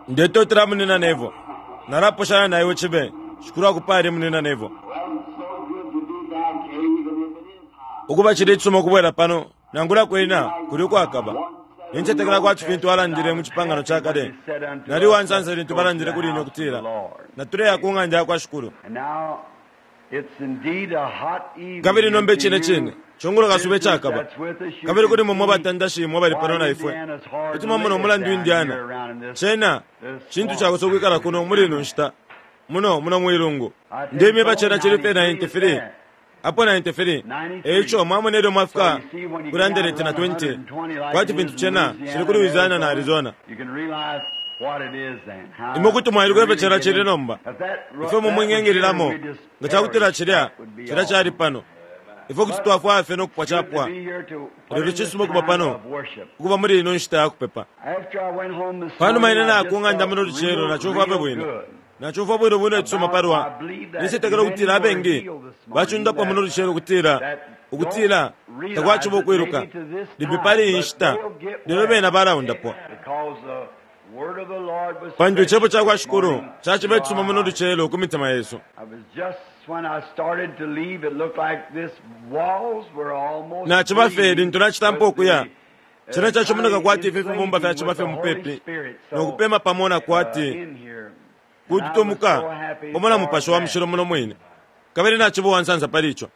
Ndetotela Munyina Neville. Nalaposhanya na iwe cibe. Shikulu akupale, Munyina Neville. Ukuba cili icisuma ukubwela pano, nangula kwena kuli ukwakaba. Nincetekela kwati fintu alandile mu Cipangano ca Kale, Nali uwansansa lintu balandile kuli ine ukutila, Natuleya ku ng'anda yakwa Shikulu. Kabili nomba icine cine, cungulo kasuba icakaba. Kabili kuli mwe mwe batandashi imwe abali pano na ifwe, kuti mwamona umulandu Indiana, cena cintu cakosa ukwikala kuno muli ino nshita, muno, muno mwilungu. Ndemyeba cena cili fye 93, apo 93, eico mwamona ilyo mwafika kuli 120, kwati fintu cena cili ku Louisiana na Arizona. Imwe kuti mwailuka ifyo cena cili nomba, ifyo imwe mwingengililamo nga cakutila cilya, cilya cali pano. Ifwe kuti twafwaya fye no kupwa capwa. Lelo cisuma ukuba pano, ukuba muli ino nshita ya kupepa. Panuma ine naya ku ng'anda muno lucelo, nacumfwa fye bwino. Nacumfwa bwino bwino icisuma palwa. Nincetekela ukutila abengi bacundapwa muno lucelo ukutila, ukutila takwaciba ukwiluka, limbi pali iyi nshita, lelo bena balaundapwa. Pantu Icebo cakwa Shikulu caciba icisuma muno lucelo ku mitima yesu. Naciba fye lintu nacitampa ukuya, cena cacimoneka kwati ifi fibumba fyaciba fye mupepi no kupema pamo na kwati kututumuka pamo na Mupashi wa Mushilo muno mwine. Kabili naciba uwansansa pali ico.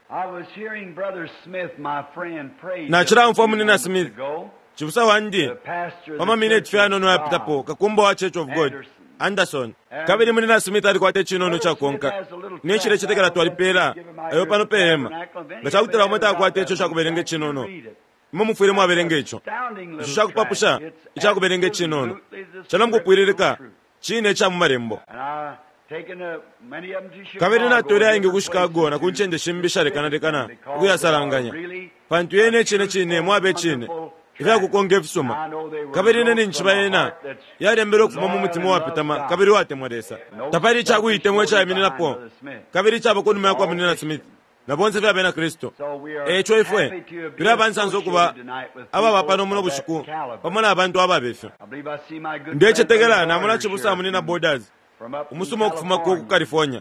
Nacilaumfwa Munyina Smith, cibusa wandi, pa mamineti fye ayanono ayapitapo, kakumba wa Church of God, Anderson. Kabili Munyina Smith alikwata icinono icakukonka. Ine nshilecetekela twalipela ayo pano pe hema. Nga cakutila umo takwata ico cakubelenga icinono, imwe mufwile mwabelenga ico. Ico cakupapusha icakubelenga icinono. Cena mukupwililika cine ica mu Malembo. Kabili natwele ayengi ku Chicago na ku ncende shimbi ishalekanalekana ukuyasalanganya, pantu yena icine cine mwaba icine, ifyakukonka ifisuma. Kabili ine ninjishiba yena yalembelwe ukufuma mu mutima uwapetama kabili uwatemwa Lesa. Tapali icakuitemwa icaimininapo kabili icaba kunuma yakwa Munyina Smith na bonse fye abena Kristu. E ico ifwe tuli abansansa ukuba ababa pano muno bushiku pamo na bantu ababe fyo. Ndecetekela namona cibusa Munyina Borders umusuma ukufuma ku ku California.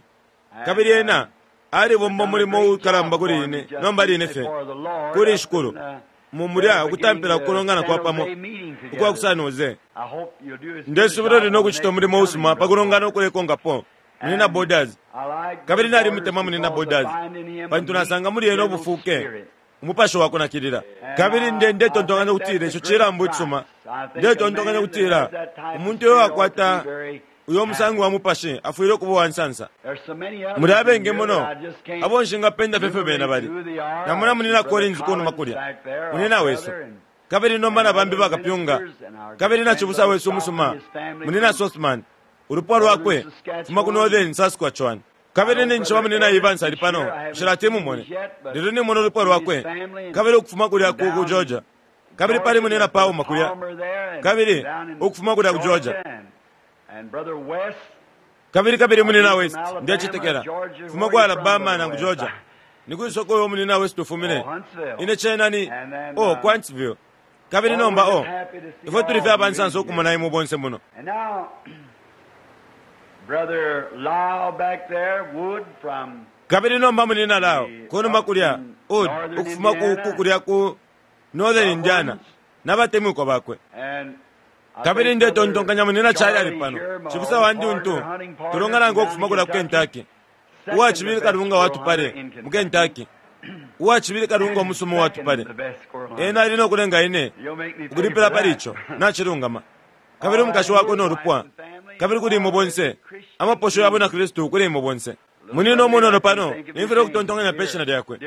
Kabili ena alibomba umulimo uukalamba kuli ine nomba line fye, kuli Shikulu, mu mulya ukutampila kukulongana kwa pamo ukwa ku San Jose. Ndesubila uli no kucita umulimo usuma pa kulongana ukulekonkapo, Munyina Borders. Kabili nalimutemwa Munyina Borders, pantu nasanga muli ena ubufuke, umupashi wa kunakilila. Kabili nde, ndetontonkanya ukutila ico cilambu icisuma. Ndetontonkanya ukutila umuntu uyo wakwata uyo musango wa mupashi afwile ukuba uwa nsansa. Muli abengi muno abo nshingapenda fye ifyo bena bali. Namona Munyina Collins kunuma kulya, munyina wesu, kabili nomba na bambi bakapyunga, kabili na cibusa wesu umusuma, Munyina Sothmann, ulupwa lwakwe, fuma ku Northern Saskatchewan. Kabili ninjishiba Munyina Evans ali pano, nshilati mumone, lelo nimona ulupwa lwakwe, kabili ukufuma kulya ku, ku Georgia. Kabili pali Munyina Palmer kulya, kabili ukufuma kulya ku Georgia. Kabili, kabili Munyina West, ndecetekela, fuma ku Alabama nangu Georgia. Ni kwi soko uyo Munyina West ufumine? Ine cena ni, oh, ku Huntsville. Kabili nomba, oh, ifwe tuli fye abansansa ukumona imwe bonse muno. Kabili nomba Munyina Lyle, kunuma kulya, Wood, ukufuma ku, ku kulya ku Northern Indiana, na batemwikwa bakwe. Kabili ndetontonkanya Munyina Charlie ali pano, cibusa wandi untu tulongana nankwe ukufuma kulya ku Kentucky, uwa cibili kalunga wa tupale mu Kentucky, uwa cibili kalunga umusuma uwa tupale. Ena ali no kulenga ine ukulipila pali ico. Nacilungama. Kabili umukashi wakwe no lupwa, kabili kuli imwe bonse, amaposho ya bwina Kristu kuli imwe bonse. Munina umunono pano, nimfwile ukutontonkanya pe shina lyakwe.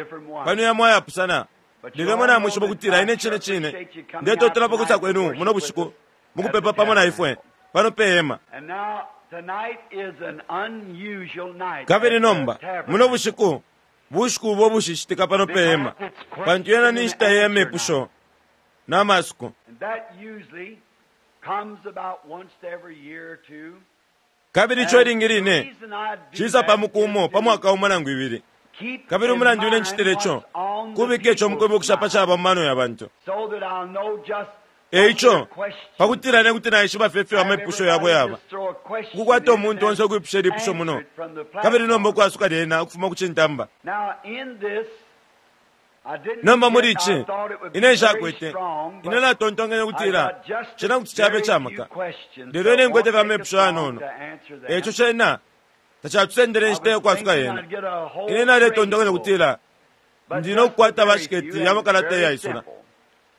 Pano yamo ayapusana. Lelo imwe namwishiba ukutila ine cine cine ndetotela pa kwisa kwenu muno bushiku mukupepa pamo na ifwe pano pe hema. Kabili nomba, muno bushiku, bushiku ubo bushishitika pano pe hema, pantu yena ni nshita ya mepusho na masuko. Kabili ico ilingi line cisa pa muku umo pa mwaka umo nangu ibili. Kabili umulandu ine ncitile ico, kubika ico mukwibukisha pa caba mu mano ya bantu. E ico, pa kutila ine kuti naishiba fye ifyo amepusho yabo yaba, ukukwata umuntu onse ukwipusha ilipusho muno, kabili nomba ukwasuka lyena ukufuma ku cintamba. Nomba muli ici, ine nshakwete, ine natontonkenye ukutila cena kuti cabe camaka, lelo ine nkwete fye amepusho yanono. Eico cena tacatusendele inshita yakwasuka yena. Ine naletontonkanya ukutila ndi no kukwata bashiketi ya makalata iyaisula,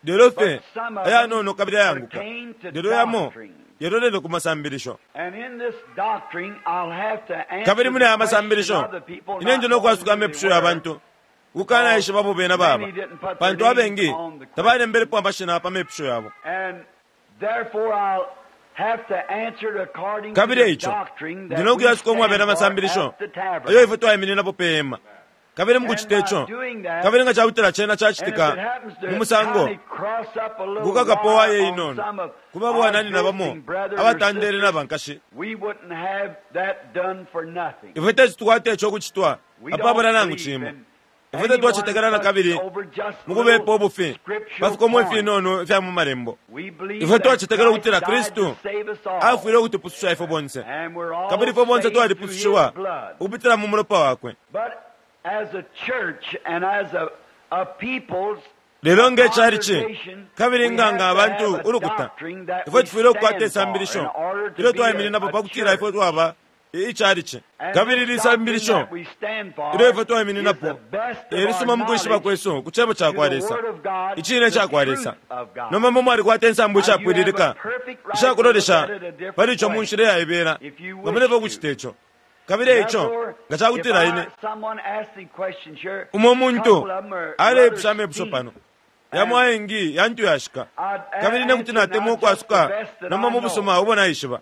lelo fye ayanono kabili ayanguka, lelo yamo yalolele ku masambilisho. Kabili muli aya masambilisho, ine ndi no kwasuka amepusho ya bantu ukukanaishiba abo bena baba, pantu abengi tabalembelepo amashina pa mepusho yabo. Kabili eico, ndi no kuyasuka umwabela amasambilisho ayo ifwe twaimininapo pe hema. Kabili mukucita ico, kabili nga cakutila cena cacitika mu musango ukukakapo waye inono ku babwananyina bamo abatandele na bankashi, ifwe teti tukwate ico ukucitwa apabula nangu cimo. Ifwe tatwacetekela na kabili mu kubepa ubufi pa fikomo ifinono ifya mu Malembo. Ifwe twacetekela ukutila Kristu afwile ukutupususha ifwe bonse, kabili ifwe bonse twalipusushiwa ukupitila mu mulopa wakwe. Lelo nge calici, kabili nga nga abantu ulukuta, ifwe tufwile ukukwata isambilisho ilyo twaimininapo pa kutila ifwe twaba icalici. Kabili ili sambilisho ilyo ifwe twaimininapo e lisuma mu kwishiba kwesu ku Cebo ca kwa Lesa, Icine ca kwa Lesa. Nomba mwe mwalikwata insambu ishapwililika isha kulolesha pali ico mu nshila iyaibela nga mulefwaya ukucita ico. Kabili eico, nga ca kutila ine, umo muntu aleipusha amepusho pano, yamo ayengi yantu yashika, kabili ine kuti natemwa ukwasuka nomba mu busuma ubo naishiba.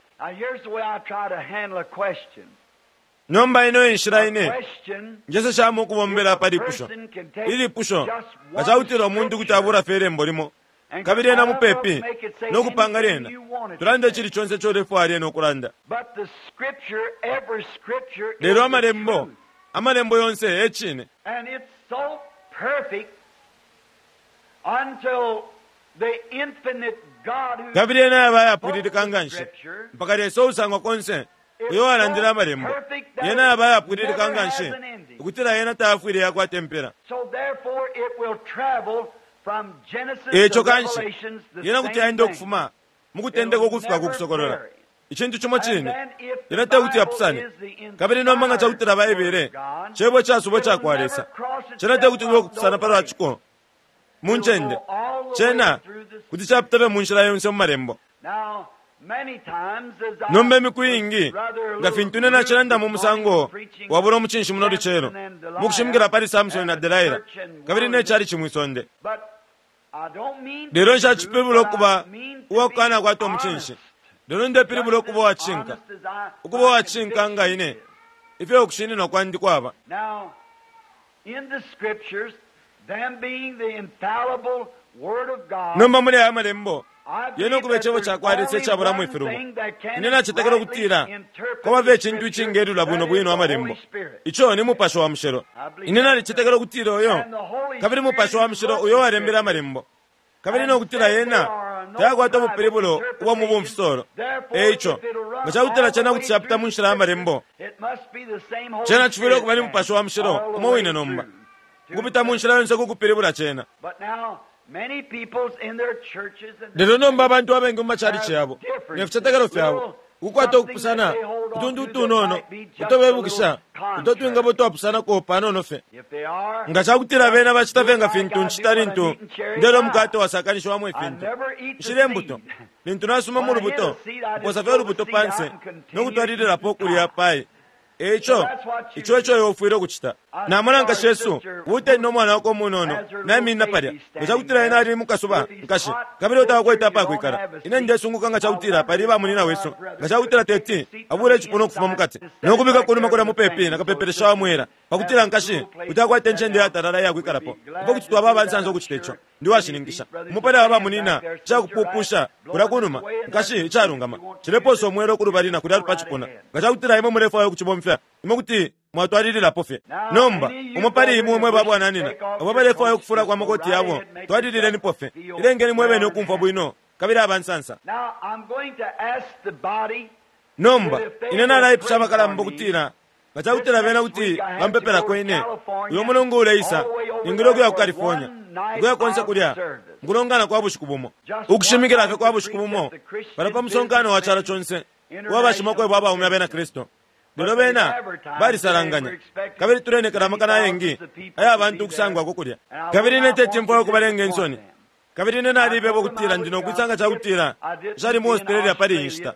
Nomba ino e nshila ine njeseshamo ukubombela pa lipusho. Ilipusho, nga ca kutila umuntu kuti abula fye ilembo limo, kabili ena mupepi no kupanga lyena, tulande icili conse ico ulefwaya lyena ukulanda. Lelo Amalembo, Amalembo yonse e Cine. Kabili yena yaba ayapwililika nganshi, mpaka Lesa uusangwa konse, uyo uwalandile Amalembo, yena yaba ayapwililika nganshi, ukutila yena tayafwile yakwata impela. Eico kanshi, yena kuti yaenda ukufuma mu Kutendeka ukufika ku Kusokolola, icintu cimo cine. Yena te kuti yapusane. Kabili nomba nga cakutila Baibele Cebo icasubwa icakwa Lesa, cena te kuti kube ukupusana palwa ciko mu ncende. Cena kuti capita fye mu nshila yonse mu Malembo. Nomba imiku iingi, nga fintu ine nacilanda mu musango wabula umucinshi muno lucelo, mu kushimikila pali Samsoni na Delaila, kabili ne chalichi mwi sonde. Lelo nshacipilibula ukuba uwa kukanakwata umucinshi, lelo ndepilibula ukuba uwa cishinka, ukuba uwa cishinka nga ine, ifyo ukushininwa kwandi kwaba. Nomba muli aya Malembo, Yena ukuba Icebo cakwa Lesa icabulamo ifilubo. Ine nacetekela ukutila kwaba fye icintu icingelula bwino bwino Amalembo, ico ni Mupashi wa Mushilo. Ine nalicetekela ukutila uyo kabili Mupashi wa Mushilo uyo uwalembele Amalembo, kabili no kutila yena tayakwata ubupilibulo ubwa mu bumfisolo. E ico, nga cakutila cena kuti capita mu nshila ya Malembo, cena cifwile ukuba ni Mupashi wa Mushilo umo wine nomba, ukupita mu nshila yonse ku kupilibula cena. Lelo nomba abantu abengi mu macalici yabo ne ficetekelo fyabo ukukwata ukupusana utuntu utunono uto bebukisha uto twingaba utwapusanako panono fye. Nga ca kutila bena bacita fye nga fintu ncita lintu ndelya umukate wasakanishiwamo ifintu, nshilya imbuto. Lintu nasuma mu lubuto, mposa fye ulubuto pa nse no kutwalililapo ukulya pai. E ico, ico eco iwe ufwile ukucita. Namona nkashi yesu, uutali no mwana wakwe umunono, naiminina palya. Nga cakutila ena ali mukasuba, nkashi, kabili iwe tawakwete apakwikala, ine ndesunguka nga cakutila pali ba munyina wesu, nga cakutila teti abule icipuna ukufuma mukati, no kubika kunuma kulya mupepi na kapepelesha wa mwela, pakutila nkashi kuti akwate incende iyatalala iyakwikalapo. Ifwe kuti twaba abansansa ukucita ico. Ndi uwashininkisha. Umo pali aba bamunyina, icakupupusha kulya kunuma, nkashi, icalungama, cilepoosa umwela kulubali na kulya pa cipuna. Nga cakutila imwe mulefwaya ukucibomfya, imwe kuti mwatwalililapo fye. Nomba, umo pali imwe mwe babwananyina abo abalefwaya ukufulako amakoti yabo, twalililenipo fye. Ilengeni mwe bene ukumfwa bwino. kabili abansansa. Nomba, ine nalaipusha abakalamba ukutila nga ca kutila bena kuti bampepelako ine, uyo mulungu uleisa, ningile ukuya ku California, ukuya konse kulya, mukulongana kwa bushiku bumo, ukushimikila fye kwa bushiku bumo, palya pa musonkano wa calo conse uwa bashimakwebo abaume abena Kristu. Lelo bena balisalanganya, kabili tulenekela amakana ayengi aya bantu ukusangwako kulya. Kabili ine teti mfwaye ukubalenga insoni. Kabili ine nalibeba ukutila ndi no kwisa nga ca kutila nshali mu Australia pali iyi nshita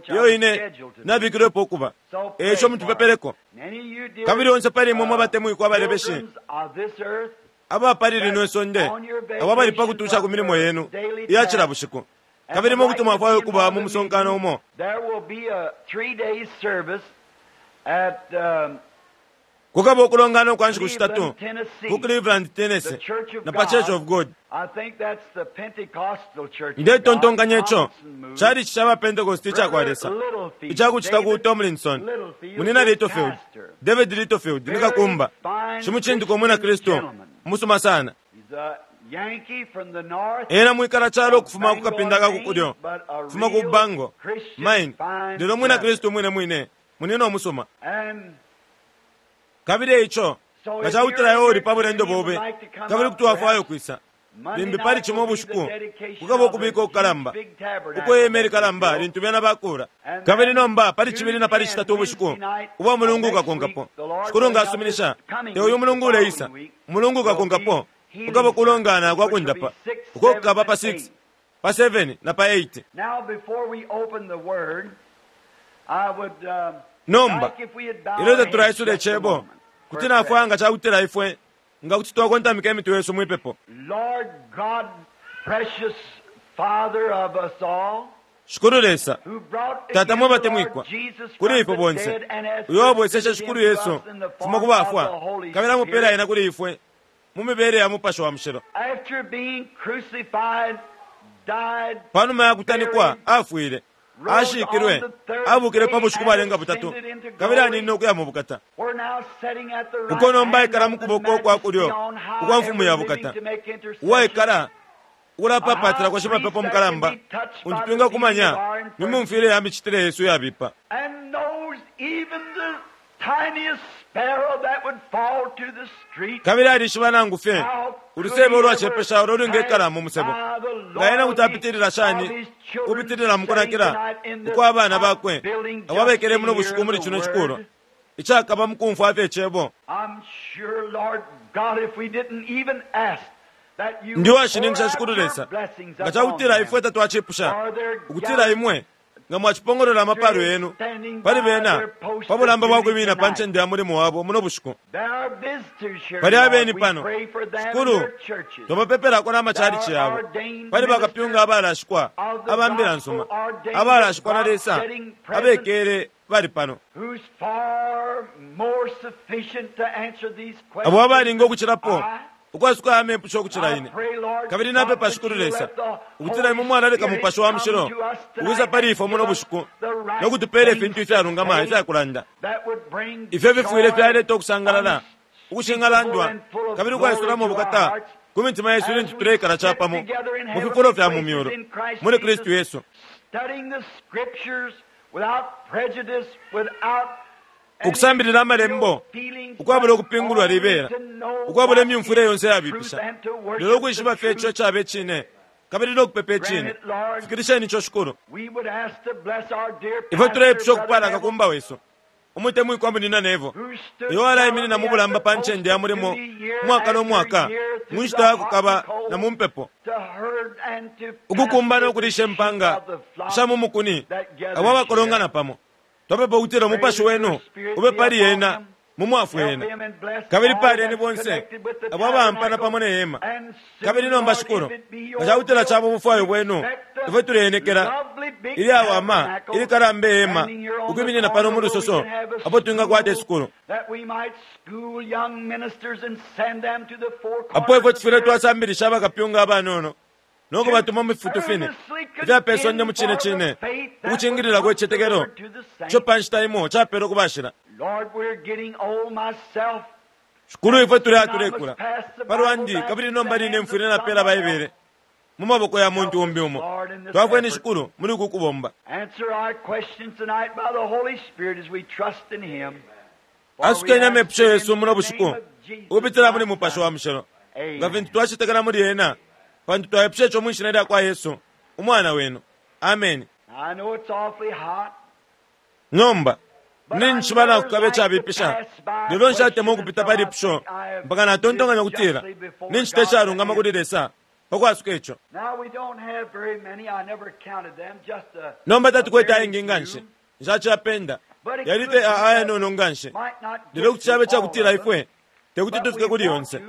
iyo ine nabikilwepo ukuba. E ico mutupepeleko. Kabili onse pali imwe mwe batemwikwa abalebeshi aba pali lino isonde, abo abali pa kutusha ku milimo yenu iya cila bushiku, kabili imwe kuti mwafwaya ukuba mu musonkano umo. Kukaba ukulongana ukwa nshiku shitatu ku Cleveland, Tennessee, na pa Church of God. Ndetontonkanya ico cali ca ba Pentecost ica kwa Lesa, ica kucita ku Tomlinson, Munina Littlefield, David Littlefield, ni kakumba, shimucindikwa umwina Kristu umusuma sana. Ena mwikala calo ukufuma ku kapinda ka ku kulyo, ukufuma ku Bangor, Maine, lelo umwina Kristu umwine mwine, munina umusuma. Kabili eico, nga ca kutila iwe uli pa bulendo bobe kabili kuti wafwaya ukwisa, limbi pali Cimo ubushiku kukaba ukubika ukukalamba ukwe hema ilikalamba lintu bena bakuula. Kabili nomba pali Cibili na pali Citatu ubushiku ubwa mulungu ukakonkapo, Shikulu nga asuminisha, te uyu mulungu uleisa, umulungu ukakonkapo, kukaba ukulongana kwa kundapa, uko kukaba pa 6, pa 7 na pa 8. Nomba, ilyo tatulaisula Icebo, kuti nafwaya nga cakutila ifwe nga kuti twakontamika imitwe yesu mwi pepo. Shikulu Lesa, Tata mwe batemwikwa, kuli ifwe bonse, uyo wabweseshe Shikulu Yesu kufuma ku bafwa, kabili amupela Ena kuli ifwe mu mibele ya Mupashi wa Mushilo. Panuma ya kutanikwa, afwile, ashikilwe, abukile pa bushiku bwalenga butatu, kabili aninine ukuya mu bukata, uko nomba aikala mu kuboko kwa kulyo ukwa Mfumu ya bukata, uwaikala ukulapapaatilako shimapepo mukalamba, untu twingakumanya mu myumfwile ya micitile yesu iyabipa. Kabili alishiba nangu fye ulusebo ulwacepesha ulo ulwingekala mu musebo. Nga ena kuti apitilila shani ukupitilila mu kunakila ukwa abana bakwe abo abekele muno bushiku muli cino cikulwa icakaba mu kumfwa fye Icebo? Ndi uwashininkisha, Shikulu Lesa, nga ca kutila ifwe tatwacipusha ukutila Imwe nga mwacipongolola amapalo yenu pali bena pa bulamba bwa kwimina pa ncende ya mulimo wabo muno bushiku. Pali abeni pano, Shikulu, twabapepelako na macalici yabo. Pali bakapyunga abalashikwa aba mbila nsuma, abalashikwa na Lesa, abekele bali pano, abo abalinga ukucilapo ukwasuka aya mepusho ukucila ine. Kabili napepa, Shikulu Lesa, ukutila Imwe mwalaleka Mupashi wa Mushilo ukwisa pali ifwe muno bushiku no kutupeela ifintu ifyalungama ifyakulanda, ifyo fifwile fyaleta ukusangalala ukushingalandwa kabili ukwaisulamo ubukata ku mitima yesu ilintu tuleikala capamo mu fifulo fya mu myulu muli Kristu Yesu. Ukusambilila Amalembo ukwabula ukupingulwa libela, ukwabula imyumfwile yonse iyabipisha, lelo ukwishiba fye ico icaba icine kabili no kupepa icine. Fikilisheni ico, Shikulu. Ifwe tuleipusha ukupala kakumba wesu umutemwikwa Munina Neville, uyo walaiminina mu bulamba pa ncende ya mulimo umwaka no mwaka mu nshita ya kukaba na mu mpepo, ukukumba no kulisha impanga sha mu mukuni abo abakolongana pamo. Twapepa ukutila Umupashi Wenu ube pali ena, mumwafwe ena. Kabili paleni bonse abo abaampana pamo ne hema. Kabili nomba, Shikulu, nga cakutila caba ubufwayo Bwenu, ifwe tuleenekela ilyawama ilikalamba ihema ukwiminina pano mu lusoso apo twingakwata isukulu, apo ifwe tufwile twasambilisha abakapyunga abanono no kubatuma mu fifutu fine ifya pe sonde mu cine cine ukucingililako icitetekelo ico pa nshita imo capeelwe ku bashila. Shikulu, ifwe tuli atulekula pa lwandi, kabili nomba line mfwile napeela Baibele mu maboko ya muntu umbi umo. Twafweni, Shikulu, muli uku kubomba. Asukeni amepusho yesu muno bushiku ukupitila muli Mupashi wa Mushilo, nga fintu twacetekela muli ena, pantu twaipusha ico mwi shina lya kwa Yesu, Umwana wenu. Ameni. Nomba, Ninjishiba nakukaba icabipisha, lelo nshatemwa ukupita pa lipusho mpaka natontonkanya ukutila nincita icalungama kuli Lesa pa kwasuka ico. Nomba tatukwete ayengi nga nshi, nshaciyapenda, yali fye ayanono nga nshi, lelo kuti caba icakutila ifwe tekuti tufike kuli yonse.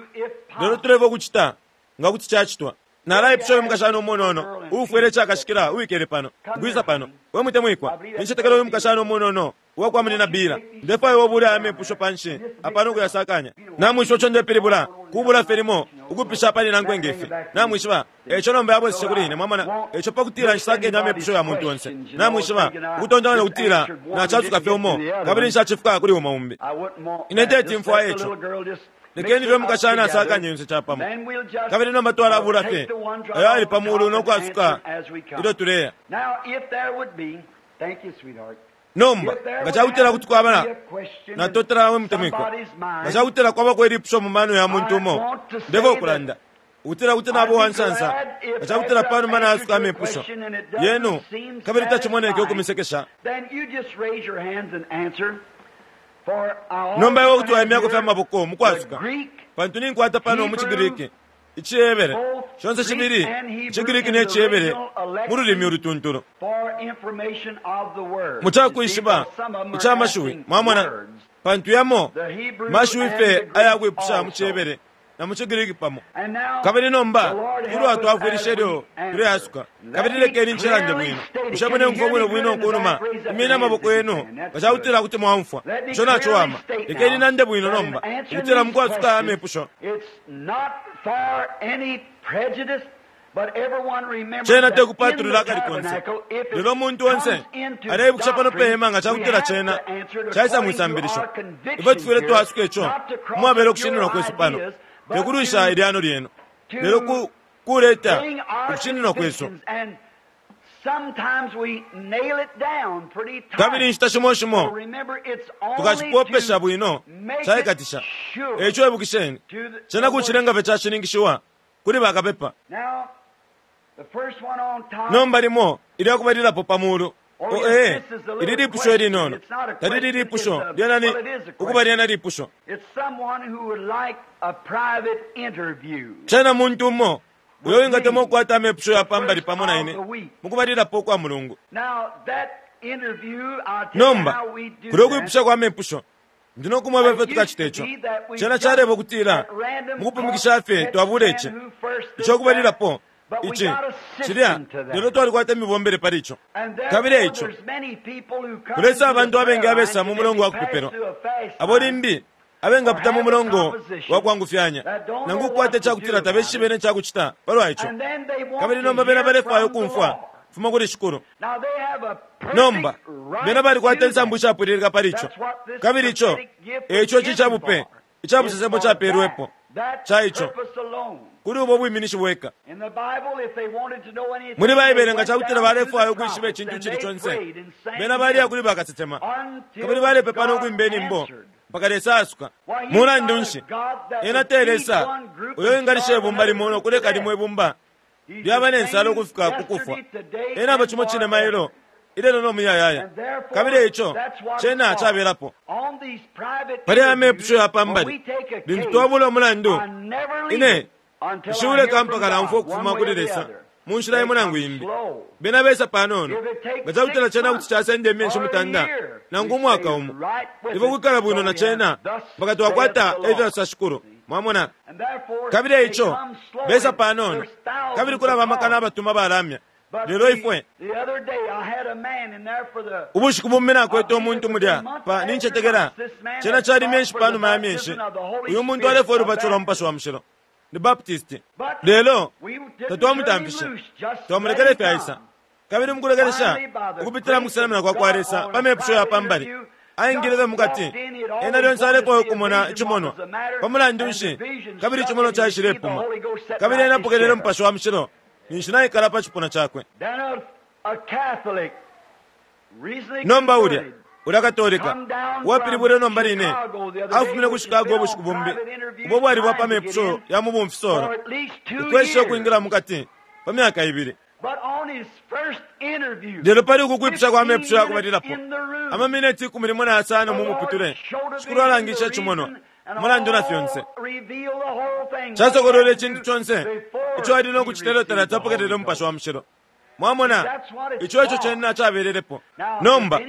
Lelo tulefwaya ukucita nga kuti cacitwa. Nalaipusha uyu mukashana umunono uufwele icakashikila uwikele pano, ukwisa pano. We mutemwikwa, nincetekela uyu mukashana umunono uwa kwa Munyina Beeler. Ndefwaya iwe ubule aya mepusho panshi apa no kuyasakanya. Namwishiba ico ndepilibula, kubula fye limo ukupisha pali nankwe nge fi. Namwishiba, eico nomba yabweseshe kuli ine, mwamona, eico pa kutila nshisakenye amepusho ya muntu onse. Namwishiba, ukutontonkanya ukutila nacasuka fye umo, kabili nshacifika kuli umo umbi. Ine teti mfwaye ico. Lekeni fye umukashana asakanye yonse capamo. Kabili nomba twalabula fye ayo ali pa mulu no kwasuka ilyo tuleya. Nomba, nga cakutila kuti kwaba na, natotela we mutemwikwa. Nga cakutila kwabako ilipusho mu mano ya muntu umo, ndefwaya ukulanda ukutila kuti naba uwansansa nga cakutila panuma naasuka amepusho yenu kabili tacimoneke ukumisekesha. Nomba iwe kuti waimyako fye amaboko mukwasuka, pantu ninkwata pano mu ciGriki, iciHebere, shonse shibili iciGriki ne ciHebere mu lulimi ulutuntulu. Mu cakwishiba ica mashiwi, mwamona, pantu yamo mashiwi fye aya kwipusha mu ciHebere na mu ciGriki pamo. Kabili nomba ilyo atwafwilisha ilyo tuleasuka, kabili lekeni ncilande bwino. Bushe muleumfwa bwino bwino kunuma? Imyeni amaboko yenu nga ca kutila kuti mwaumfwa. Ico naciwama. Lekeni nande bwino nomba, ukutila mukwasuka aya mepusho. Cena te kupatulula akali konse, lelo umuntu onse aleibukisha pano pe hema nga ca kutila cena caisa mwi sambilisho. Ifwe tufwile twa-asuka ico umwabela ukushininwa kwesu pano, te kulwisha ilyano lyenu, lelo ku, kuleta ukushininwa kwesu. Kabili inshita shimo shimo tukacipopesha bwino caikatisha. E ico ibukisheni, cena kucilenga fye cashininkishiwa kuli bakapepa. Nomba limo ilya kubalilapo pa mulu. O ee, ili lipusho ilinono. Talili lipusho, lyena ni, ukuba lyena lipusho. Cena muntu umo uyo wingatemwa ukukwata amepusho ya pa mbali pamo na ine mukubalilapo ukwa mulungu. Nomba, kulyo kwipusha kwa mepusho, Ndi no kumweba ifyo tukacita ico. Cena caleba ukutila, mukupumikisha fye twabula ici, ico kubalilapo, ici, cilya, lelo twalikwata imibombele pali ico. Kabili eico, kulesa abantu abengi abesa mu mulongo wa kupepelwa, abo limbi abengapita mu mulongo wa kwangufyanya, nangu ukukwata icakutila tabeshibe ne cakucita palwa ico. Kabili nomba bena balefwaya ukumfwa fuma kuli Shikulu. Nomba, bena balikwata insambu ishapwililika pali ico. Kabili ico e ico ici icabupe ica busesemo capelwepo, ca ico, kuli ubo bwiminishi bweka. Muli Baibele, nga cakutila balefwaya ukwishiba icintu icili conse, bena baliya kuli bakasesema, kabili balepepa no kwimba inyimbo mpaka Lesa aasuka. Mulandu nshi, Ena te Lesa uyo wingalisha ibumba limo no kuleka limo ibumba lyaba ne nsala ukufika ku kufwa. Ena aba cimo cine mailo, ilelo no muyayaya. Kabili eico cena cabelapo. Pali aya mepusho ya pa mbali, lintu twabula umulandu, ine nshiuleka mpaka naumfwa ukufuma kuli Lesa mu nshila imo nangu imbi. Bena besa panono. Nga cakutila cena kuti casenda imyeshi mutanda nangu umwaka umo, ifwe kwikala bwino na cena mpaka twakwata efyasosa Shikulu. Mwamona? Kabili eico, besa panono, kabili kulaba amakana abatuma balamya. Lelo ifwe, ubushiku bumbi nakwete umuntu mulya pa, nincetekela, cena cali myeshi panuma ya myeshi, uyu muntu alefwaya ulubatisho lwa Mupashi wa Mushilo. Ni Baptist. Lelo, tatwamutamfishe. Twamulekele fye aisa. Kabili mukulekelesha, ukupitila mukusenamina kwa kwa Lesa pa mepusho ya pa mbali, aingile fye mukati. Ena lyonse alefwaya ukumona icimonwa. Pa mulandu nshi, kabili icimonwa caishilepuma. Kabili ena apokelele Mupashi wa Mushilo. ninshi naikala pa cipuna cakwe. Nomba ulya, ulya Katolika, uwapilibwile nomba line, afumine ku Chicago ubushiku bumbi, ubo bwali bwa pa mepusho ya mu bumfisolo, ukwesha ukwingila mukati, pa myaka ibili. Lelo pali uku kwipusha kwa mepusho ya kubalilapo, amamineti 15 mu muputule, Shikulu alangishe icimonwa, umulandu na fyonse. Casokolwele icintu conse ico ali no kucita ilyo talati apokelele Umupashi wa Mushilo. Mwamona, ico eco cena cabelelepo. Nomba,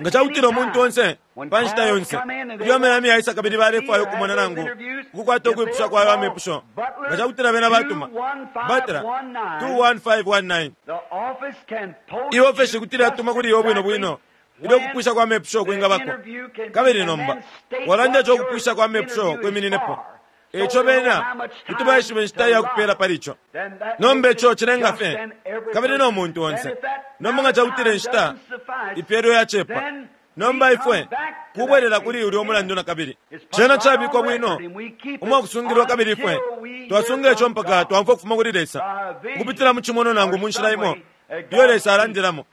nga cakutila umuntu onse, pa nshita yonse, ilyo amalami yaisa kabili balefwaya ukumona nangu ukukwata ukwipusha kwa ayo amepusho, nga cakutila bena batuma, Butler, 21519, iofeshi kuti lyatuma kuli iwe bwino bwino ilyo ukupwisha kwa mepusho kwingabako. Kabili nomba, walanda ico ukupwisha kwa mepusho kwimininepo. Eico bena kuti baishiba inshita iya kupela pali ico. Nomba ico cilenga fye, kabili no muntu onse. Nomba nga cakutila inshita ipelwe yacepa, nomba ifwe kubwelela kuli ulya umulandu nakabili. Cena cabikwa bwino umwakusungilwa kabili ifwe twasunga ico mpaka twaumfwa ukufuma kuli Lesa, ukupitila mu cimonwa nangu mu nshila imo iyo Lesa alandilamo.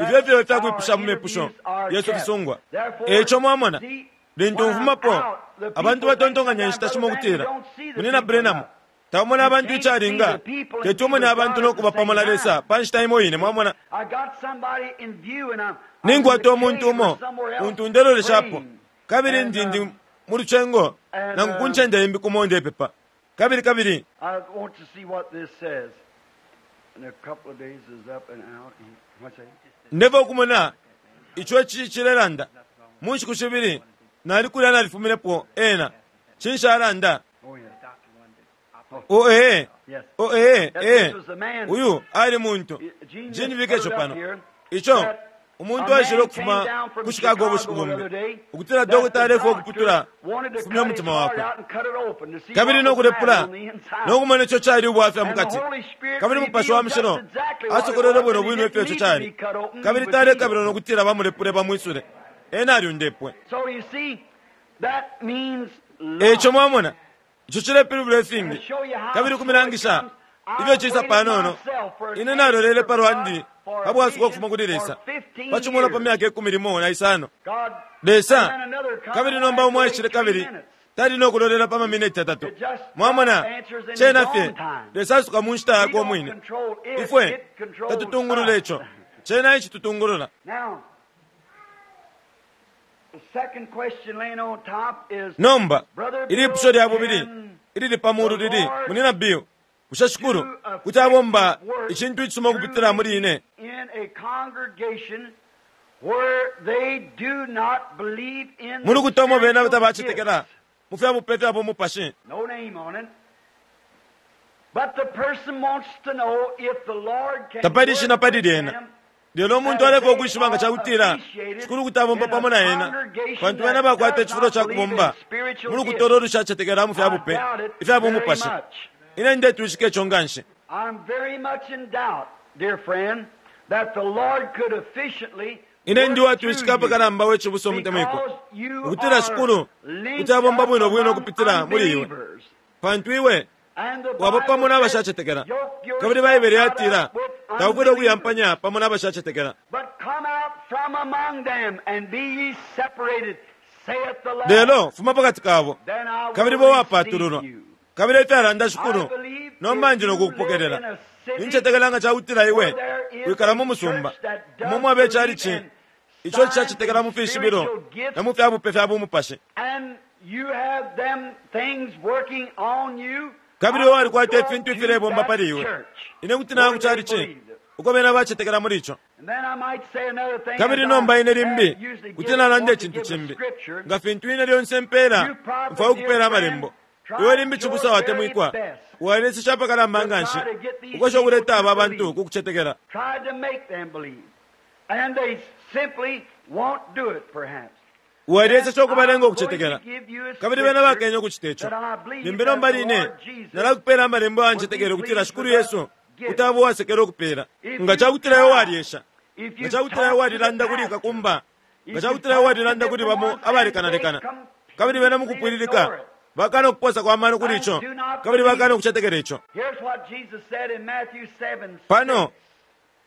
Ifyo efyo ifyakwipusha mu mepusho yesu fisungwa. Eico mwamona, lintu mfumapo, abantu batontonkanya inshita shimo ukutila, Munyina Branham, taumona abantu icalinga, teti umone abantu no kuba pamo na Lesa pa nshita imo ine. Mwamona? Ninkwata umuntu umo untu ndeloleshapo, kabili ndi, ndi mu lucengo nangu ku ncende imbi kumo ndepepa. Kabili, kabili Ndefwaya ukumona ico ici cilelanda. Mu nshiku shibili nali kulya nalifuminepo ena. Cinshi alanda? Oh, ee. Oh, ee, ee. Uyu ali muntu. Gene bike ico pano. Ico, umuntu aishile ukufuma ku Chicago ubushiku bumbi, ukutila dokota alefwaya ukuputula ukufumya umutima wakwe, kabili no kulepula no kumona ico cali ubwafya mukati. Kabili Mupashi wa Mushilo asokolwele bwino bwino ifyo ico cali, kabili talekabila no kutila bamulepule bamwisule. Ena alyundepwe. Eico mwamona, ico cilepilibula ifingi, kabili ukumilangisha ifyo cisa panono. Ine nalolele palwandi pa bwasuko ukufuma kuli Lesa pa cimonwa pa myaka 15. Lesa, kabili nomba umo aishile kabili tali no kulolela pa mamineti yatatu. Mwamona, cena fye Lesa asuka mu nshita yakwe umwine. Ifwe tatutungulula ico, cena ecitutungulula. Nomba, ilipusho lya bubili ilili pa mulu lili, Munyina Bill, bushe Shikulu kuti abomba icintu icisuma ukupitila muli ine? Mu lukuta umo bena tabacetekela mu fya bupe fya bumupashi. Tapali ishina pali lyena. Lelo umuntu alefwaya ukwishiba nga ca kutila Shikulu kuti abomba pamo na ena, pantu bena bakwata icifulo ca kubomba mu lukuta ulo lushacetekela mu fya bupe ifya bumupashi. Ine ndetwishika ico nganshi. Ine ndi uwatwishika apakalamba, we cibusa umutemwikwa, ukutila Shikulu kuti abomba bwino bwino ukupitila muli iwe, pantu iwe waba pamo na bashacetekela. Kabili Baibele yatila, Taufwile ukuyampanya pamo na bashacetekela. Lelo fuma pakati kabo, kabili bo wapatululwa. Kabili efyalanda Shikulu, nomba ndi no kukupokelela. Nincetekela nga cakutila iwe wikala mu musumba umo mwaba icalici ico cishacetekela mu fishibilo na mu fya bupe fya bumupashi. Kabili iwe walikwata ifintu ifilebomba pali iwe. Ine kuti naya ku calici uko bena bacetekela muli ico. Kabili nomba ine limbi kuti nalanda icintu cimbi, nga fintu ine lyonse mpela, mfwaya ukupela Amalembo. Iwe limbi cibusa watemwikwa, waleseshe apakalamba nganshi ukwesha ukuleta aba bantu ku kucetekela. Walyeseshe ukubalenga ukucetekela, kabili bena bakenye ukucita ico. Limbi nomba line nalakupela Amalembo ayo ncetekele ukutila Shikulu Yesu kuti aba uwasekela ukupela. Nga cakutila iwe walyesha, nga cakutila iwe walilanda kuli kakumba, nga cakutila iwe walilanda kuli bamo abalekanalekana, kabili bena mukupwililika. Bakana ukuposa kwa mano kuli ico kabili bakana ukucetekela ico. Here's what Jesus said in Matthew 7 Pano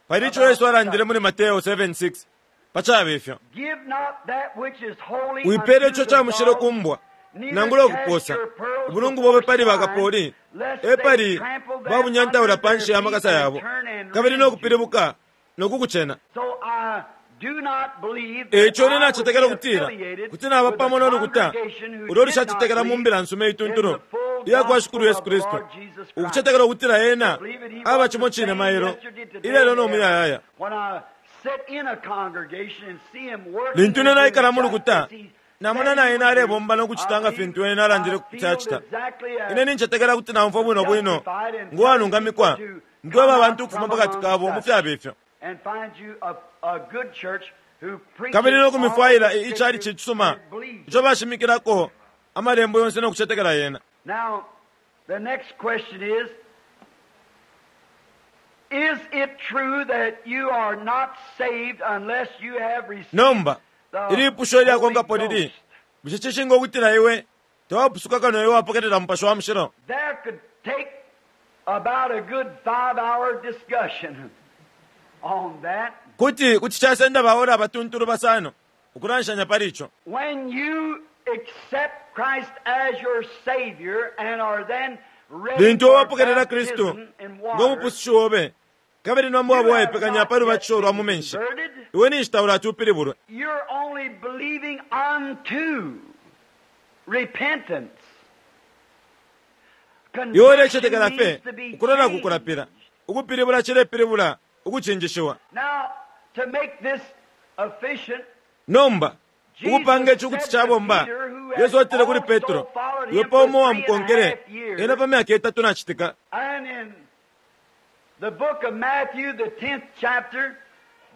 pali ico Yesu alandile muli Mateo 7:6 pa caba ifyo. Give not that which is holy Wipele unto ico the ca mushilo dogs, ku mbwa neither nangula cast ukuposa your pearls ubulungu bobe before pali swine, bakapoli lest e they pali trample them babunyantaula under pa nshi their ya makasa feet and yabo turn and kabili rend no you. kupilibuka no kukucena. So I do not believe E that ico ine I would nacetekela be ukutila affiliated kuti naba with a pamo no lukuta congregation who ulo did not lushacetekela mu believe mbila nsuma in ituntulu the full iya kwa gospel Shikulu Yesu of the Kristu Lord Jesus Christ. ukucetekela ukutila ena Believe it, he aba was cimo the cine same mailo yesterday, today, ilelo and no ever. muyayaya. When I sit in a congregation and see him working Lintu ine and doing naikala mu just lukuta as he namona said na he ena would do, alebomba no kucita I nga feel- fintu ena alandile I kuti feel acita. exactly as Ine nincetekela kuti naumfwa bwino bwino justified in ngo walungamikwa telling people to nkweba come abantu out ukufuma from pakati kabo mu amongst us fyaba ifyo. and find you a good church who preaches Kabili no all kumifwaila the icali scriptures cisuma and believes ico it. bashimikilako amalembo yonse no kucetekela yena. Now, the next question is, is it true that you are not saved unless you have received Nomba the ilipusho Holy ilyakonkapo lili Ghost? bushe cishinka ukutila iwe tawapusuka kano iwe wapokelela mupashi wa mushilo? There could take about a good 5-hour discussion on that. Kuti kuti casenda baola abatuntulu basano ukulanshanya pali ico. When you accept Christ as your Savior and are then ready Lintu for wapokelela Kristu baptism in ngo water, mupusushi obe kabili nomba waba you have waipekanya not pa yet lubatisho lwa mu been menshi converted. iwe ninshi taulati upilibulwe. You're only believing unto repentance. Iwe ulecetekela Conversion fye means to be ukulola changed. kukulapila. Ukupilibula cilepilibula ukucinjishiwa. Now, to make this efficient, Nomba ukupanga Jesus ici kuti said to cabomba Peter, who had Yesu atile kuli also Petro followed iwe him pa for umo three and a wamukonkele half years, ena pa myaka itatu nacitika. and in the book of Matthew, the 10th chapter,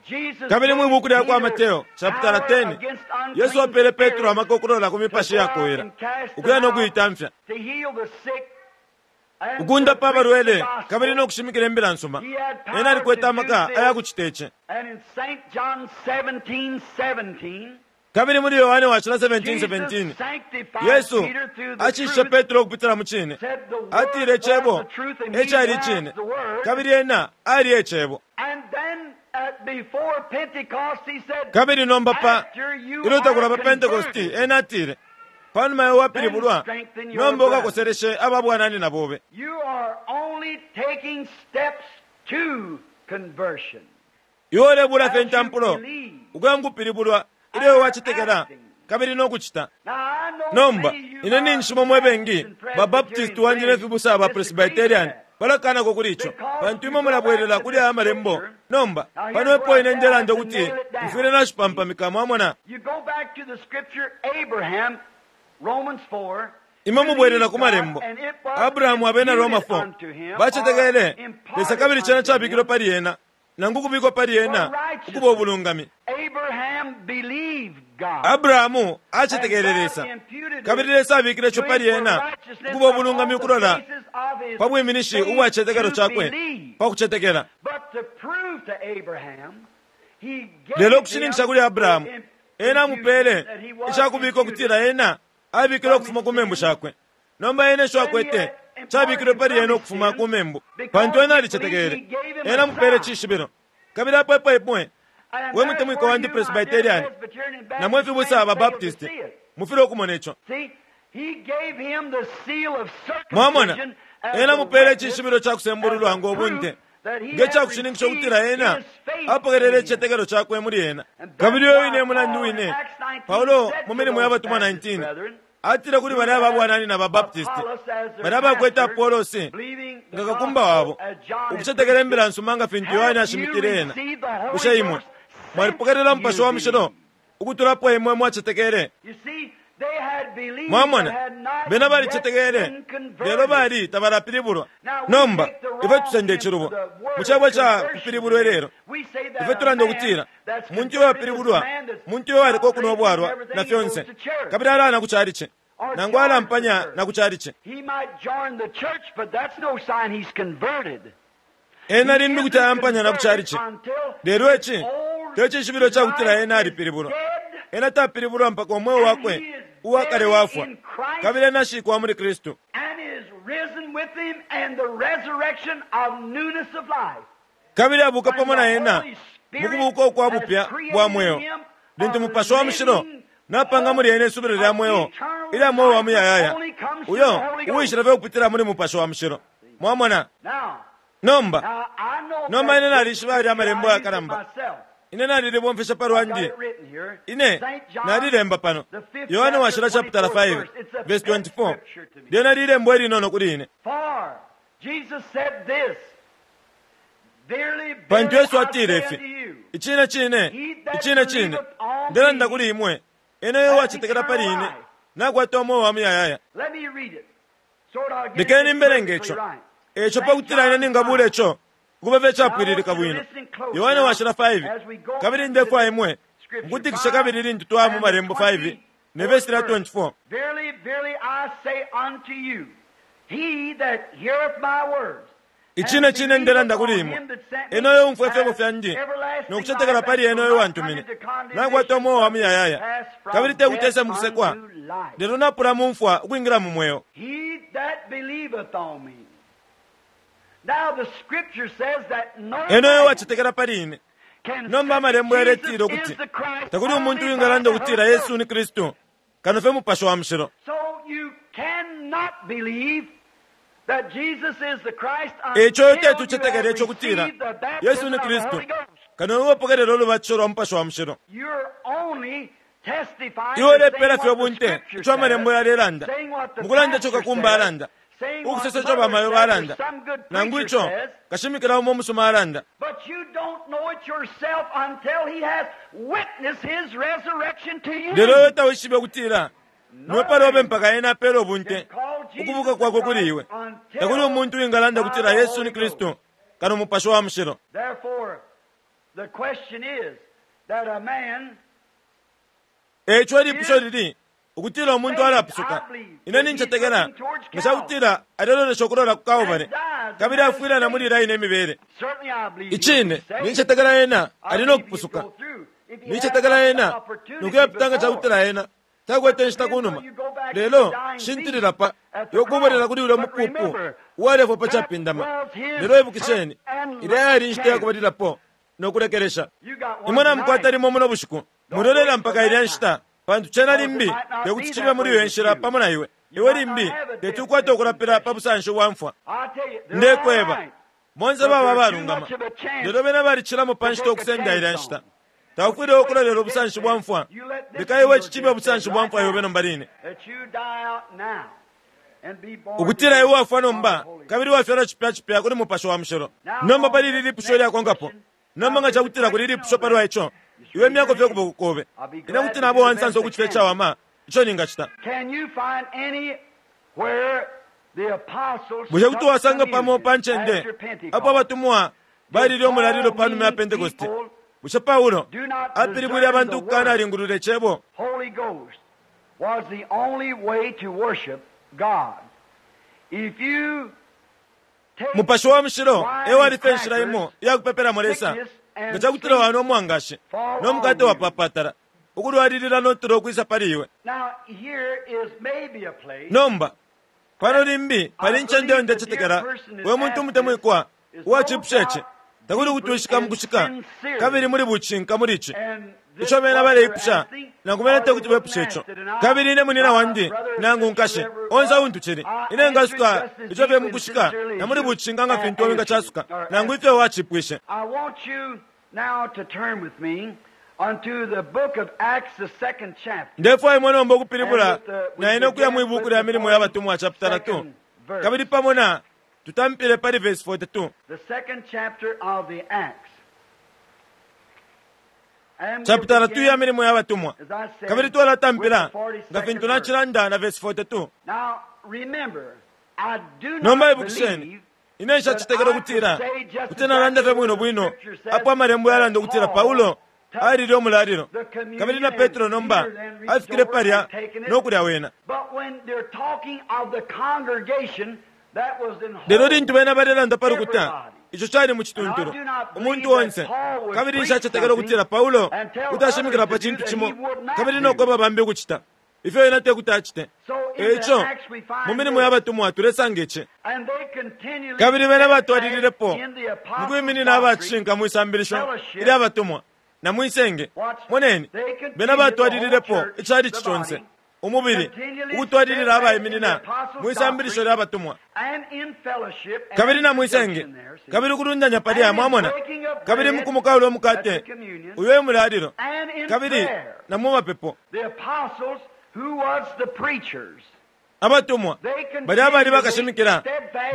Jesus Kabili mwi gave buku lya kwa Peter Mateo chapter power 10 against Yesu unclean apele Petro spirits amaka okulola ku to mipashi go out yakowela and cast ukuya them no out, kuitamfya to heal the sick, and to ukundapa preach the abalwele kabili gospel. no kushimikila imbila nsuma. He had Ena power alikwete to do amaka this. ayakucita ici. And in St. John 17:17, Kabili muli Yohane wacila Jesus 17:17 sanctified Yesu Peter through the acishe truth, Petro ukupitila mu cine. said the Word Atile was icebo the truth and he ecali was icine the Word. kabili ena ali ecebo. And then at, before Pentecost he said, Kabili nomba pa after you ilyo are takulaba Pentecosti converted, ena atile panuma iwe then wapilibulwa strengthen your nomba brethren. ukakoseleshe ababwananyina bobe. You are only taking steps to conversion. Iwe ulebula fye As you intampulo believe ukuya mukupilibulwa and ilyo iwe are wacetekela acting. kabili no kucita. Now I know Nomba many of you ine my ninshimo mwe bengi Baptists and babaptisti Presbyterian wandi ne friends fibusa ba disagree with Presbyterian that. balakanako kuli ico Because pantu you imwe go back mulabwelela to kuli the aya malembo. scripture. Nomba Now pano here's where epo I ine say I have ndelanda to ukuti nail it down. mfwile nashipampamika mwamona. You go back to the scripture Abraham, Romans 4, Imwe mubwelela believed ku God malembo and it was Abrahamu abena Roma imputed 4 unto him or bacetekele Lesa imparted kabili cena unto cabikilwe him pali ena nangu kubikwa pali for ena ukuba righteousness. ubulungami. Abraham believed God Abrahamu and acetekele God Lesa imputed kabili it Lesa abikile ico to pali him for ena righteousness ukuba ubulungami upon the ukulola basis of his pa bwiminishi faith ubwa citetekelo to cakwe believe. pa kucetekela. But to prove to Abraham, he Lelo gave ukushininkisha him kuli the Abrahamu ena imputation amupele that he was icakubika imputed ukutila ena abikilwe from ukufuma his ku membu sins. shakwe. Nomba ena isho Then he akwete had imparted cabikilwe him pali from ena his ukufuma ku sins membu pantu because ena he believed he alicetekele gave him ena a amupele sign. cishibilo kabili apo epo imwe And we there's mutemwiko where wandi you, my dear Presbyterian Presbyterian and na mwe Baptist fibusa friends, ba fail to Baptist see it. mufile okumona ico. See, he gave him the seal of Mwamona circumcision as ena a mupele witness, icishibilo ca as kusembululwa a ngo proof bunte that he nge had ca kushininkisha received ukutila ena his faith in apokelele him. icitetekelo cakwe muli ena. And that's Kabili uyo why wine mulandu Paul in wine Acts 19 Paulo said mu to milimo ya those batumwa Baptist 19 brethren atile kuli who balya had babwananyina ba Baptist Apollos as their balya bakwete pastor, Apolosi believing the nga kakumba gospel wabo as John had ukucetekela preached imbila it, nsuma nga fintu Yohane have you ashimikile ena. received the Holy Bushe imwe Ghost since mwalipokelela mupashi you wa mushilo believed? ukutulapo imwe mwacetekele? You see, they had believed but Mwamona had not bena yet balicetekele been lelo converted. bali tabalapilibulwa. Now we Nomba take the ife wrong tusenda end icilubo of the word mu cebo ca conversion kupilibulwa today. ilelo We say that ife a tulanda man ukutila that's muntu converted uyo is a wapilibulwa man that's muntu uyo waliko got kunwa drinks and ubwalwa na everything, he goes fyonse to church kabili alaya na ku calice or nangu joins the alampanya church. na ku calice. He might join the church, but that's no sign he's converted. Ena He limbi kuti isn't ayampanya na ku converted calice until lelo his ici old te cishibilo ca kutila life ena is alipilibulwa. dead Ena tapilibulwa mpaka umweo and wakwe he is uwakale buried wafwa in Christ kabili ena ashikwa muli Kristu. And is risen with him and the resurrection of newness of life. Kabili abuka pamo na ena mu kubuka ukwa bupya bwa mweo. Lintu Mupashi wa Mushilo napanga muli ena isubilo lya mweo ilya mweo wa muyayaya, uyo uwishila fye ukupitila muli Mupashi wa Mushilo. Mwamona? Nomba, nomba ine nalishiba yalya Amalembo ayakalamba. Ine nalilibomfesha pa lwandi. Ine nalilemba pano. Yohane Washila chaputala 5 verse 24. Lyena lilembo ilinono kuli ine. Pantu Yesu atile ifi, Icine cine, icine cine, ndelanda kuli imwe, ena uyo uwacetekela pali ine, nakwata umweo wa muyayaya. Lekeni mbelenge ico. Eco pakutila ine ningabula ico ukuba fye icapwililika bwino. Yohane Washila 5, Kabili ndefwaya imwe mukutikishe kabili lintu twaya mu Malembo 5 ne vesi lya 24. Icine cine ndelanda kuli imwe, ena uyo uumfwa ifyebo fyandi no kucetekela pali ena uyo uwantumine, nakwata umweo wa muyayaya, kabili te kuti ese mukusekwa, lelo napula mu mfwa ukwingila mu mweo. Ena uyo uwacetekela pali ine. Nomba Amalembo yaletila ukuti takuli umuntu uwingalanda ukutila Yesu ni Kristu kano fye Mupashi wa Mushilo. Eico teti ucetekele ico kutila Yesu ni Kristu kano iwe upokelela ulubatisho lwa Mupashi wa Mushilo. Iwe ulepela fye ubunte ico Amalembo yalelanda, mukulanda ico kakumba alanda, ukusosa ico bamayo balanda, nangu ico kashimikila umo umusuma alanda. Lelo iwe tawishibe ukutila niwe palobe mpaka ena apele ubunte ukubuka kwakwe kuli iwe. Takuli umuntu uwingalanda ukutila Yesu ni Kristu kano Mupashi wa Mushilo. Eico ilipusho lili ukutila umuntu alapusuka. Ine nincetekela nga ca kutila alelolesha ukulola ku Kalbale kabili afwila na muli ilya ine mibele. Icine, nincetekela ena ali no kupusuka. Nincetekela ena nokuyapita nga ca kutila ena takwete inshita kunuma. Lelo, shintilila pa yo kubwelela kuli ulya mupupu uwalefwa pa capindama. Lelo ibukisheni, ilya yali inshita ya kubalilapo no kulekelesha. Imwe namukwata limo muno bushiku. Mwilolela mpaka ilya nshita, pantu cena limbi tekuti cibe muli iyo nshila pamo na iwe. Iwe limbi teti ukwate ukulapila pa busanshi bwa mfwa. Ndekweba, bonse baba abalungama, lelo bena balicilamo pa nshita ukusenda ilya nshita. Taufwile ukulolela ubusanshi bwa mfwa. Leka iwe ici cibe ubusanshi bwa mfwa yobe nomba line. Ukutila iwe wafwa nomba kabili wafyalwa cipya cipya kuli Mupashi wa Mushilo. Nomba pali ili lipusho ilyakonkapo. Nomba nga cakutila kuli ilipusho palwa ico, iwe myako fye ukuboko kobe. Ine kuti naba uwansansa ukucita icawama ico ningacita. Bushe kuti wasanga pamo pa ncende apo abatumwa balile umulalilo pa numa ya Pentekoste? Bushe Paulo apilibwile abantu ukukanalingulula Icebo? Mupashi wa Mushilo e wali fye inshila imo iya kupepelamo Lesa. Nga ca kutila wanwa umwangashi no mukate wapapatala, ukulwalilila no tulo ukwisa pali iwe. Nomba, pano limbi pali incende iyo ndecetekela we muntu umutemwikwa uwacipusha ici. Takuli ukutwishika mukushika kabili muli bucinka muli ici ico bena baleipusha, nangu bena tekuti bepushe ico. Kabili ine munyina wandi nangu nkashi, onse untu cili, ine ngasuka ico fye mukushika na muli bucinka nga fintu iwe wingacasuka, nangu ifyo wacipwishe. Ndefwaya imwe nomba ukupilibula na ine ukuya mwi buuku lya Milimo ya Batumwa chapitala 2, kabili pamo na tutampile pali vesi 42. Chapitala 2 ya Milimo ya Batumwa, kabili twalatampila nga fintu nacilanda na vesi 42. Nomba ibukisheni, ine nshacetekela ukutila kuti nalanda fye bwino bwino apo Amalembo yalanda ukutila Paulo alile umulalilo, kabili na Petro nomba afikile palya no kulya wena. Lelo lintu bena balelanda pa lukuta, ico cali mu cituntulu, umuntu onse. Kabili nshacetekela ukutila Paulo kuti ashimikila pa cintu cimo kabili no kweba bambi ukucita ifyo ena te kuti acite. E ico mu milimo ya batumwa tulesanga ici. Kabili bena batwalililepo mu kwiminina aba cishinka mwi sambilisho ilya batumwa na mwi senge. Moneni, bena batwalililepo icalici conse, umubili, ukutwalilila abaiminina mwi sambilisho lya batumwa kabili na mwi senge, kabili ukulundanya palya, mwamona, kabili mukumukaula umukate, uyo e mulalilo, kabili na mu mapepo. Abatumwa balya abali bakashimikila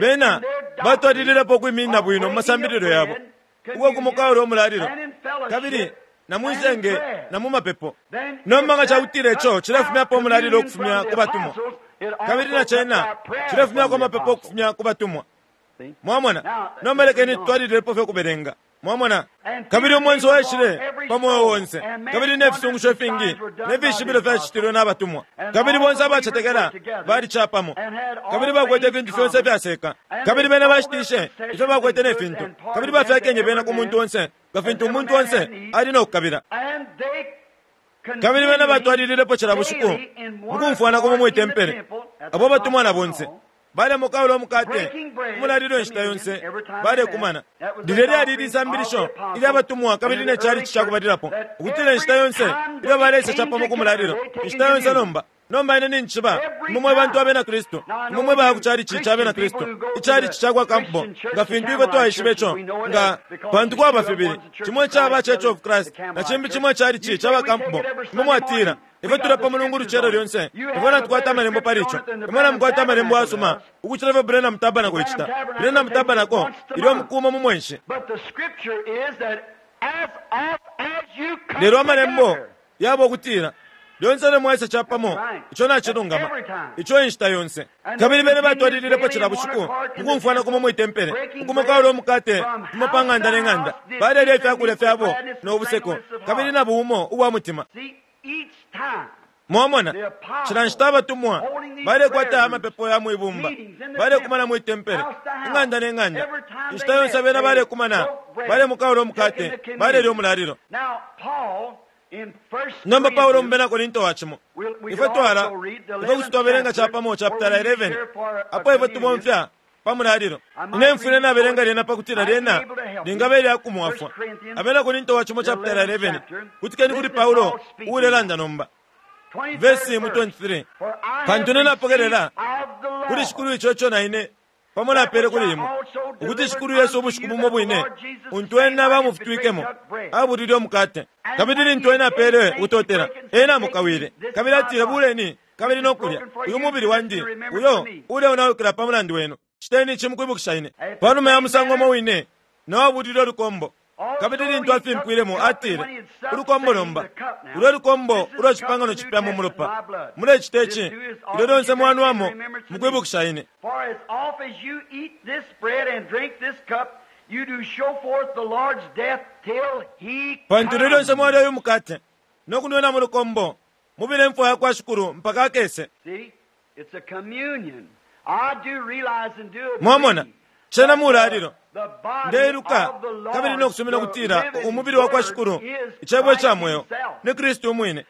bena batwalililepo ukwiminina bwino mu masambililo yabo uko kumukaula umulalilo, kabili na mwi senge na mu mapepo. Nomba nga cakutila ico cilefumyapo umulalilo ukufumya ku batumwa, kabili na cena cilefumyako amapepo ukufumya ku batumwa. Mwamona? Nomba lekeni tutwalililepo fye ukubelenga. Mwamona? Kabili umwenso waishile pa mweo onse, kabili ne fisungusho ifingi ne fishibilo fyacitilwe na batumwa. Kabili bonse abacetekela bali capamo, kabili bakwete ifintu fyonse ifyaseka. Kabili bena bashitishe ifyo bakwete ne fintu, kabili bafyakenye bena ku muntu onse, nga fintu umuntu onse ali no kukabila. Kabili bena batwalililepo cila bushiku mu kumfwana kumo mwi tempele, abo batumwa na bonse balemokaula umukate, umulalilo inshita yonse balekumana. Lilya lyali lisambilisho ilya batumwa kabili ne calici ca kubalilapo, ukutila inshita yonse ilyo baleisa capamo ku mulalilo, inshita yonse nomba. Nomba ine ninjishiba imwe mwe bantu abena Kristu, imwe mwe baya ku calici ca bena Kristu, icalici ca kwa Campbell, nga fintu ifwe twaishiba ico, nga pantu kwaba fibili, cimo caba Church of Christ na cimbi cimo icalici ca ba Campbell. Imwe mwatila, Ifwe tulapa Mulungu ulucelo lyonse, ifwe natukwata amalembo pali ico. Imwe namukwata amalembo ayasuma ukucila ifyo Branham Tabernacle icita. Branham Tabernacle ilyo mukuuma mu mwenshi. Lelo amalembo yaba ukutila lyonse ilyo mwaisa capamo, ico nacilungama, ico inshita yonse. Kabili bene batwalililepo cila bushiku mukumfwana kumo mwi tempele, ukumokaula umukate kumo pa ng'anda ne ng'anda, balelya ifyakulya fyabo no buseko kabili na buumo ubwa mutima. Mwamona, cila nshita abatumwa balekwata amapepo ya mwi bumba, balekumana mwi tempele, ing'anda ne ng'anda. Inshita yonse bena balekumana, balemukaula umukate, balelya umulalilo. Nomba Paulo mu Bena Korinto wa cimo, ifwe twala, ifwe kuti twabelenga capamo chapitala 11, apo ifwe tubomfya pa mulalilo. Ine mfwile nabelenga lyena pakutila lyena lingaba ilya kumwafwa. Abena Korinto wa cimo chapitala 11, kutikeni kuli Paulo uulelanda nomba. Vesi mu 23, Pantu ine napokelela kuli Shikulu ico ico na ine pamo napele kuli imwe, ukuti Shikulu Yesu ubushiku bumo bwine untu ena bamufutwikemo abulile umukate, kabili lintu ena apele ukutotela, ena amukawile, kabili atile, Buleni kabili no kulya, uyu mubili wandi uyo uleonaukila pa mulandu wenu, citeni ici mu kwibukisha ine. Pa numa ya musango umo wine, na o abulile ulukombo, kabili lintu afimpwilemo, atile, Ulukombo nomba, ulu e lukombo ulwa cipangano cipya mu mulopa. Mulecita ici ilyo lyonse mwanwamo mu kwibukisha ine. Pantu ilyo lyonse mwalya uyu mukate no kunwena mu lukombo, mubila imfwa ya kwa Shikulu mpaka akese. Mwamona, cena mulalilo. Ndeiluka kabili no kusumina ukutila umubili wa kwa Shikulu, Icebo ica mweo, ni Kristu umwine.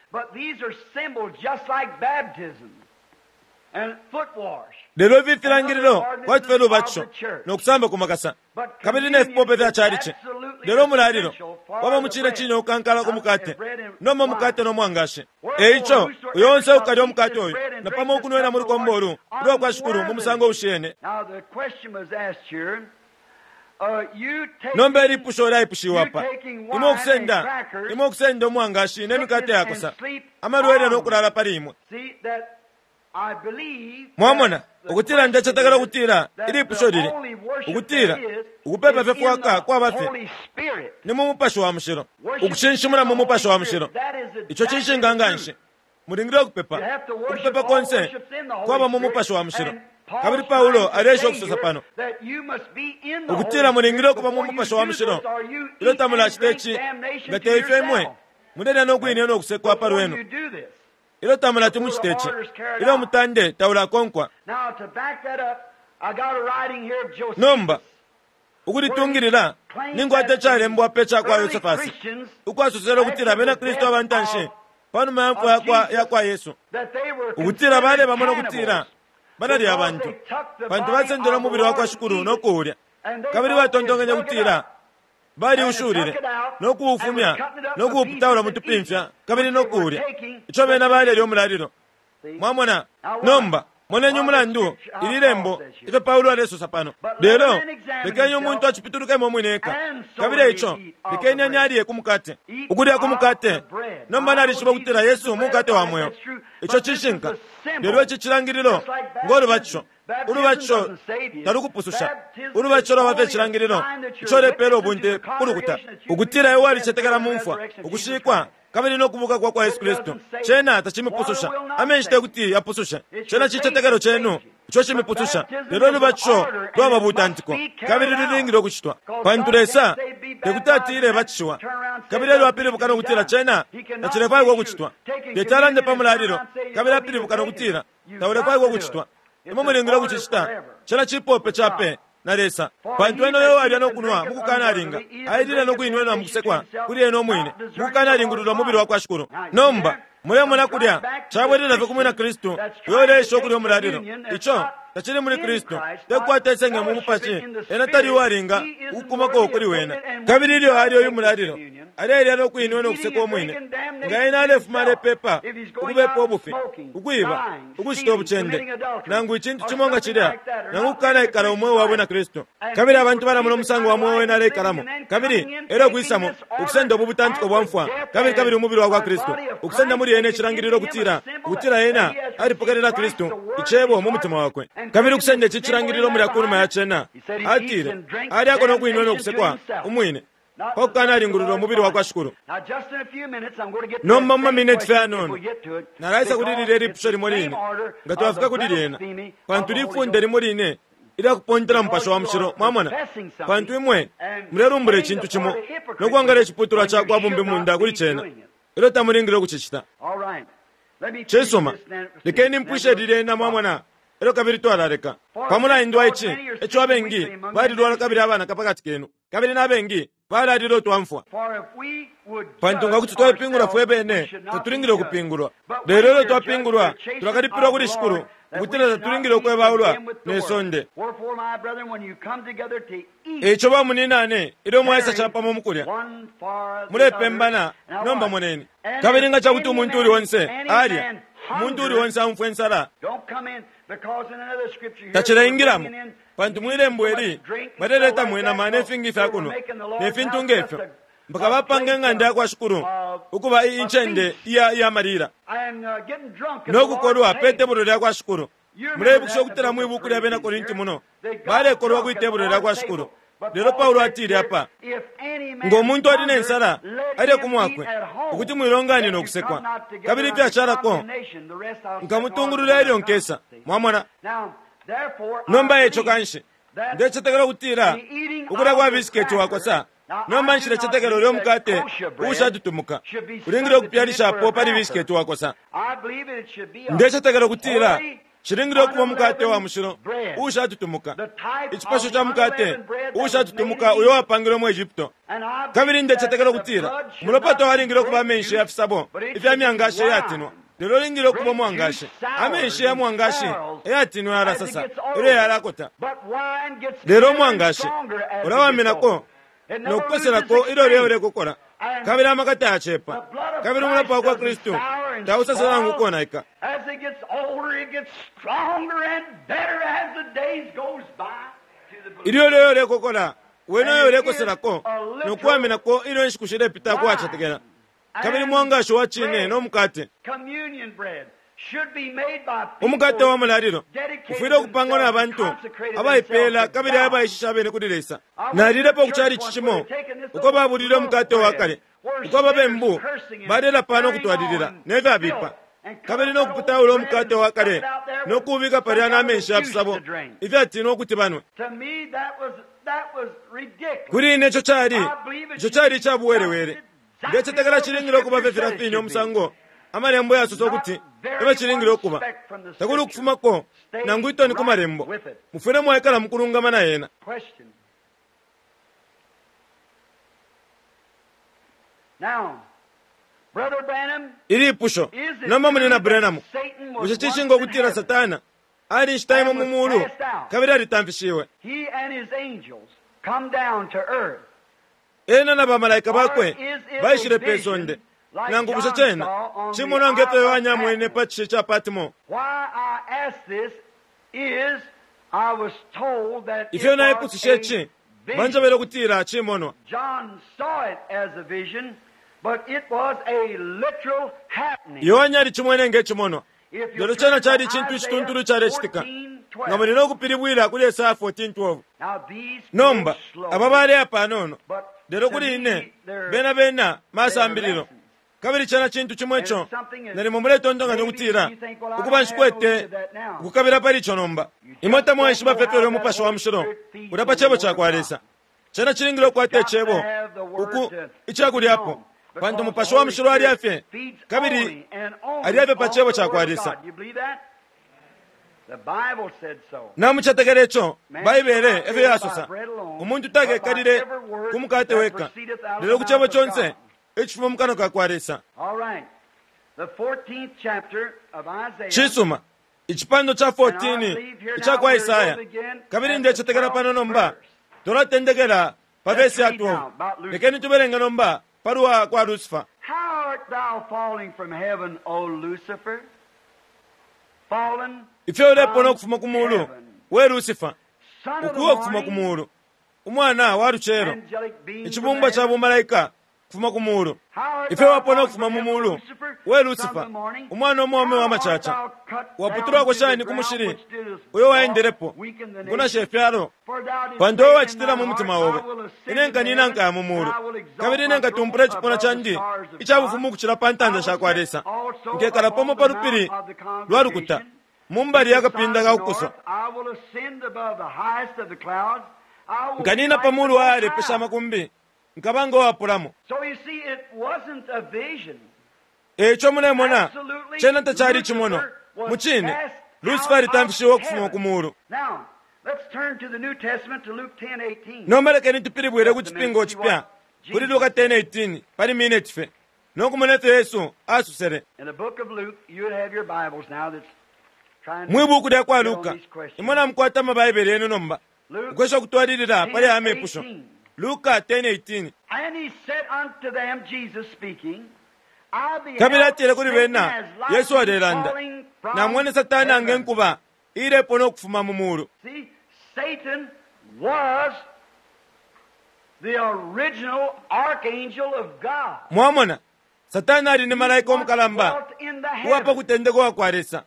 Lelo ifi filangililo kwati fye lubatisho no kusamba ku makasa kabili ne fipope fya calici. Lelo umulalilo waba mu cine cine ukankala ku mukate, nomba umukate no mwangashi. E ico, uyo onse ukalya umukate uyu napamo ukunwena mu lukombo ulu ulwa kwa Shikulu mu musango ushiyene. Nomba ilipusho lyaipushiwe apa, imwe ukusenda, imwe ukusenda umwangashi ne mikate yakosa, amalwele no kulala pali imwe. Mwamona, ukutila ndecetekela ukutila ilipusho lili, ukutila ukupepa fye fwaka kwaba fye ni mu Mupashi wa Mushilo, ukushinshimuna mu Mupashi wa Mushilo. Ico cishinka nganshi. Mulingile ukupepa. Ukupepa konse kwaba mu Mupashi wa Mushilo. Kabili Paulo aleesha ukusosa pano ukutila mulingile ukuba mu Mupashi wa Mushilo ilyo tamulacita ici, nga te ifyo imwe mulelya no kwine no kusekwa pa lwenu ilyo tamulati mucite ici, ilyo umutande taulakonkwa. Nomba ukulitungilila ninkwata icalembwa pe ca kwa Yosefasi, ukwasosele ukutila Abena Kristu aba ntanshi. Pa numa ya mfwa ya kwa Yesu, ukutila balebamona ukutila balalya abantu, pantu basendele umubili wa kwa Shikulu no kuulya, kabili batontonkenye ukutila baliushulile no kuufumya no kuuputaula mu tupimfya kabili no kuulya ico bena balelya umulalilo. Mwamona? Nomba moneni umulandu ili lembo ifyo Paulo alesosa pano. Lelo lekeni umuntu acipitulukemo umwine eka, kabili eico lekeni anyalye ku mukate, ukulya ku mukate. Nomba nalishiba ukutila Yesu mukate wa mweo, ico cishinka. Lelo ici cilangililo ngo lubatisho. Ulubatisho talukupususha. Ulubatisho lwaba fye cilangililo ico ulepeela ubunte ku lukuta ukutila iwe walicetekela mu mfwa, ukushikwa, kabili no kubuka kwa kwa Yesu Kristu. Cena tacimipususha. Amenshi te kuti yapusushe. Cena cicetekelo cenu ico cimipususha. Lelo ulubatisho lwaba butantiko, kabili lulingile ukucitwa, pantu Lesa te kuti atile batishiwa kabili elyo apilibuka no kutila cena tacilefwaikwa ukucitwa. Teti alande pa mulalilo kabili apilibuka no kutila taulefwaikwa ukucitwa. Imwe mulingile ukucicita. Cena cipope ca pe na Lesa. Pantu ena uyo uwalya no kunwa mu kukanalinga, ailila no kuinwena mu kusekwa kuli ena umwine, mu kukanalingulula umubili wa kwa Shikulu. Nomba, mulemona kulya, cabwelela fye ku mwina Kristu uyo uleesha ukulya umulalilo. Ico tacili muli Kristu, tekukwata isenge mu mupashi, ena tali uwalinga ukukumako kuli wena. Kabili ilyo alya uyu mulalilo, alelya no kuinwena ukusekwa umwine. Nga ena alefuma alepepa, ukubepa ubufi, ukwiba, ukucita ubucende, nangu icintu cimo nga cilya, nangu ukukanaikala umweo wa bwina Kristu. Kabili abantu balamona umusango wa mweo wene aleikalamo, kabili elyo ukwisamo, ukusenda ubu butantiko bwa mfwa, kabili kabili umubili wa kwa Kristu, ukusenda muli ena icilangililo ukutila, ukutila ena alipokelela Kristu, Icebo, mu mutima wakwe. Kabili ukusenda ici cilangililo mulya kunuma ya cena, atile, alyako no kuinwena ukusekwa umwine, pa kukanalingulula umubili wa kwa Shikulu. Nomba mu mamineti fye ayanono, nalaisa kuli lilya ilipusho limo line, nga twafika kuli lyena, pantu lifunde limo line ilya kupontela Mupashi wa Mushilo, mwamona, pantu imwe mulelumbula icintu cimo no kwangala iciputulwa ca kwa bumbimunda kuli cena, ilyo tamulingile ukucicita. Cisuma, lekeni mpwishe lilya, mwamona, elyo kabili twalaleka. Pa mulandu wa ici, eco abengi balilwala kabili abanaka pa kati kenu, kabili na bengi balalila utwa mfwa. Pantu nga kuti twaipingula fwe bene, tatulingile ukupingulwa. Lelo ilyo twapingulwa, tulakalipilwa kuli Shikulu, ukutila tatulingile ukwebaulwa ne sonde. Eico bamunyinane, ilyo mwaisa capamo mu kulya, mulepembana. Nomba moneni. Kabili nga ca kuti umuntu uuli onse alya, umuntu uuli onse aumfwa insala, tacilaingilamo, pantu mwi lembo ili baleleta inama ne fingi ifya kunwa ne fintu nge fyo, mpaka bapanga ing'anda ya kwa Shikulu ukuba incende iya iya malila no kukolwa pe tebulo lya kwa Shikulu. Muleibukisha ukutila mwi buku lya Bena Korinti muno balekolwa kwi tebulo lya kwa Shikulu. Lelo Paulo atile apa, ngo muntu ali ne nsala, alye ku mwakwe, ukuti mwilonganine ukusekwa. Kabili ifyashalako nkamutungulula ilyo nkesa. Mwamona? Nomba eco kanshi, ndecetekela ukutila ukulya kwa bisiketi wakosa. Nomba nshilecetekela ulya umukate uushatutumuka ulingile ukupyalishapo pali bisiketi wakosa. Ndecetekela ukutila cilingile ukuba umukate wa mushilo uushatutumuka, icipasho ca mukate uushatutumuka uyo wapangilwe mu Egypto. Kabili ndecetekela ukutila umulopa tawalingile ukuba amenshi ya fisabo ifya myangashi iyatinwa, lelo ulingile ukuba umwangashi. Amenshi ya mwangashi ayatinwa yalasasa ilyo yalakota, lelo umwangashi ulawaminako no kukoselako ilyo lyo ulekokora, kabili amaka tayacepa, kabili umulopa wa kwa Kristu tausasa nangu ukonaika. As it gets older, it gets stronger and better as the days goes by. To the Ilyo lyo ulekokola, wene uyo ulekoselako no kuwaminako ilyo inshiku shilepita kuwacetekela. Kabili mwangashi wa cine no mukate, communion bread should be made by people umukate wa mulalilo dedicated ufwile ukupangwa na themselves bantu and consecrated abaipeela themselves to kabili God. abaishisha abene kuli Lesa. Nalilepo ku calici cimo uko babulile umukate wa kale, uko ababembu balelapa no kutwalilila ne fyabipa, kabili no kuputaula umukate wa kale no kuubika palya na menshi ya fisabo ifyatinwa ukuti banwe. To me, that was, that was ridiculous. Kuli ine ico cali ico cali icabuwelewele. Ndecetekela cilingile ukuba fye filya fine umusango amalembo yasosa ukuti ebe cilingile ukuba. Takuli ukufumako nangu itoni ku malembo. Mufwile mwaikala mukulungama na yena. Question. Now, Ilipusho nomba, Munyina Branham, bushe cishinka ukutila Satana ali inshita imo mu mulu kabili alitamfishiwe? Ena na bamalaika bakwe baishile pe sonde, nangu bushe cena cimonwa nge fyo Yohane amwene pa cishi ca Patmo? Ifyo naipusishe ici, banjebele ukutila cimonwa. Yohane alicimwene nge cimonwa, lelo cena cali icintu icituntulu icalecitika. Nga muli no kupilibwila kuli Esaya 14:12. Nomba aba baleya panono, lelo kuli ine bena bena masambililo. Kabili cena cintu cimo ico nalimo muletontonkanya ukutila ukuba nshikwete ukukabila pali ico nomba. Imwe tamwaishiba fye ifyo ulya Mupashi wa Mushilo ulya pa Cebo cakwa Lesa. Cena cilingile ukukwata Icebo uku icakulyapo, pantu Mupashi wa Mushilo alya fye kabili alya fye pa Cebo cakwa Lesa. Namucetekela ico? Baibele efyo yasosa, Umuntu takekalile ku mukate weka, lelo ku Cebo conse icifuma mu kanwa ka kwa Lesa. Cisuma, icipandwa ca 14 ica kwa Esaya, kabili ndecetekela pano nomba twalatendekela pa vesi ya 12. Lekeni tubelenge nomba pa lwa kwa Lucifer. Ifyo ulepona ukufuma ku mulu, we Lucifer, ukuwa ukufuma ku mulu, umwana wa lucelo, icibumbwa ca bumalaika kufuma ku mulu. Ifyo wapona ukufuma mu mulu, we Lucifer, umwana umwaume wa macaca, waputulwako shani ku mushili uyo waendelepo, ukunasha ifyalo? Pantu we wacitila mu mutima obe, Ine nkanina nkaya mu mulu, kabili ine nkatumpula icipuna candi ica bufumu ukucila pa ntanda sha kwa Lesa, nkekala pamo pa lupili lwa lukuta, mu mbali ya kapinda ka kukuso. Nkanina pa mulu wa yalepesha amakumbi, nkaba ngo wapulamo. E ico mulemona, cena tacali icimonwa. Mucine, Lucifer alitamfishiwe ukufuma ku mulu. Nomba lekeni tupilibwile ku Cipingo Cipya, kuli Luka 10:18, pali mineti fye, no kumona ifyo Yesu asosele. Mwi buku lya kwa Luka, imwe namukwata ama Baibele yenu nomba, ukwesha ukutwalilila pali aya mepusho. Luka 10:18. Kabili atile kuli bena, Yesu alelanda, Namwene Satana nge nkuba iilepona ukufuma mu mulu. Mwamona, Satana ali ni malaika umukalamba uwa pa kutendeka uwa kwa Lesa.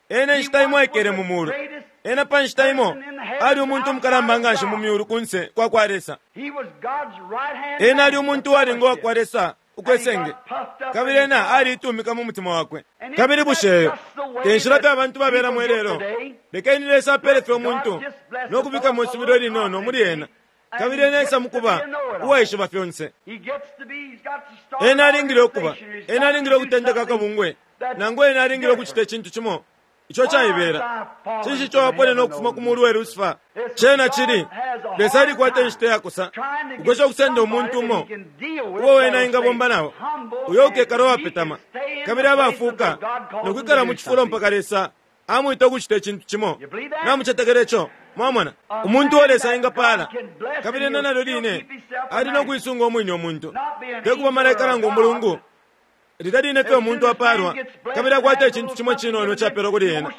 Ena inshita imo aikele mu mulu. Ena pa nshita imo ali umuntu umukalamba nganshi mu myulu kunse kwa kwa Lesa. Ena ali umuntu uwalinga uwa kwa Lesa ukwesenge, kabili ena aliitumika mu mutima wakwe. Kabili bushe eyo te nshila fye abantu babelamo ilelo? Lekeni Lesa apele fye umuntu no kubikamo isubilo ilinono muli ena, kabili ena esa mukuba uwaishiba fyonse. Ena alingile ukuba, ena alingile ukutendeka akabungwe, nangu ena alingile ukucita icintu cimo ico caibela. Cinshi ico waponena ukufuma ku mulu, we Lucifer? Cena cili, Lesa alikwata inshita iyakosa ukwesha ukusenda umuntu umo uo wena engabomba nao, uyo ukekala uwapetama kabili abafuuka no kwikala mu cifulo mpaka Lesa amwita ukucita icintu cimo. Namucetekela ico? Mwamona? Umuntu uo Lesa engapaala, kabili ena nalyo line ali no kuisunga umwine umuntu, te kuba malaika nangu umulungu. Lilya line fye umuntu apaalwa kabili akwata icintu cimo icinono icapelwa kuli ena,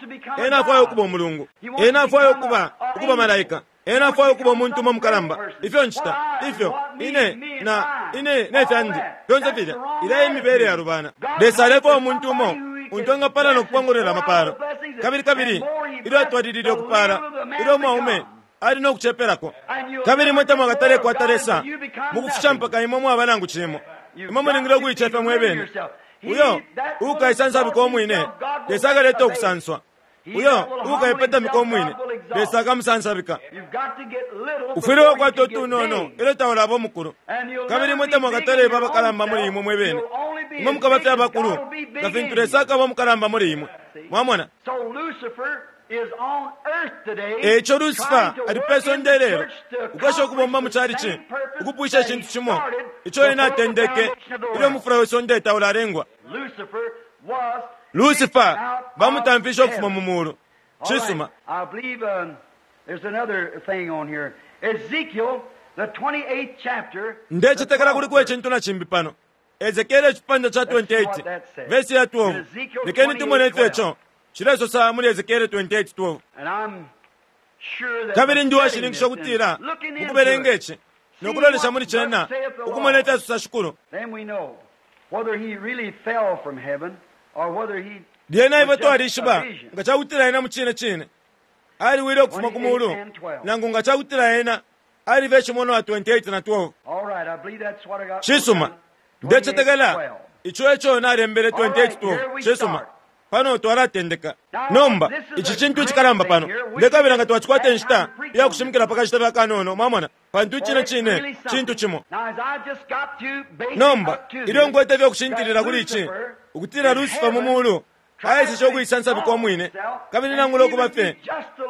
ena afwaya ukuba umulungu. Ena afwaya ukuba, ukuba malaika. Ena afwaya ukuba umuntu umo mukalamba. Ifyo ncita, ifyo, ine, na, ine, ne fyandi, fyonse filya. Ilya e mibele yalubana. Lesa alefwaya umuntu umo untu engapala no kupongolola amapaalo. Kabili, kabili ilyo atwalilile ukupaala, ilyo umwaume ali no kucepelako. Kabili imwe tamwakatale kwata Lesa mukufisha mpaka imwe mwaba nangu cimo. Imwe mulingile ukuicefya mwe bene. Uyo uukaisansabika umwine, Lesa akaleta ukusanswa. Uyo uukaipetamika umwine, Lesa akamusansabika. Ufwile wakwata utunono ilyo taulaba umukulu. Kabili imwe tamwakataleba abakalamba muli imwe mwe bene. Imwe mukaba fye abakulu, nga fintu Lesa akaba umukalamba muli imwe. Mwamona? E ico Lucifer ali pe sonde ilelo, ukwesha ukubomba mu calici, ukupwisha icintu cimo ico ena atendeke ilyo mufula we sonde taulalengwa. Lucifer bamutamfishe ukufuma mu mulu. Cisuma. I believe there's another thing on here. Ezekiel, the 28th chapter. Ndecetekela kuliko icintu na cimbi pano. Ezekiele icipandwa ca 28 vesi ya 12. Lekeni tumone ifyo ico cilesosa muli Ezekiele 28:12. And I'm sure that Kabili ndi washininkisha ukutila mukubelenga ici nokulolesha muli cena ukumona ifyo asosa Shikulu. Then we know whether he really fell from heaven or whether he Lyena ifwe twalishiba nga cakutila ena mu cine cine aliwile ukufuma ku mulu nangu nga cakutila ena alife icimonwa 28 na 12. All right, I believe that's what I got. Cisuma. Ndecetekela ico eco nalembele 28:12. Cisuma. Pano twalatendeka. Nomba ici cintu icikalamba pano. Ndekabila nga twacikwata inshita iya kushimikila pa kashita fye kanono, mwamona, pantu icine cine cintu cimo. Now, as I just got to basic Nomba up to ilyo this, nkwete fye kushintilila that kuli ici Lucifer ukutila in Lucifer mu heaven mulu aeseshe ukuisansabika umwine kabili nangula ukuba fye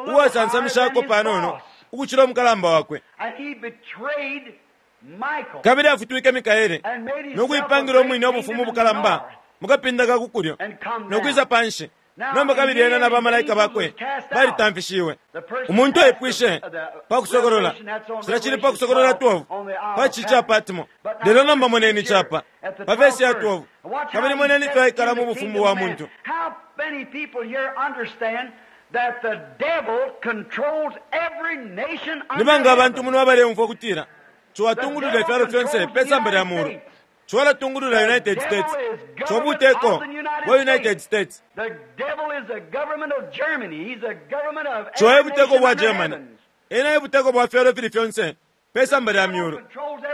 uwasansamishako panono ukucila umukalamba wakwe. And he betrayed Michael Kabili afutwike Mikaele and made himself no kuipangila a umwine great ubufumu kingdom in the bukalamba north. mu kapinda ka ku kulyo And come no kwisa down. panshi. Now, Nomba kabili ena na bamalaika and bakwe angels was cast out. balitamfishiwe. The person Umuntu asked aipwishe the pa kusokolola Revelation, that's on cila cili pa Revelation kusokolola 12, 12 on the Isle pa of ci ca Patmos. Patmo. But now Lelo nomba look moneni here capa at the pa vesi ya 12th 12 verse. Watch how kabili he moneni sets ifyo aikala in mu the bufumu kingdom bwa of man. muntu. How many people here understand that the devil controls every nation Ni under banga abantu heaven? muno abaleumfwa ukutila ciwatungulula ifyalo fyonse pe samba lya mulu, ciwalatungulula United States, cobuteko bwa United States, The devil is the government of Germany. He's the government of ciwa every ebuteko nation bwa under Germany, heavens. ena ebuteko bwa fyalo fili fyonse pe samba lya myulu,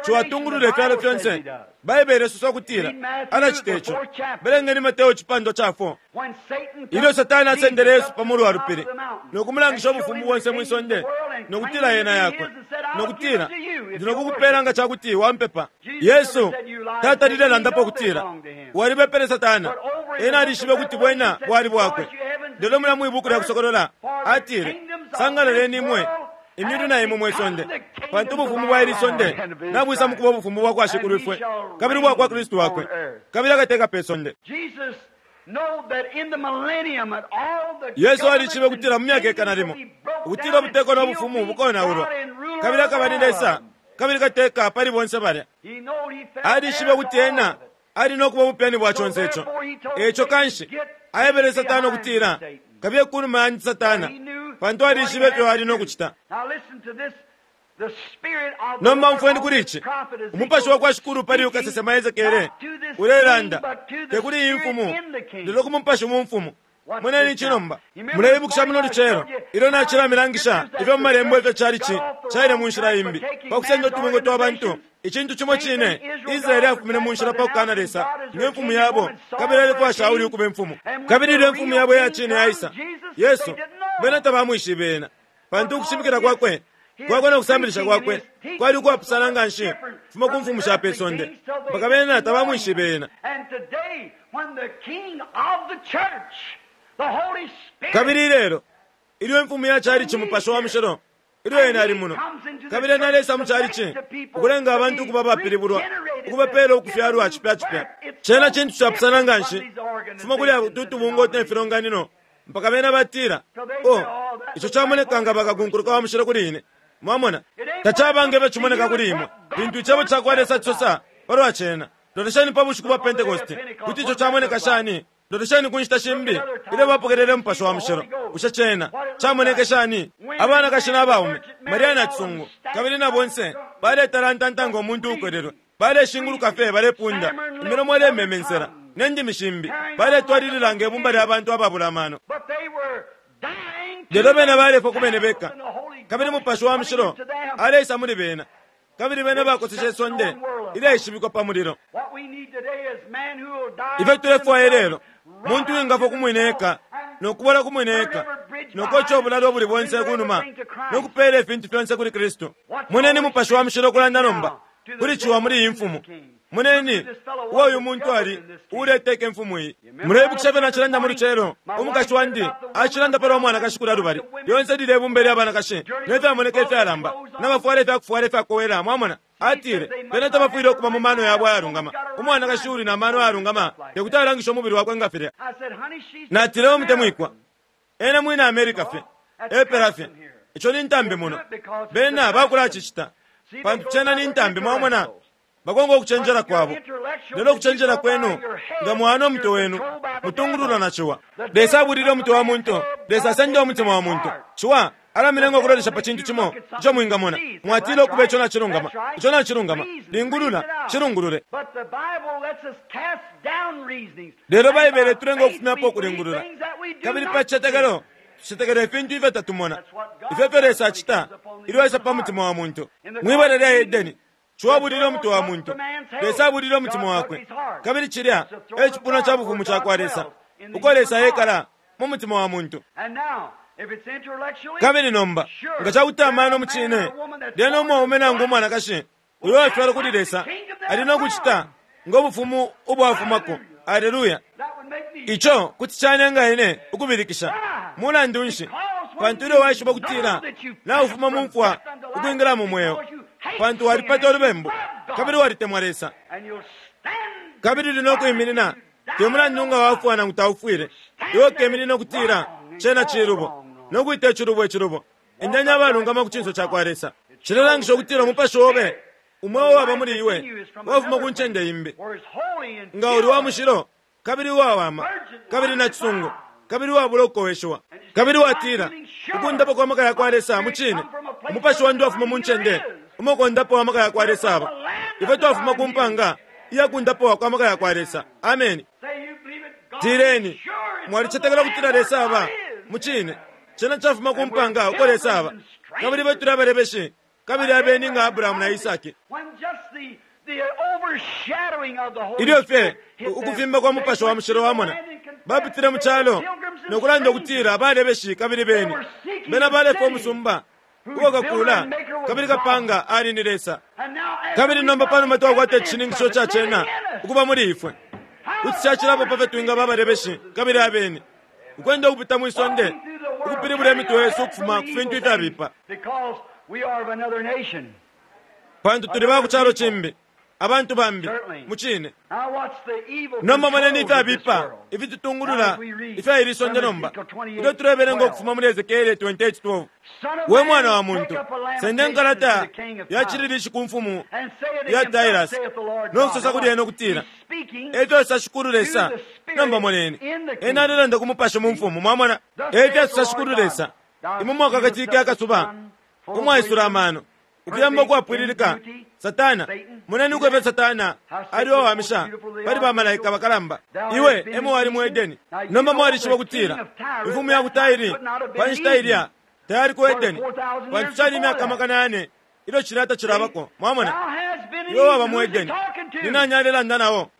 ciwatungulula ifyalo fyonse. Baibele isosa ukutila alacita ico. Belengeni Mateo icipandwa ca 4. When Satan Ilyo took Satani asendele Jesus Yesu up pa to mulu wa the top lupili of the mountain no kumulangisha and showed ubufumu him bonse the mwi kingdoms of sonde the world and no kutila claimed yena to be yakwe his and said, I'll no give kutila it to you if ndi nokukupela you'll nga cakuti wampepa. Jesus Yesu never said you lied. tatalile He landapo know they kutila belonged to him. walibepele Satana. But over in the Ena book of alishibe kuti bwena Revelation, he bwali said, bwakwe. "Rejoice, you heavens, Lelo mulya mwi buku lya kusokolola for the atile, kingdoms of sangalaleni this imwe world imyulu have na imwe mwe become sonde, the kingdoms pantu of ubufumu our bwa ili Lord sonde and of his nabwisa mu kuba Christ. ubufumu bwa kwa And Shikulu he ifwe shall kabili ubwa kwa reign Kristu wakwe on earth. kabili akateka pe sonde. Jesus know that in the millennium at all the Yesu alishibe governments ukutila mu and myaka kingdoms ikana will limo be broke ukutila down ubuteko and no he'll bufumu be bukonaulwa God and ruler kabili over akaba ni all Lesa of them. kabili kateka pali bonse balya. He knowed he fell Alishibe heir to ukuti all ena of it. ali no kuba ubupyani bwa So conse ico. therefore he told Eco Satan, kanshi "Get aebele Satana behind ukutila me, Satan." kabiye kunuma yandi Satana, He knew pantu what he alishibe had ifyo to ali no do. kucita. Now listen to this. The spirit of the Nomba Lord umfweni on kuli this ici prophet Ezekiel umupashi wa kwa Shikulu pali speaking ukasesema Ezekiele not to this ulelanda king, but to the te kuli iyi spirit mfumu in the king. lelo ku mupashi mu mfumu. Watch Moneni this ici now. nomba. You remember Muleibukisha this muno morning I lucelo showed you ilyo how nacilamilangisha scriptures that ifyo mu the malembo ifyo church cali ci got off the caile wrong mu nshila track by imbi taking pa kusenda man's utubungwe twa bantu. organizations. Icintu cimo Same cine thing Israel got Israeli off the afumine mu track nshila by pa kukana denouncing Lesa God as nge their mfumu king and yabo woman Saul kabili for a alefwaya Shauli king. ukuba imfumu. And when Kabili the ilyo imfumu real yabo iya king cine comes, yaisa Jesus, Yesu they didn't know. bena tabamwishibe ena pantu Because ukushimikila his, kwakwe his kwakwe no kusambilisha preaching and kwakwe his teaching kwali was so ukwapusana much nga nshi different kufuma ku from the mfumu sha pe earthly sonde kings till they mpaka bena didn't know him. tabamwishibe ena. And today, when the king of the church, the Holy Spirit, Kabili ilelo ilyo imfumu ya cali ci when he's mupashi wa here, mushilo ilyo and ena ali he muno comes into the kabili ena church alesa to mu cali make ci the people ukulenga to abantu be ukuba abapilibulwa regenerated, to ukubapeela give a ukufyalwa new cipya cipya. birth. It's Cena so cintu capusana different nga from nshi these kufuma kuli organizations and utubungwe ne denominations. filonganino mpaka bena batila So they say, o oh, that ico looks like camoneka holy nga bakakunkuluka wa mushilo kuli ine. Mwamona It ain't what it tacaba nge looks fyo to cimoneka you, kuli it's imwe what God lintu icebo wants ca kwa Lesa cisosa testified. palwa cena. Lolesheni pa bushiku bwa Look on the day of Pentekoste Pentecost, kuti ico what that camoneka looked like. shani. Lolesheni ku nshita Look shimbi at other ilyo times when they bapokelele umupashi received wa the mushilo Holy Ghost, bushe cena what it looked camoneke like. shani. Women, Abanakashi men, na the baume Virgin Maria Mary, na all of them cisungu kabili staggering na out bonse drunk, baletalantanta just ngo muntu ukolelwe breathing, baleshinguluka breathing, fye balepunda stammering lips, imilomo other ilememensela tongues, ne ndimi shimbi carrying on like a baletwalilila bunch nge of bumba lya idiots. bantu ababula amano. But they were dying Lelo to bena balefwa ku bene themselves beka and the Holy kabili Ghost mupashi wa coming mushilo into them. aleisa muli bena kabili bena They bakoseshe set the isonde known world afire. ilyaishibikwa pa mulilo. What we need today is man who will die Ifyo to tulefwaya themselves, ilelo rot muntu out to wingafwa ku mwine themselves, eka and no kubola ku mwine burn eka every bridge no koca behind ubulalo ubuli bonse surrender ku numa everything to no Christ. kupeela ifintu fyonse kuli Kristu. Watch the Moneni Holy mupashi wa Spirit mushilo speak ukulanda nomba now to the kuli ciwa devil muli iyi in this mfumu. king. Moneni uo uyu muntu ali uuleteka imfumu iyi. Muleibukisha ifyo nacilanda mu lucelo? Umukashi wandi acilanda palwa mwanakashi kulya lubali. Lyonse lilye bumba ilya banakashi ne fyamoneka ifyalamba, na bafwala ifyakufwala ifyakowela, mwamona. Atile, Bena tabafwile ukuba mu mano yabo ayalungama. Umwanakashi uuli na mano ayalungama tekuti alangishe umubili wakwe nga filya. Natile, We mutemwikwa, ena mwina America fye, epela fye. Ico ni ntambi muno. Bena bakulacicita pantu cena ni ntambi, mwamona. Bakonka ukucenjela kwabo. Lelo ukucenjela kwenu, nga mwana umutwe wenu, mutungululwa na Ciwa. Lesa abulile umutwe wa muntu. Lesa asenda umutima wa muntu. Ciwa alamilenga ukulolesha pa cintu cimo ico mwingamona. Mwatila ukuba ico nacilungama. Ico nacilungama. Lingulula, cilungulule. Lelo Baibele itulenga ukufumyapo ukulingulula. Kabili pa cicetekelo, tucetekela ifintu ifyo tatumona. Ifyo efyo Lesa acita ilyo aisa pa mutima wa muntu. Mwibala lya Edeni, Ciwa abulile umutwe wa muntu, Lesa abulile umutima wakwe. Kabili cilya e cipuna ca bufumu cakwa Lesa, uko Lesa ekala, mu mutima wa muntu. Kabili nomba, nga cakuti amano mucine, lyena umwaume nangu umwanakashi uyo uwafyalwa kuli Lesa ali no kucita ngo bufumu ubwafumako. Aleluya! Ico kuti canenga ine ukubilikisha. Mulandu nshi? Pantu ilyo waishiba ukutila naufuma mu mfwa ukwingila mu mweo, pantu walipata ulubembu kabili walitemwa Lesa, kabili uli no kwiminina, te mulandu nga wafwa nangu taufwile, iwe ukeminina ukutila cena cilubo, no kwita icilubo icilubo. Endeni abalungama ku cinso cakwa Lesa. Cilelangisha ukutila umupashi obe, umweo uwaba muli iwe, wafuma ku ncende imbi. Nga uli wa mushilo, kabili uwawama, kabili nacisungu, kabili uwabula ukukoweshiwa, kabili watila, Ukundapa kwa maka yakwa Lesa, mucine, umupashi wandi wafuma mu ncende umo kondapa wa maka yakwa Lesa aba. Ifwe twafuma ku mpanga iya kundapa kwa maka yakwa Lesa. Ameni. Tileni, mwalicetekela ukutila Lesa aba, mucine, cena cafuma ku mpanga uko Lesa aba. Kabili ifwe tuli abalebeshi kabili abeni nga Abrahamu na Isaki. Ilyo fye ukufimba kwa Mupashi wa Mushilo wamona, bapitile mu calo no kulanda ukutila balebeshi kabili beni. Bena balefwa umusumba uo kakuula kabili kapanga ali ni Lesa. Kabili nomba panuma twakwata icishininkisho ca cena ukuba muli ifwe, kuti cacilapo pa fyo twingaba abalebeshi kabili abeni, ukwenda ukupita mwi sonde, ukupilibula imitwe yesu ukufuma ku fintu ifyabipa. Pantu tuli ba ku calo cimbi, abantu bambi, mucine. Nomba moneni ifyabipa ifitutungulula ifya ili sonde nomba, ilyo tulebelenga ukufuma muli Esekiele 28:12. We mwana wa muntu, senda inkalata ya cililishi ku mfumu ya Tirasi, no kusosa kuli ena ukutila, E fyo sosa Shikulu Lesa. Nomba moneni, ena alelanda ku mupashi mu mfumu, mwamona. E fyo sosa Shikulu Lesa, Imwe mwakakatike akasuba umwaisula amano, ukuyamba ukwapwililika, Satana. Moneni uko ifyo Satana ali uwawamisha pali ba malaika bakalamba. Iwe emo wali mu Edeni. Nomba mwalishiba ukutila imfumu ya ku Tairi pa nshita ilya tayali ku Edeni, pantu cali imyaka 4,000 ilyo cilya tacilabako. Mwamona? Iwe waba mu Edeni. Ni nani alelanda na o?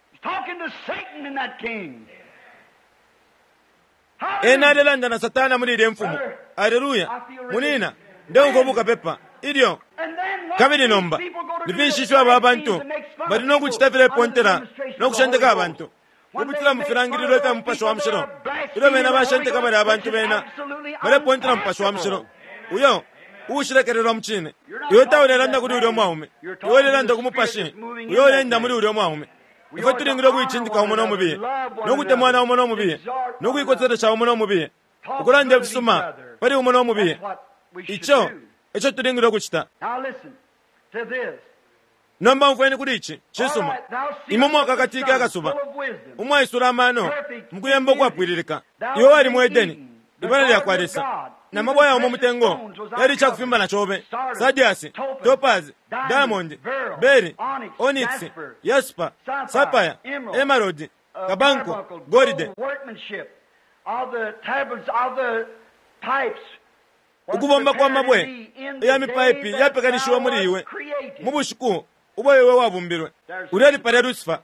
Ena alelanda na Satana muli ilye mfumu. Aleluya! Munina, ndeumfwa bukapepa. Ilyo. Kabili nomba, ni finshi ifyo aba bantu bali no kucita filepontela no kushenteka abantu, ukupitila mu filangililo ifya Mupashi wa Mushilo, ilyo bena bashenteka balya abantu bena balepontela Mupashi wa Mushilo, uyo uushilekelelwa mucine. Iwe taulelanda kuli ulyo mwaume, iwe ulelanda ku Mupashi uyo uleenda muli ulyo mwaume. Ifwe tulingile ukuicindika umo no mubiye, no kutemwana umo no mubiye, no kuikoselesha umo no mubiye, ukulanda ifisuma pali umo no mubiye. Ico eco tulingile ukucita. Nomba umfweni kuli ici. Cisuma. Imwe mwakakatike akasuba, umwaisula amano, mukuyemba ukwapwililika. Iwe wali mu Edeni, ibala lyakwa Lesa, na mabwe ayaumo mutengo yali icakufimbana cobe, sardiasi, topazi, diamond, beri, onyx, yaspa, sapphire, emerald, kabanko, golide. Ukubomba kwa mabwe ya mipaipi yapekanishiwa muli iwe mu bushiku ubo iwe wabumbilwe. Ulya ali palya Lucifer.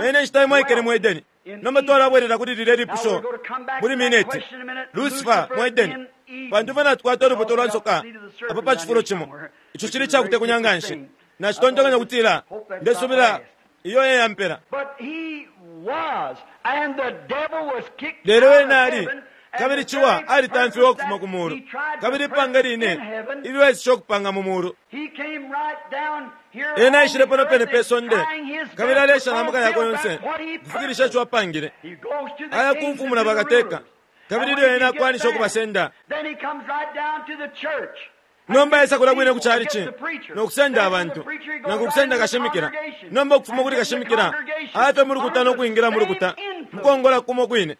Ena inshita imo aikele mu Edeni. Nomba twalabwelela kuli lilye lipusho muli mineti. Lucifer mu Edeni. Pantu ifwe natukwata ulubuto lwa nsoka apa pa cifulo cimo. Ico cili icakutekunya nganshi. Nacitontonkanya ukutila ndesubila. Iyo e yampela. Lelo ena ali, kabili Ciwa alitamfiwe ukufuma ku mulu, kabili ipanga line ilyo aeseshe ukupanga mu mulu. Ena aishile pano pene pe sonde, kabili aleesha na maka yakwe yonse ukufikilisha ico apangile. Aya ku mfumu na bakateka, kabili ilyo ena akwanisha ukubasenda, nomba aisa kulya kwine ku chalichi no kusenda abantu, nangu ukusenda kashimikila. Nomba ukufuma kuli kashimikila, aya fye mu lukuta no kwingila mu lukuta, mukongola kumo kwine.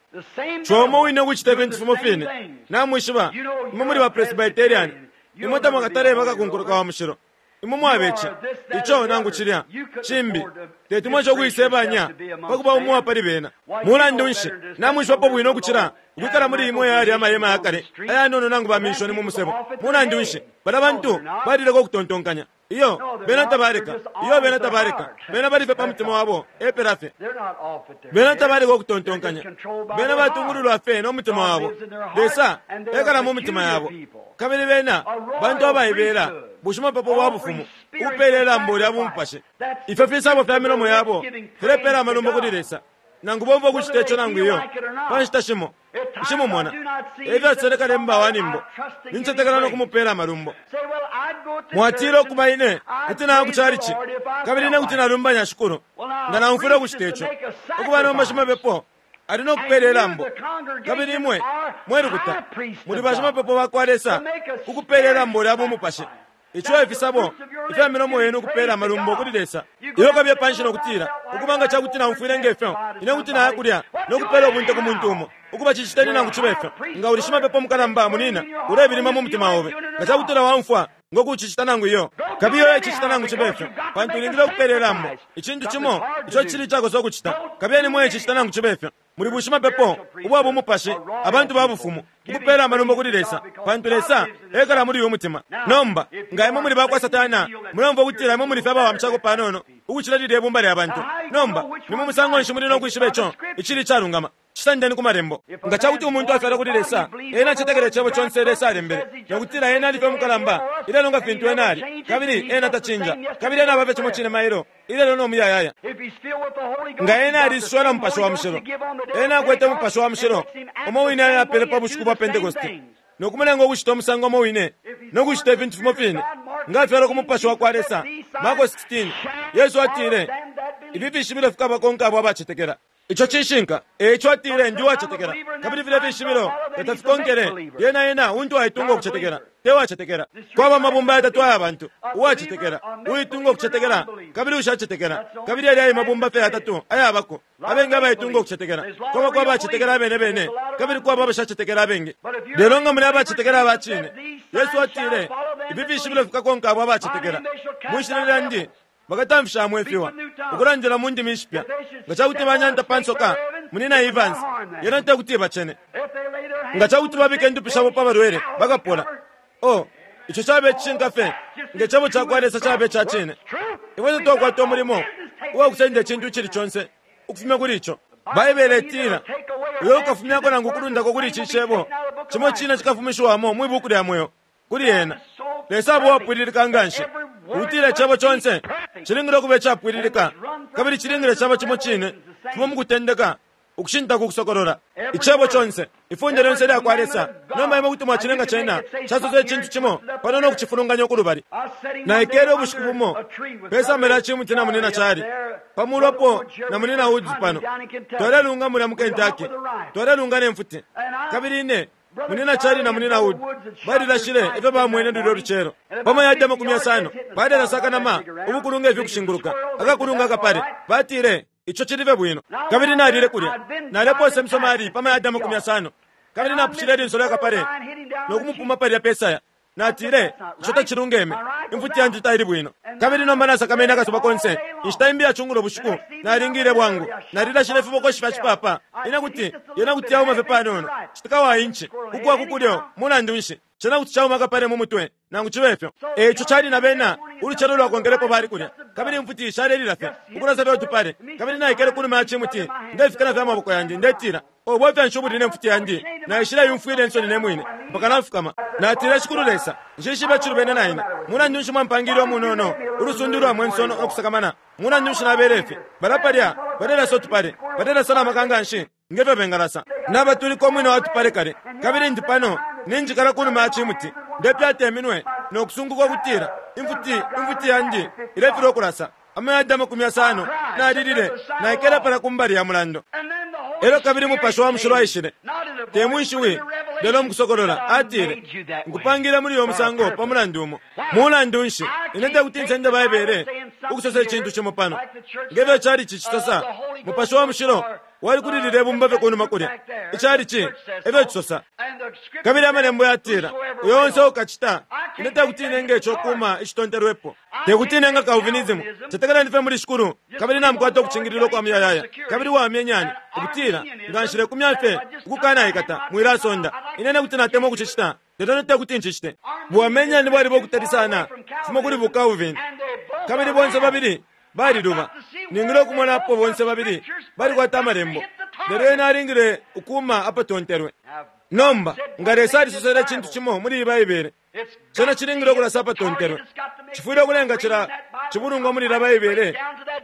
Ciwa umo wine ukucita ifintu fimo fine. Namwishiba, imwe muli ba Presbyterian, imwe tamwakataleba kakunkuluka wa mushilo. Imwe mwaba ici, ico, nangu cilya, cimbi. Teti mweshe ukuisebanya pa kuba umo wa pali bena. Mulandu nshi, namwishibapo bwino ukucila ukwikala muli imwe yalya amahema ya kale ayanono nangu baminshoni mu musebo. Mulandu nshi, balya bantu balileka ukutontonkanya. Iyo, bena tabaleka. Iyo, bena tabaleka. Bena bali fye pa mutima wabo, epela fye. Bena tabaleka ukutontonkanya. Bena batungululwa fye no mutima wabo. Lesa ekala mu mitima yabo. Kabili bena bantu abaibela, bushimapepo bwa bufumu, ukupeela ilambo lya bumupashi. Ifyo fisabo fya milomo yabo filepeela amalumbo kuli Lesa, nangu bomfwa ukucita ico nangu iyo. Pa nshita shimo, nshimumona, e fyasosele kalemba wa nyimbo, nincetekela no kumupeela amalumbo. Mwatila, Ukuba, ine kuti naya ku calici, kabili ine kuti nalumbanya Shikulu nga naumfwile ukucita ico. Ukuba nomba shimapepo ali no kupeela ilambo, kabili imwe, mwe lukuta, muli bashimapepo ba kwa Lesa ku kupeela ilambo lya bumupashi. Ico e fisabo ifya milomo yenu ukupeela amalumbo kuli Lesa. Ilyo kabiye panshi no kutila, Ukuba nga ca kuti naumfwile nge fyo, ine kuti naya kulya no kupeela ubunte ku muntu umo. Ukuba ciciteni nangu cibe fyo, nga uli shimapepo mukalamba, munina, ulebilima mu mutima obe. Nga ca kutila waumfwa ngo kucicita nangu iyo, kabiye ulecicita nangu cibe fyo, pantu ulingile ukupeela ilambo, icintu cimo ico cili icakosa ukucita. Kabiyeni mulecicita nangu cibe fyo. Muli bushimapepo ubwa bumupashi, abantu ba bufumu, ukupeela amalumbo kuli Lesa, pantu Lesa ekala muli uyu mutima. Nomba, nga imwe muli ba kwa Satana, muleumfwa ukutila imwe muli fye abawamishako panono ukucila lilye bumba lya bantu. Nomba, ni mu musango nshi muli no kwishiba ico icili icalungama? Cisandeni ku Malembo. Nga ca kuti umuntu afyalwa kuli Lesa, ena acetekela Icebo conse Lesa alembele, no kutila Ena ali fye umukalamba ilelo nga fintu Ena ali, kabili Ena tacinja, kabili Ena aba fye cimo cine mailo, ilelo no muyayaya. Nga ena aliisushiwa na Mupashi wa Mushilo, ena akwete Mupashi wa Mushilo umo wine ayo apele pa bushiku bwa Pentekoste, no kumulenga ukucita umusango umo wine no kucita ifintu fimo fine. Nga afyalwa ku Mupashi wa kwa Lesa, Marko 16, Yesu atile, Ifi fishibilo fikabakonka abo abacetekela. Ico cishinka. E ico atile, Ndi uwacetekela. Kabili filya fishibilo nga tafikonkele, lyena ena untu aitunga ukucetekela, te wacetekela. Kwaba amabumba yatatu aya bantu, uwacetekela, uitunga ukucetekela, kabili uushacetekela. Kabili yalya e mabumba fye yatatu ayabako, abengi abaitunga ukucetekela. Kwabako abacetekela abene bene, kabili kwaba abashacetekela abengi. Lelo nga muli abacetekela aba cine, Yesu atile, Ifi fishibilo fikakonka abo abacetekela. Mwi shina lyandi Bakatamfishamo ifiwa, ukulandila mu ndimi ishipya. Nga ca kuti banyanta pa nsoka, Munyina Evans, yena te kuti ibacene. Nga ca kuti babika indupi shabo pa balwele, bakapola. Oh, ico cabe cishinka fye nge Cebo ca kwa Lesa cabe ca cine. Ifwe tatwakwata umulimo uwa kusenda icintu icili conse ukufumya kuli ico. Baibele itila, Uyo ukafumyako nangu ukulundako kuli ici Cebo, cimo cine cikafumishiwamo mwi Buku lya Mweo. kuli ena. Lesa aba uwapwililika nganshi ukutila Icebo conse cilingile ukuba icapwililika kabili cilingile caba cimo cine fuma mu kutendeka ukushinta ku kusokolola. Icebo conse, ifunde lyonse ilya kwa Lesa. Nomba imwe kuti mwacilenga cena casosa icintu cimo pano no kucifulunganya ukulubali. Naikele ubushiku bumo pe samba lya cimuti na Munyina Charlie, pa mulu apo na Munyina Woods pano. Twalelunga mulya mu Kentucky. Twalelunga ne mfuti. Kabili ine Munyina Charlie na Munyina Wood balilashile ifyo bamwene lulyo lucelo. Pa mayadi 50 balelasa akanama ubukulu nge fi ukushinguluka, akakulunga akapale. Batile, Ico cili fye bwino. Kabili nalile kulya. Nalepoosa imisomali pa mayadi 50, kabili napushile ilinso lya kapale no kumupuma palya pe saya. Natile, Ico tacilungeme. Imfuti yandi taili bwino. Kabili nomba nasakamene akasuba konse. Inshita imbi ya cungulo bushiku, nalingile bwangu. Nalilashile ifibokoshi fya cipapa. Ine kuti, yena kuti yauma fye panono, citika wa inchi, ukuwa ku kulyo. Mulandu nshi, cena kuti cauma akapale mu mutwe, nangu cibe fyo. E ico cali na bena, ulucelo lwakonkelepo bali kulya. Kabili imfuti shalelila fye, ukulasa fye utupale. Kabili naikele kunuma ya cimuti, ndefikana fye amaboko yandi, ndetila, Oh, bwafya nshi ubuli ne mfuti yandi? Naishileyumfwila insoni ne mwine, mpaka nafukama. Natile, Shikulu Lesa, nshishibe icilubene na ine. Mulandu nshi mwampangiile umunono, ulusundu ulwa mwenso no kusakamana? Mulandu nshi nabele ifi? Balya palya balelasa utupale, balelasa na maka nganshi nge fyo bengalasa. Nabatulika umwina wa tupale kale, kabili ndi pano ninjikala kunuma ya cimuti, ndepyata iminwe no kusunguka ukutila imfuti, imfuti yandi ilefilwa ukulasa. Amayadi 50, nalilile, naikele palya ku mbali ya mulando. Elyo kabili Mupashi wa Mushilo aishile, te mwi shiwi, lelo mukusokolola, atile, Nkupangile muli uyo musango pa mulandu umo. Mulandu nshi, ine tekuti nsende Baibele ukusosa icintu cimo pano. Nge fyo chalichi cisosa, Mupashi wa Mushilo wali kuli lilye bumba fye kunuma kulya. Ichalichi efyo cisosa. Kabili Amalembo yatila, Uyo onse ukacita, ine tekuti nenge ico kuma icitontelwepo. Tekuti nenge Calvinism. Cetekeleni fye muli Shikulu, kabili namukwata ukucingililwa ukwa muyayaya. Kabili wamye nyani, ukutila, nga nshilekumya fye ukukanaikata, mwilasonda. Ine ne kuti natemwa ukucicita, lelo ine tekuti ncicite. Buwamenyani bwaliba ukutali sana kufuma kuli bu Calvin. Kabili bonse babili baliluba. Ningile ukumona apo bonse babili balikwata Amalembo, lelo ena alingile ukuma apatontelwe. Nomba, nga Lesa alisosele icintu cimo muli iyi Baibele, cena cilingile ukulasa apatontelwe. Cifwile ukulenga cila cibulungwa muli ilya Baibele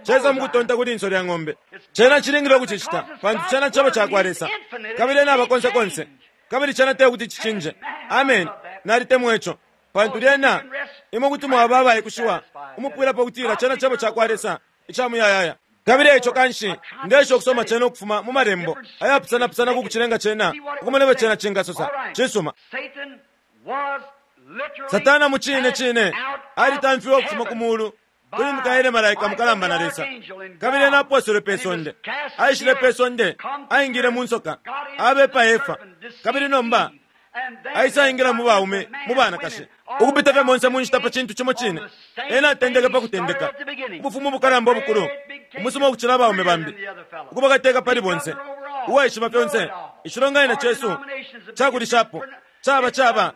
caisa mukutonta ku linso lya ng'ombe. Cena cilingile ukucicita, pantu cena Cebo cakwa Lesa, kabili Ena aba konse konse, kabili cena tekuti cicinje. Ameni. Nalitemwa ico. Pantu lyena imwe kuti mwaba abaikushiwa umupwilapo ukutila cena Cebo cakwa Lesa ica muyayaya. Kabili eico kanshi, Ndeesha ukusoma cena ukufuma mu Malembo ayapusana pusana ku kucilenga cena ukumona ifyo cena cingasosa. Cisuma. Satana mucine cine alitamfiwe ukufuma ku Mulu kuli Mikaele malaika mukalamba na Lesa, kabili ena aposelwe pe sonde. Aishile pe sonde, aingile mu nsoka, abepa Efa, kabili nomba aisaingila mu baume, mu banakashi, ukupita fye monse mu nshita pa cintu cimo cine. Ena atendeke pa kutendeka, ubufumu bukalamba ubukulu, umusuma ukucila abaume bambi, ukuba kateka pali bonse, uwaishiba fyonse. Icilonganino cesu cakulishapo caba caba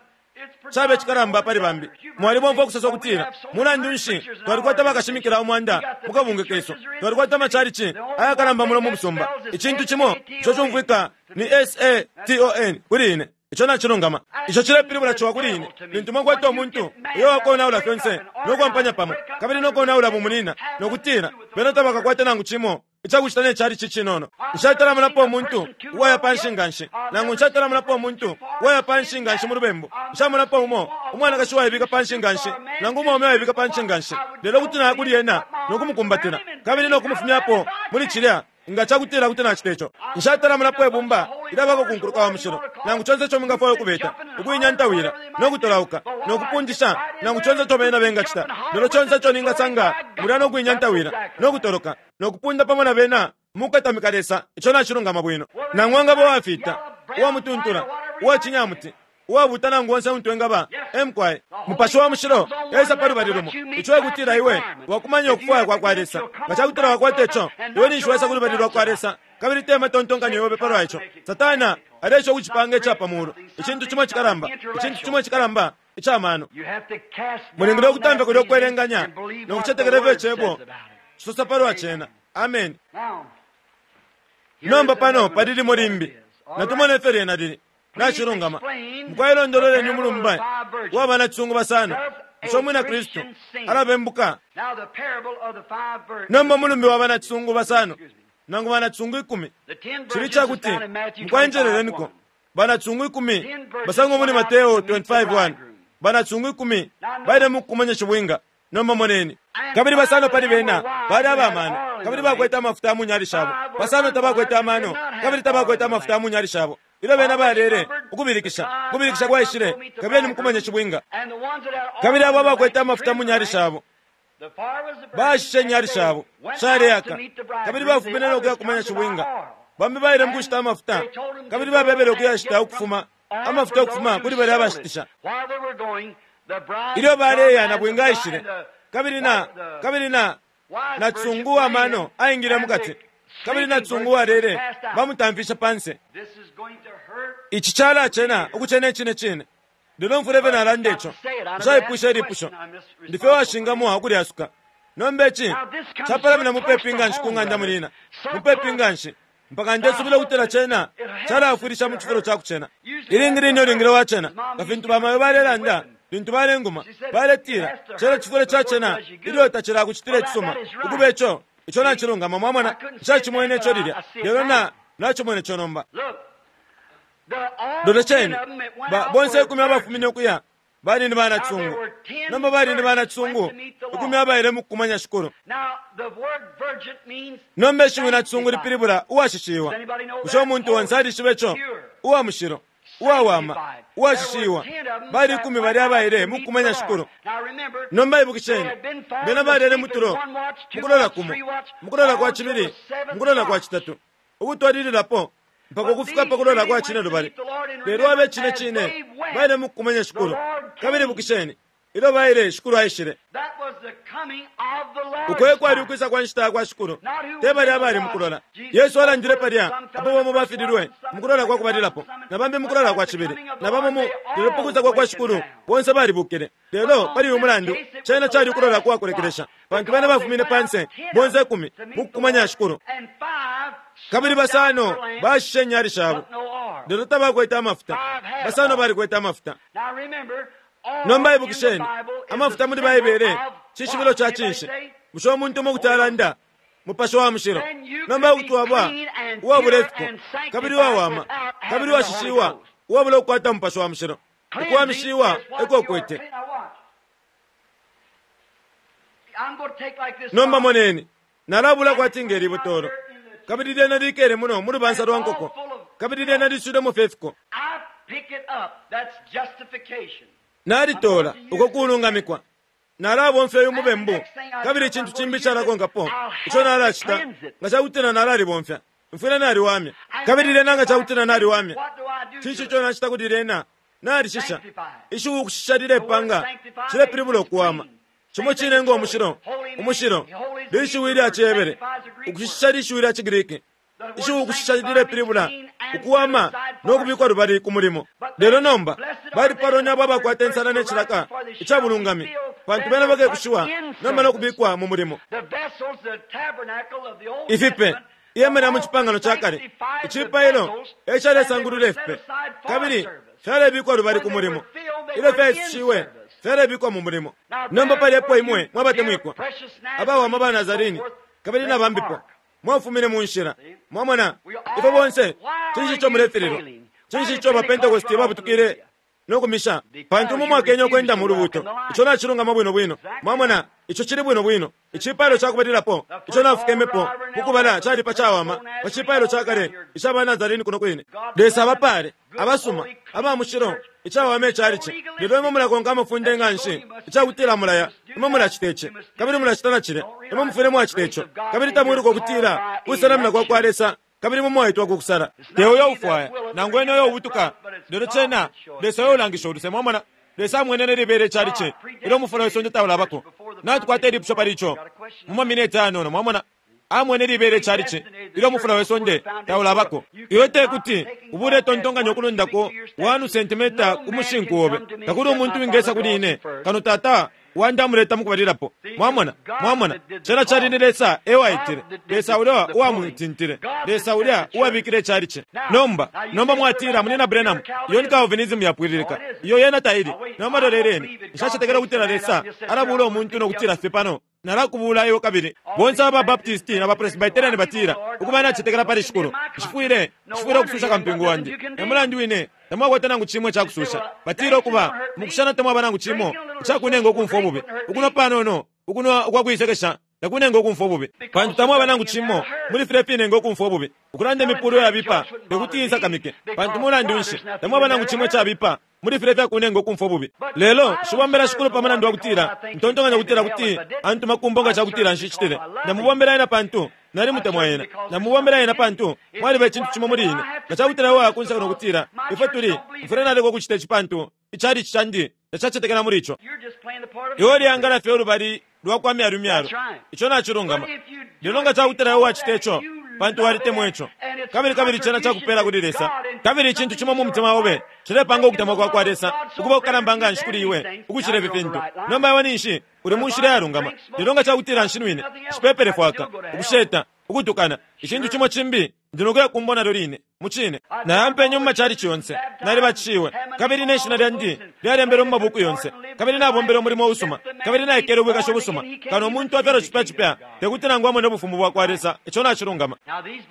caba icikalamba pali bambi. Mwalibomfwa ukusosa ukutila, Mulandu nshi, twalikwata bakashimikila 100 mu kabungwe kesu. Twalikwata amachalichi ayakalamba muno mu musumba. Icintu cimo ico cumfwika ni S-A-T-O-N kuli ine. Ico nacilungama. Ico cilepilibula ciwa kuli ine. Lintu mwakwata umuntu uyo wakonaula fyonse no kwampanya pamo, kabili no konaula bumunina, no kutila, Bena tabakakwate nangu cimo icakucita ne chalichi cinono. Nshatalamonapo umuntu uwaya panshi nganshi, nangu nshatalamonapo umuntu uwaya panshi nganshi mu lubembu. Nshamonapo umo umwanakashi uwaibika panshi nganshi, nangu umwaume uwaibika panshi nganshi. Lelo kuti naya kuli ena no kumukumbatila, kabili no kumufumyapo muli cilya, nga cakutila kuti nacita ico. Nshatalamonapo ibumba ilyabako ku nkuluka wa mushilo, nangu conse ico mwingafwaya ukubeta, ukuinyantawila, no kutolauka, no kupundisha, nangu conse ico bena bengacita. Lelo conse ico ningasanga mulya no kuinyantawila, no kutoloka, no kupunda pamo na bena mukukatamika Lesa, ico nacilungama bwino. Nangu angaba uwafita, uwamutuntula, uwacinyamuti, uwabuta nangu onse untu engaba, e mukwai. Mupashi wa Mushilo esa pa lubali lumo, ico ekutila iwe wakumanya ukufwaya kwa kwa Lesa. Nga cakutila wakwata ico, iwe ninshi waisa ku lubali lwa kwa Lesa, kabili te matontonkanyo yobe palwa ico. Satana aleesha ukucipanga ica pa mulu, icintu cimo icikalamba, icintu cimo icikalamba ica mano. Mulingile ukutamfya kulya ukwelenganya no kucetekela ifyo Icebo cisosa palwa cena. Ameni. Nomba pano pali limo limbi. Natumone ifyo lyena lili. Nacilungama. Mukwai londololeni umulumbe wa banacisungu basano. Bushe Umwina Kristu alabembuka? Nomba umulumbe wa banacisungu basano nangu banacisungu 10 cili ica kuti, mukwai njeleleniko, banacisungu 10 basangwa muli Mateo 25:1. Banacisungu 10 baile mukukumanya shibwinga. Nomba moneni. Kabili basano pali bena bali aba mano, kabili bakwete amafuta mu nyali shabo. Basano tabakwete amano, kabili tabakwete amafuta mu nyali shabo. Ilyo bena balele, ukubilikisha, ukubilikisha kwaishile, kabili mukumanya shibwinga. Kabili abo abakwete amafuta mu nyali shabo, baashishe inyali shabo, shaleaka, kabili bafumine no kuya kumanya shibwinga. Bambi baile mukushita amafuta, kabili babebele ukuyashita ukufuma, amafuta ukufuma kuli balya abashitisha. Ilyo baleya na bwinga aishile, kabili na, kabili na, na cisungu wa mano aingile mukati, kabili na cisungu walele bamutamfishe panse. Ici calacena ukucena icine cine. Lelo mfwile fye nalanda ico. Nshaipwishe ilipusho. Ndi fye uwashingamwa ukulyasuka. Nomba ici capalamina mupepi nganshi ku ng'anda mulina, mupepi nganshi, mpaka ndesubila ukutila cena calaafwilisha mu cifulo ca kucena. Ilingi line ulingile wacena, nga fintu bamayo balelanda. Lintu balenguma, baletila, Cena cifwile cacena ilyo tacilakucitila icisuma. Ukuba ico, ico nacilungama, mwamona. Nshacimwene ico lilya, lelo na, nacimwene ico nomba. Lolesheni, ba, bonse ikumi abafumine ukuya bali ni banacisungu. Nomba bali ni banacisungu ikumi abaile mukukumanya Shikulu. Nomba ishiwi nacisungu lipilibula uwashishiwa. Bushe umuntu onse alishiba ico? Uwa mushilo, uwawama, uwashishiwa. Bali ikumi balya abaile mukukumanya Shikulu. Nomba ibukisheni, bena balele mutulo, mukulola kumo, mukulola kwa cibili, mukulola kwa citatu, ukutwalililapo mpaka ukufika pa kulola kwa cine lubali. Lelo abe cine cine baile mukukumanya Shikulu. Kabili ibukisheni, ilyo baile, Shikulu aishile. Uko e kwali ukwisa kwa nshita ya kwa Shikulu, te balya abali mukulola. Yesu alandile palya apo bamo bafililwe mukulola kwa kubalilapo, na bambi mukulola kwa cibili, na bamo mu, lelo pa kwisa kwa kwa Shikulu bonse balibukile. Lelo pali uyu mulandu, cena cali ukulola kwa kulekelesha, pantu bena bafumine panse bonse ikumi mukukumanya Shikulu. Kabili basano bashishe inyali shabo, lelo tabakwete amafuta. Basano balikwete amafuta. Nomba ibukisheni, amafuta muli Baibele cishibilo ca cinshi? Bushe umuntu umo kuti alanda Mupashi wa Mushilo? Nomba kuti waba uwabula ifiko, kabili uwawama, kabili uwashishiwa, uwabula ukukwata Mupashi wa Mushilo. Ukuwamishiwa eko ukwete. Nomba moneni, nalabula kwati nge libotolo, kabili lyena likele muno mu lubansa lwa nkoko, kabili lyena liswilemo fye ifiko. Nalitola uko kulungamikwa. Nalabomfya uyu mubembu, kabili icintu cimbi icalakonkapo ico nalacita, nga ca kutila nalalibomfya, mfwile naliwamya. Kabili lyena nga ca kutila naliwamya, cinshi ico nacita kuli lyena? Nalishisha. Ishiwi ukushisha lilepanga, cilepilibula ukuwama. Cimo cine ngo mushilo, umushilo, lishiwi lya ciHebere, ukushisha lishiwi lya ciGriki. Ishiwi ukushisha lilepilibula ukuwama no kubikwa lubali ku mulimo. Lelo nomba, balipalwa ni abo abakwata insala ne cilaka ica bulungami, pantu bena bakekushiwa nomba no kubikwa mu mulimo. Ifipe, ihema lya mu cipangano ca kale, icipailo e calesangulula ifipe, kabili fyalebikwa lubali ku mulimo. Ilyo fyaisushiwe, fyalebikwa mu mulimo. Nomba pali epo imwe mwabatemwikwa, abawama ba Nazarini, kabili na bambipo, mwafumine mu nshila. Mwamona, ifwe bonse, cinshi ico mulefililwa? Cinshi ico ba Pentecosti babutukile no kumisha? Pantu umo mwakenye ukwenda mu lubuuto. Ico nacilungama bwino bwino. Mwamona, ico cili bwino bwino. Icipailo ca kubalilapo ico nafukemepo mukubala cali pa cawama pa cipailo ca kale ica ba Nazarene kuno kwine. Lesa abapaale, abasuma, aba mushilo, icawama icalici. Lelo imwe mulakonka amafunde nga nshi ica kutila mulaya, imwe mulacita ici, kabili mulacita na cilya, imwe mufwile mwacita ico, kabili tamwiluka ukutila kusenamina kwa kwa Lesa, kabili imwe mwaitwa ku kusala. Te uyo ufwaya, nangu ene uyo ubutuka, lelo cena Lesa uyo ulangisha uluse. Mwamona? Lesa amwenene libele icalici ilyo umufula we sonde taulabako. Natukwata ilipusho pali ico mu mamineti ayanono. Mwamona? Amwene libele icalici ilyo umufula we sonde taulabako. Iwe te kuti ubule tontonkanya ukulundako 1 sentimeta ku mushinku obe. Takuli umuntu wingesa kuli ine kano Tata wandi amuleta mukubalilapo. Mwamona? Mwamona? Cena cali ni Lesa e waitile. Lesa ulya uwamutintile. Lesa ulya uwabikile icalici. Nomba, nomba mwatila, Munyina Branham, iyo ni Calvinism yapwililika. Iyo yena taili. Nomba loleleni. Nshacetekela ukutila Lesa alabula umuntu no kutila fye pano, Nalakubula iwe kabili. Bonse aba Baptisti na ba Presbyterian batila, Ukuba nacetekela pali Shikulu, nshifwile, nshifwile ukususha kampingu wandi. E mulandu wine tamwakwata nangu cimo ica kususha. Batila, Ukuba, mukushana tamwaba nangu cimo ica kunenga ukumfwa ububi. Ukunwa panono, ukunwa ukwa kuisekesha takunenga ukumfwa ububi, pantu tamwaba nangu cimo muli filya ifinenga ukumfwa ububi. Ukulanda imipulo yabipa tekuti insakamike, pantu mulandu nshi tamwaba nangu cimo icabipa muli filya ifyakunenga ukumfwa ububi. Lelo nshibombela Shikulu pa mulandu wa kutila ntontonkanya ukutila kuti antuma ku mbo nga ca kutila nshicitile. Ndamubombela ena pantu nalimutemwa ena. Ndamubombela ena pantu mwaliba icintu cimo muli ine. Nga ca kutila iwe wakunseka no kutila, Ifwe tuli, mfwile naleka ukucita ici pantu icalici candi tacacetekela muli ico. Iwe uleangala fye ulubali lwa kwa myalu myalu. Ico nacilungama. Lelo nga ca kutila iwe wacita ico pantu walitemwa ico, kabili, kabili cena cakupela kuli Lesa, kabili icintu cimo mu mutima obe cilepanga ukutemwa kwa kwa Lesa ukuba ukukalamba nganshi kuli iwe ukucila ifi fintu, nomba iwe ninshi uli mu nshila iyalungama. Lelo nga ca kutila nshinwine, nshipepele fwaka, ukusheta, ukutukana, icintu cimo cimbi, ndi nokuya ku mbo nalyo line. Mucine. Nayampenye mu macalici yonse. Nalibatishiwe. Kabili ne shina lyandi lyalembelwe mu mabuku yonse. Kabili nabombele umulimo usuma. Kabili naikele ubwikashi busuma. Kano umuntu afyalwa cipya cipya, tekuti nangu amone ubufumu bwa kwa Lesa. Ico nacilungama.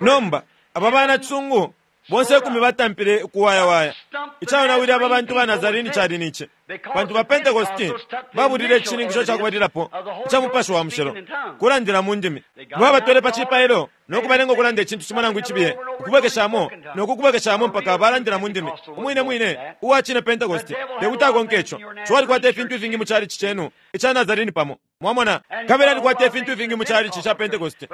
Nomba, aba bana cisungu bonse ikumi batampile ukuwayawaya. Icaonawile aba bantu ba Nazarini cali ni ci, pantu ba Pentekosti babulile icishininkisho ca kubalilapo ica Mupashi wa Mushilo, kulandila mu ndimi. Babatwele pa cipailo no kubalenga ukulanda icintu cimo nangu icibiye, ukubwekeshamo no kukubwekeshamo mpaka balandila mu ndimi. Umwine mwine uwa cine Pentekosti tekuti akonke ico. Ciwa alikwata ifintu ifingi mu chalichi cenu ica Nazarini pamo. Mwamona? Kabili alikwata ifintu ifingi mu chalichi ca Pentekosti.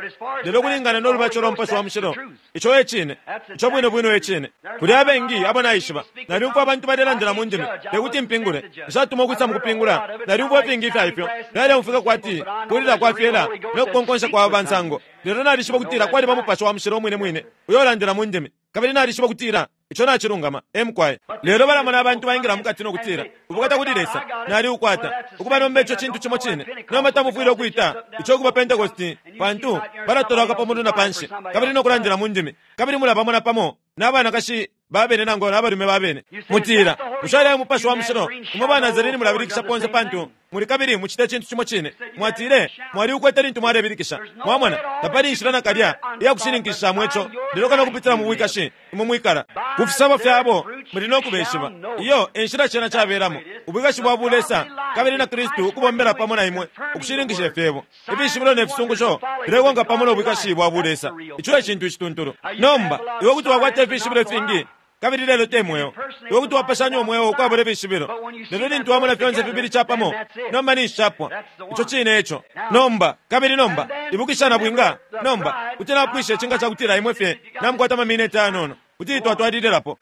Lelo kulingana no lubatisho lwa Mupashi wa Mushilo, ico e cine. Ico bwino bwino e cine. Kuli abengi abo naishiba. Nalyumfwa abantu balelandila mu ndimi. Tekuti mpingule. Nshatuma ukwisa mukupingula. Nalyumfwa ifingi ifya ifyo. Fyaleumfwika kwati kulila kwa fyela no kukonkonsha kwa bansango. Lelo nalishiba ukutila kwaliba Mupashi wa Mushilo umwine mwine uyo ulandila mu ndimi. Kabili nalishiba ukutila ico nacilungama. E mukwai. Lelo balamona abantu baingila mukati no kutila, Ubukata kuli Lesa, naliukwata. Ukuba nomba ico cintu cimo cine. Nomba tamufwile ukwita ico ukuba Pentekosti, pantu balatolauka pa mulu na panshi, kabili no kulandila mu ndimi, kabili mulabamona pamo na banakashi ba bene nangu na balume ba bene. Mutila, Bushe alya Mupashi wa Mushilo? Imwe ba Nazarene mulabilikisha ponse pantu muli kabili mucita icintu cimo cine. Mwatile mwaliukwete lintu mwalebilikisha. Mwamona, tapali inshila nakalya iya kushininkishishamo ico, lelo kano ukupitila mu bwikashi imwe mwikala. Ku fisabo fyabo muli no kubeshiba. Iyo e nshila cena cabelamo. Ubwikashi bwa bulesa kabili na Kristu ukubombela pamo na imwe ukushininkisha ifyebo. Ifishibilo ne fisungusho filekonka pamo no bwikashi bwa bulesa. Ico e cintu icituntulu. Nomba, iwe kuti wakwata ifishibilo ifingi, kabili lelo te mweo. Iwe kuti wapashanya umweo ukwabula ifishibilo. Lelo lintu wamona fyonse fibili capamo, nomba ninshi capwa. Ico cine eco. Nomba, kabili nomba, ibukisha nabwinga, nomba, kuti napwisha ici nga cakutila imwe fye namukwata amamineti ayanono, kuti twatwalililapo.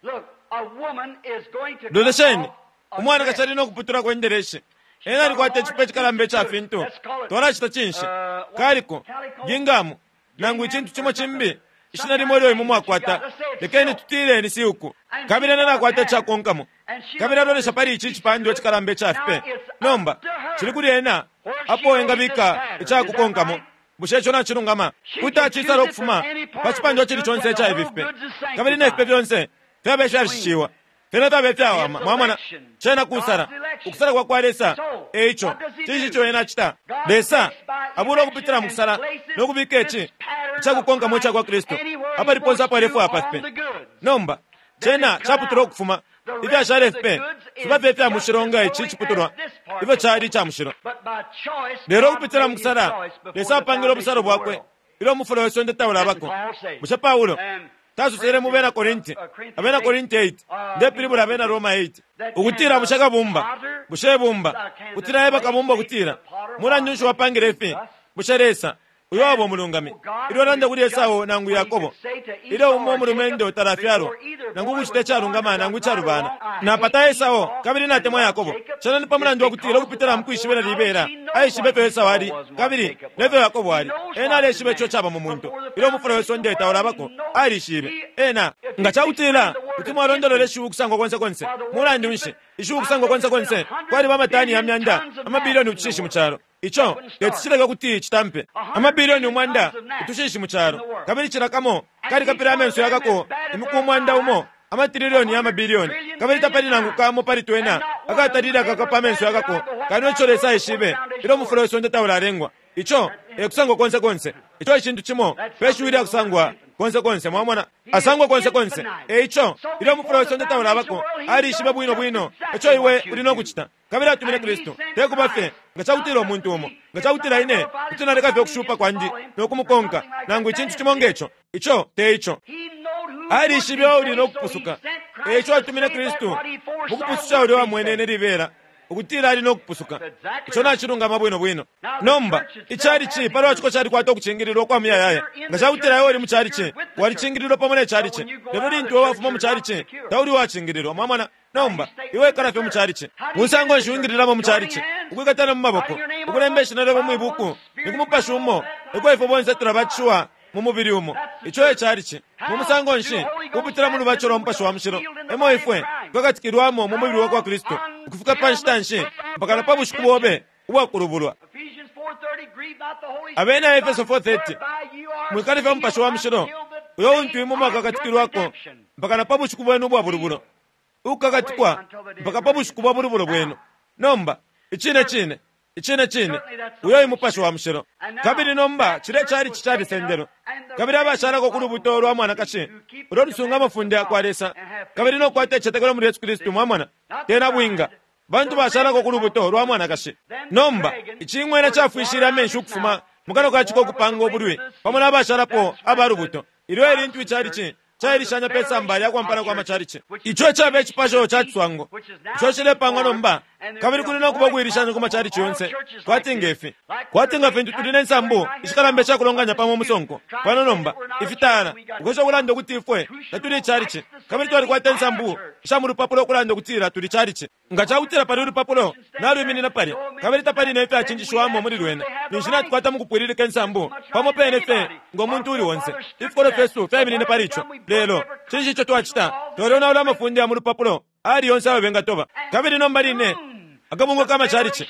Lolesheni, umwanakashi ali no kuputulako indelesi. Ena alikwata icipe icikalamba ica fintu. Twalacita cinshi? Kaliko, gingamu, nangu icintu cimo cimbi, ishina limo ilyo imwe mwakwata. Lekeni tutile ni siuku. Kabili ena nakwata icakonkamo. Kabili alolesha pali ici icipandwa icikalamba ica fipe. Nomba, cili kuli ena apo engabika icakukonkamo. Bushe ico nacilungama? Kuti acisala ukufuma pa cipandwa icili conse ica ifi fipe. Kabili ne fipe fyonse fyaba ifyashishiwa. Fyena fyaba ifyawama. Mwamona? Cena kusala. Ukusala kwa kwa Lesa. E ico, cinshi ico Ena acita? Lesa abula ukupitila mu kusala no kubika ici icakukonkamo ica kwa Kristu apali ponse apo alefwaya pa fipe. Nomba, cena caputulwa ukufuma. Ifyashala ifipe fiba fye ifya mushilo nga ici iciputulwa ifyo cali ica mushilo. Lelo ukupitila mu kusala, Lesa apangile ubusalo bwakwe ilyo umufula we sonde taulabako. Bushe Paulo tasosele mu Bena Korinti, Abena Korinti 8, ndepilibula Abena Roma 8, ukutila bushe kabumba, bushe ibumba, kuti laeba kabumba ukutila, Mulandu nshi wapangile ifi? Bushe Lesa, uyo waba umulungami, ilyo alanda kuli Esau nangu Yakobo, ilyo umo umulumendo talafyalwa, nangu ukucita icalungama nangu icalubana, Napata Esau, kabili natemwa Yakobo, cena ni pa mulandu wa kutila ukupitila mu kwishibila libela, aishibe ifyo Esau ali, kabili ne fyo Yakobo ali. Ena aleshiba ico caba mu muntu. Ilyo umufula we sonde taulabako, alishibe. Ena, nga ca kutila kuti mwalondolola ishiwi ukusangwa konse konse, mulandu nshi, ishiwi ukusangwa konse konse, kwaliba amatani ya myanda, amabilioni utushishi mu calo. Ico teti cileke ukuti citampe. Amabilioni umwanda utushishi mu calo, kabili cila kamo kalikapila amenso yakako imiku umwanda umo, amatrilioni ya mabilioni, kabili tapali nangu kamo pali twena akatalile akakapa amenso yakako, kano ico Lesa aishibe ilyo umufula we sonde taulalengwa. Ico e kusangwa konse konse. Ico e cintu cimo pe shiwi lya kusangwa konse konse. Mwamona? Asangwa konse konse. E ico, ilyo umufula we sonde taulabako, alishibe bwino bwino ico iwe uli no kucita. Kabili atumine Kristu, te kuba fye nga ca kutila umuntu umo, nga ca kutila ine kuti naleka fye ukushupa kwandi no kumukonka, nangu icintu cimo nge co. Ico te ico. Alishibe uuli no kupusuka, e ico atumine Kristu mu kupususha ulya uwamwenene libela ukutila ali no kupusuka. Ico nacilungama bwino bwino. Nomba, icalici pa lwa ciko calikwata ukucingililwa ukwa muyayaya. Nga ca kutila iwe uli mu calici, walicingililwa pamo ne calici. Lelo lintu iwe wafuma mu calici, tauli uwacingililwa. Mwamona? Nomba, iwe ikala fye mu calici. Musango nshi wingililamo mu calici? Ukwikatana mu maboko, ukulemba ishina lyobe mwi buku, ni ku Mupashi umo eko ifwe bonse tulabatishiwa mu mubili umo. Ico e calici. Mu musango nshi? Kupitila mu lubatisho lwa Mupashi wa Mushilo emo ifwe twakatikilwamo mu mubili wa kwa Kristu, ukufika pa nshita nshi? Mpaka na pa bushiku bobe ubwa kulubulwa. Abena Efeso 4:30, Mwikalifya Mupashi wa Mushilo, Uyo untu imwe mwakakatikilwako mpaka na pa bushiku bwenu ubwa bulubulo. Ukukakatikwa mpaka pa bushiku bwa bulubulo bwenu. Nomba, icine cine, icine cine, uyo e Mupashi wa Mushilo. Kabili nomba cilya chalichi calisendelwe, kabili abashalako ku lubuto lwa mwanakashi ulo lusunga amafunde yakwa Lesa kabili no kukwata icitetekelo muli Yesu Kristu, mwamona, te nabwinga, bantu bashalako ku lubuto lwa mwanakashi. Nomba, icing'wena cafwishile amenshi ukufuma mukanwa ka ciko ukupanga ubulwi pamo na bashalapo aba lubuto. Ilyo e lintu ichalichi cailishanya pe samba lya kwampana kwa macalici. Ico ecaba icipasho ca ciswango ico cilepangwa nomba, kabili kuli no kuba ukuilishanya ku macalici yonse kwati nge fi. Kwati nga fintu tuli ne nsambu ishikalamba isha kulonganya pamo umusonko pano nomba, ifitala, ukwesha ukulanda ukuti ifwe tatuli icalici, kabili twalikwata insambu isha mu lupapulo ukulanda ukutila tuli calici. Nga ca kutila pali ulupapulo nalwiminina palya, kabili tapali ne fyacinjishiwamo muli lwena, ninshi natukwata mu kupwililika insambu pamo pene fye ngo muntu uuli onse. Ifikolwe fyesu fyaiminine pali ico. Lelo, cinshi ico twacita? Twalyonaula amafunde ya mu lupapulo ayali yonse ayo bengatoba. Kabili nomba line, akabungwe ka macalici,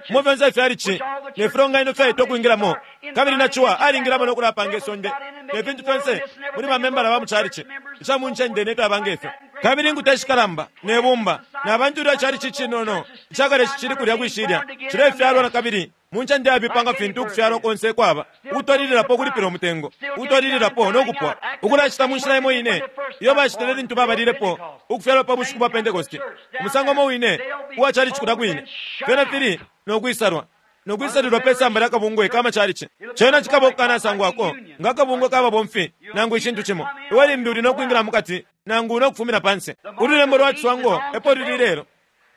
umo fyonse ifyalici ne filonganino fyaitwa ukwingilamo, kabili na ciwa alingilamo no kulapanga isonde ne fintu fyonse muli bamembala ba mu calici ica mu ncende ne fyaba nge fyo. Kabili inkuta ishikalamba ne bumba na bantu ilyo icalici icinono ica kale cicili kulya kwi shilya cilefyalwa na kabili mu ncende yabipa nga fintu ukufyalwa konse kwaba, ukutwalililapo ukulipila umutengo, ukutwalililapo no kupwa, ukulacita mu nshila imo ine iyo bacitile lintu babalilepo ukufyalwa pa bushiku bwa Pentekoste, umusango umo wine uwa calici kulya kwine. Fyena fili no kwisalwa, no kwisalilwa pe samba lya kabungwe ka macalici. Cena cikaba ukukanasangwako nga kabungwe ka babomfi nangu icintu cimo. Iwe limbi uli no kwingila mukati nangu no kufumina panse. Ululembo lwa ciswango epo luli ilelo.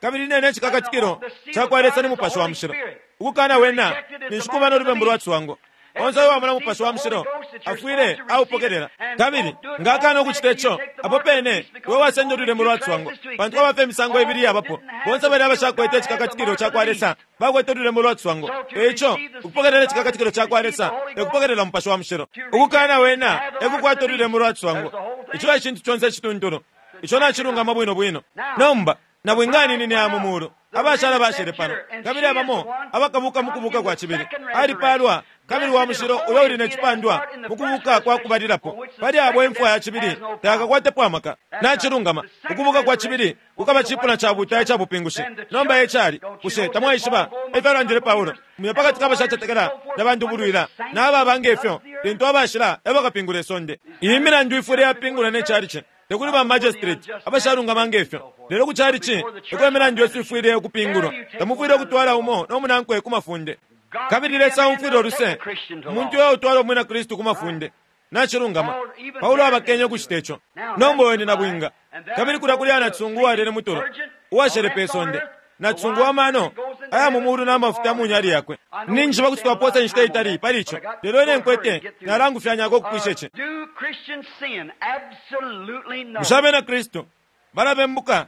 Kabili nene icikakatikilo cakwa Lesa ni Mupashi wa Mushilo. Ukukana Wena ninshi kuba no lubembu lwa ciswango. Onse uyo wamona Mupashi wa Mushilo afwile aupokelela. Kabili nga akana ukucita ico, apo pene iwe wasenda ululembo lwa ciswango, pantu kwaba fye imisango ibili iyabapo. Bonse balya abashakwete icikakatikilo cakwa Lesa bakwete ululembo lwa ciswango. E ico, ukupokelela icikakatikilo cakwa Lesa e kupokelela Mupashi wa Mushilo. Ukukana Wena e kukwata ululembo lwa ciswango. Ico e cintu conse icituntulu. Ico nacilungama bwino bwino. Nomba, Nabwinga aninine aya mu mulu, abashala bashele pano, kabili abamo abakabuka mu kubuka kwa cibili. Alipaalwa kabili wa mushilo uyo uli ne cipandwa mu kubuka kwa kubalilapo. Pali abo imfwa ya cibili tayakakwatepo amaka. Nacilungama, ukubuka kwa cibili kukaba cipuna ca buta ica bupingushi. Nomba e cali, bushe tamwaishiba, e fyalandile Paulo, muye pa kati ka bashacetekela na bandubulwila na ababa nge fyo, lintu abashila e bakapingula isonde. Iyi milandu ifwile yapingulwa ne calici. Te kuli ba magistrate abashalungama nge fyo, lelo ku calici eko imilandu yesu ifwile ukupingulwa. Tamufwile ukutwala umo no munankwe ku mafunde. Kabili Lesa aumfwila uluse umuntu uyo utwala Umwina Kristu ku mafunde. Nacilungama. Paulo abakenye ukucite co. Nomba uyo ni nabwinga. Kabili kulya kuli nacisungu uwalele mutulo, uwashele pe sonde, nacisungu wa mano aya mu mulu na mafuta mu nyali yakwe. Ninjishiba kuti twapoosa inshita itali pali ico, lelo ine nkwete nalangufyanyako ukupwisha ici. Bushe Abena Kristu balabembuka?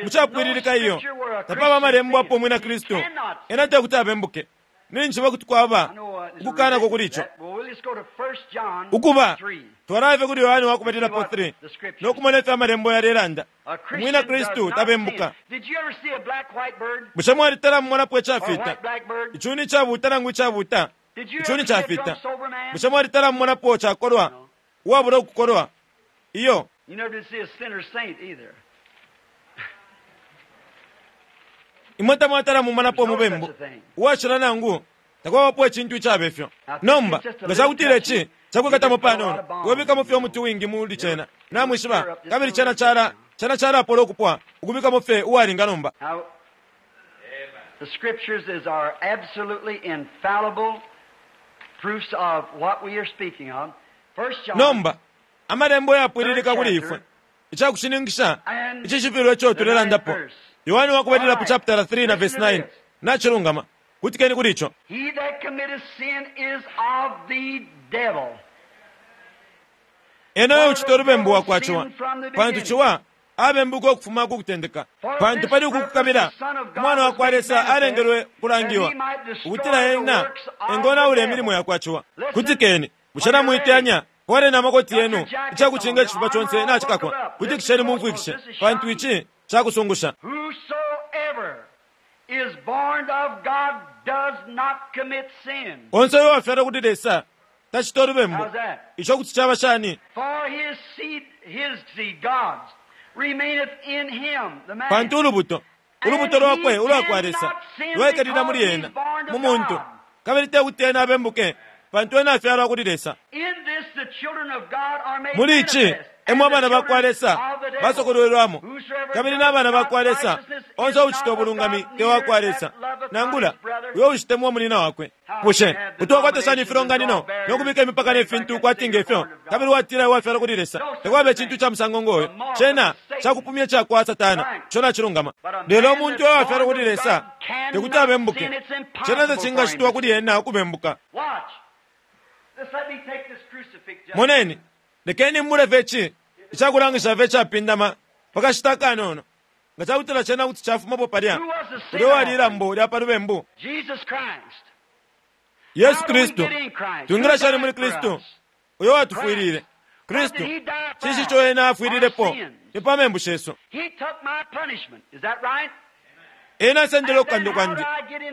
Mu capwililika iyo. Tapaba amalembo apo Umwina Kristu ena te kuti abembuke. Ninjishiba kuti kwaba ukukanako kuli ico. Ukuba, twalaya fye kuli Yohane wa Kubalilapo 3 no kumona ifyo Amalembo yalelanda. Umwina Kristu tabembuka. Bushe mwalitala mumonapo icafita, icuni icabuuta nangu icabuuta, icuni cafita? Bushe mwalitala mumonapo cakolwa, uwabula ukukolwa? Iyo. Imwe tamwatala mumonapo umubembu uwashila nangu takwabapo icintu icabe fyo. Nomba, nga cakutila ici cakwikatamo panono, iwe bikamo fye umuti uwingi muli cena, namwishiba, kabili cena cala, cena calapola ukupwa, ukubikamo fye uwalinga nomba. The scriptures is our absolutely infallible proofs of what we are speaking of. First John, Nomba, Amalembo yapwililika kuli ifwe, icakushininkisha icishibilo ico tulelandapo. Yohane wa kubalilapo chaputala 3 na vesi 9. Nacilungama. Kutikeni kuli ico. He that committeth sin is of the devil. Ena uyo ucita ulubembu wa kwa Ciwa, pantu Ciwa abembuka ukufuma ku kutendeka. Pantu pali uku kukabila, Umwana wa kwa Lesa alengelwe kulangiwa, ukutila ena engonaula imilimo ya kwa Ciwa. Kutikeni. Bushe namuiteyanya? Fwaleni amakoti yenu, ica kucinga icifuba conse nacikakwa. Kutikisheni mumfwikishe, pantu ici ca kusungusha. Whosoever is born of God does not commit sin. Onse uyo uwafyalwa kuli Lesa Tacita ulubembu. Ico kuti caba shani? Pantu ulubuto, ulubuto lwakwe ulwa kwa Lesa lwaikalila muli ena, mu muntu, kabili te kuti ena abembuke, pantu ena afyalwa kuli Lesa. Muli ici emo abana ba kwa Lesa basokolwelwamo, kabili na bana ba kwa Lesa, onse uucita ubulungami te wa kwa Lesa, nangula uyo uushitemwa munyina wakwe. Bushe kuti wakwata shani ifilonganino no kubika imipaka ne fintu kwati nge fyo, kabili watila iwe wafyalwa kuli Lesa? Takwaba icintu ca musango ngo yo. Cena cakupumya ica kwa Satana. Ico nacilungama. Lelo umuntu uyo wafyalwa kuli Lesa tekuti abembuke. Cena tacingacitwa kuli ena ukubembuka. Moneni, lekeni mbule fye ici icakulangisha fye icapindama pa kashita akanono. Nga cakutila cena kuti cafumapo palya, ulya uwali ilambo lya pa lubembu. Yesu Kristu. Twingila shani muli Kristu uyo watufwilile? Kristu, cinshi ico Ena afwililepo? Ni pa membu shesu. Ena asendele ukukandwa kwandi.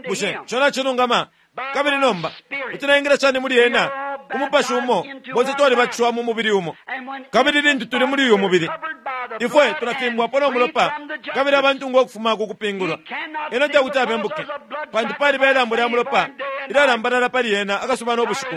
Bushe ico nacilungama? Kabili nomba, kuti naingila shani muli Ena? Ku Mupashi umo bonse twalibatishiwa mu mubili umo. Kabili lintu tuli muli uyu mubili, ifwe tulafimbwapo no mulopa kabili abantungwa ukufuma ku kupingulwa. Ena tekuti abembuke, pantu paliba ilambo lya mulopa ilyalambalala pali ena akasuba no bushiku.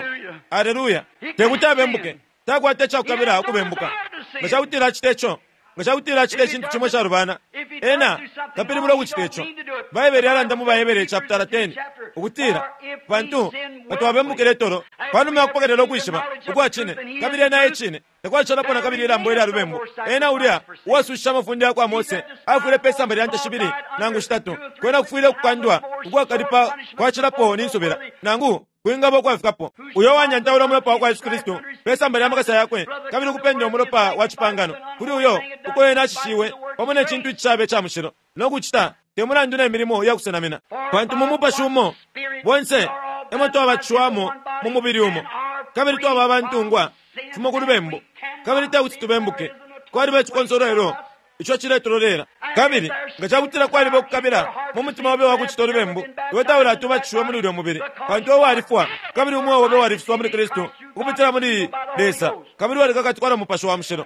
Aleluya! Tekuti abembuke. Takwata icakukabila ukubembuka. Nga cakutila acita ico, nga cakutila acita icintu cimo icalubana, ena tapilibula ukucita ico. Baibele yalanda mu BaHebere chaputala 10 ukutila, Pantu nga twabembukile tolo, panuma ya kupokelela ukwishiba ukwa Cine, kabili ena e Cine, takwashalapo na kabili ilambo ilya lubembu. Ena ulya uwasushishe amafunde ya kwa Mose afwile pe samba lya nte shibili nangu shitatu. Kwena kufwile ukukandwa ukwakalipa kwacilapo ni nsubila, nangu kwingaba ukwafikapo. Uyo uwanyantaula umulopa wa kwa Yesu Kristu pe samba lya makasa yakwe, kabili ukupenda umulopa wa cipangano kuli uyo uko ena ashishiwe pamo ne cintu icishaba ica mushilo, no kucita te mulandu ne milimo ya kusenamina. Pantu mu Mupashi umo bonse e mo twabatishiwamo mu mubili umo, kabili twaba abantungwa fimo ku lubembu, kabili te kuti tubembuke. Kwaliba icikonsolwelo ico ciletulolela. Kabili nga ca kutila kwaliba ukukabila mu mutima obe wa kucita ulubembu, iwe taulati ubatishiwe muli ulyo mubili, pantu iwe walifwa, kabili umweo obe walifiswa muli Kristu ukupitila muli Lesa, kabili walikakatikwa na Mupashi wa Mushilo.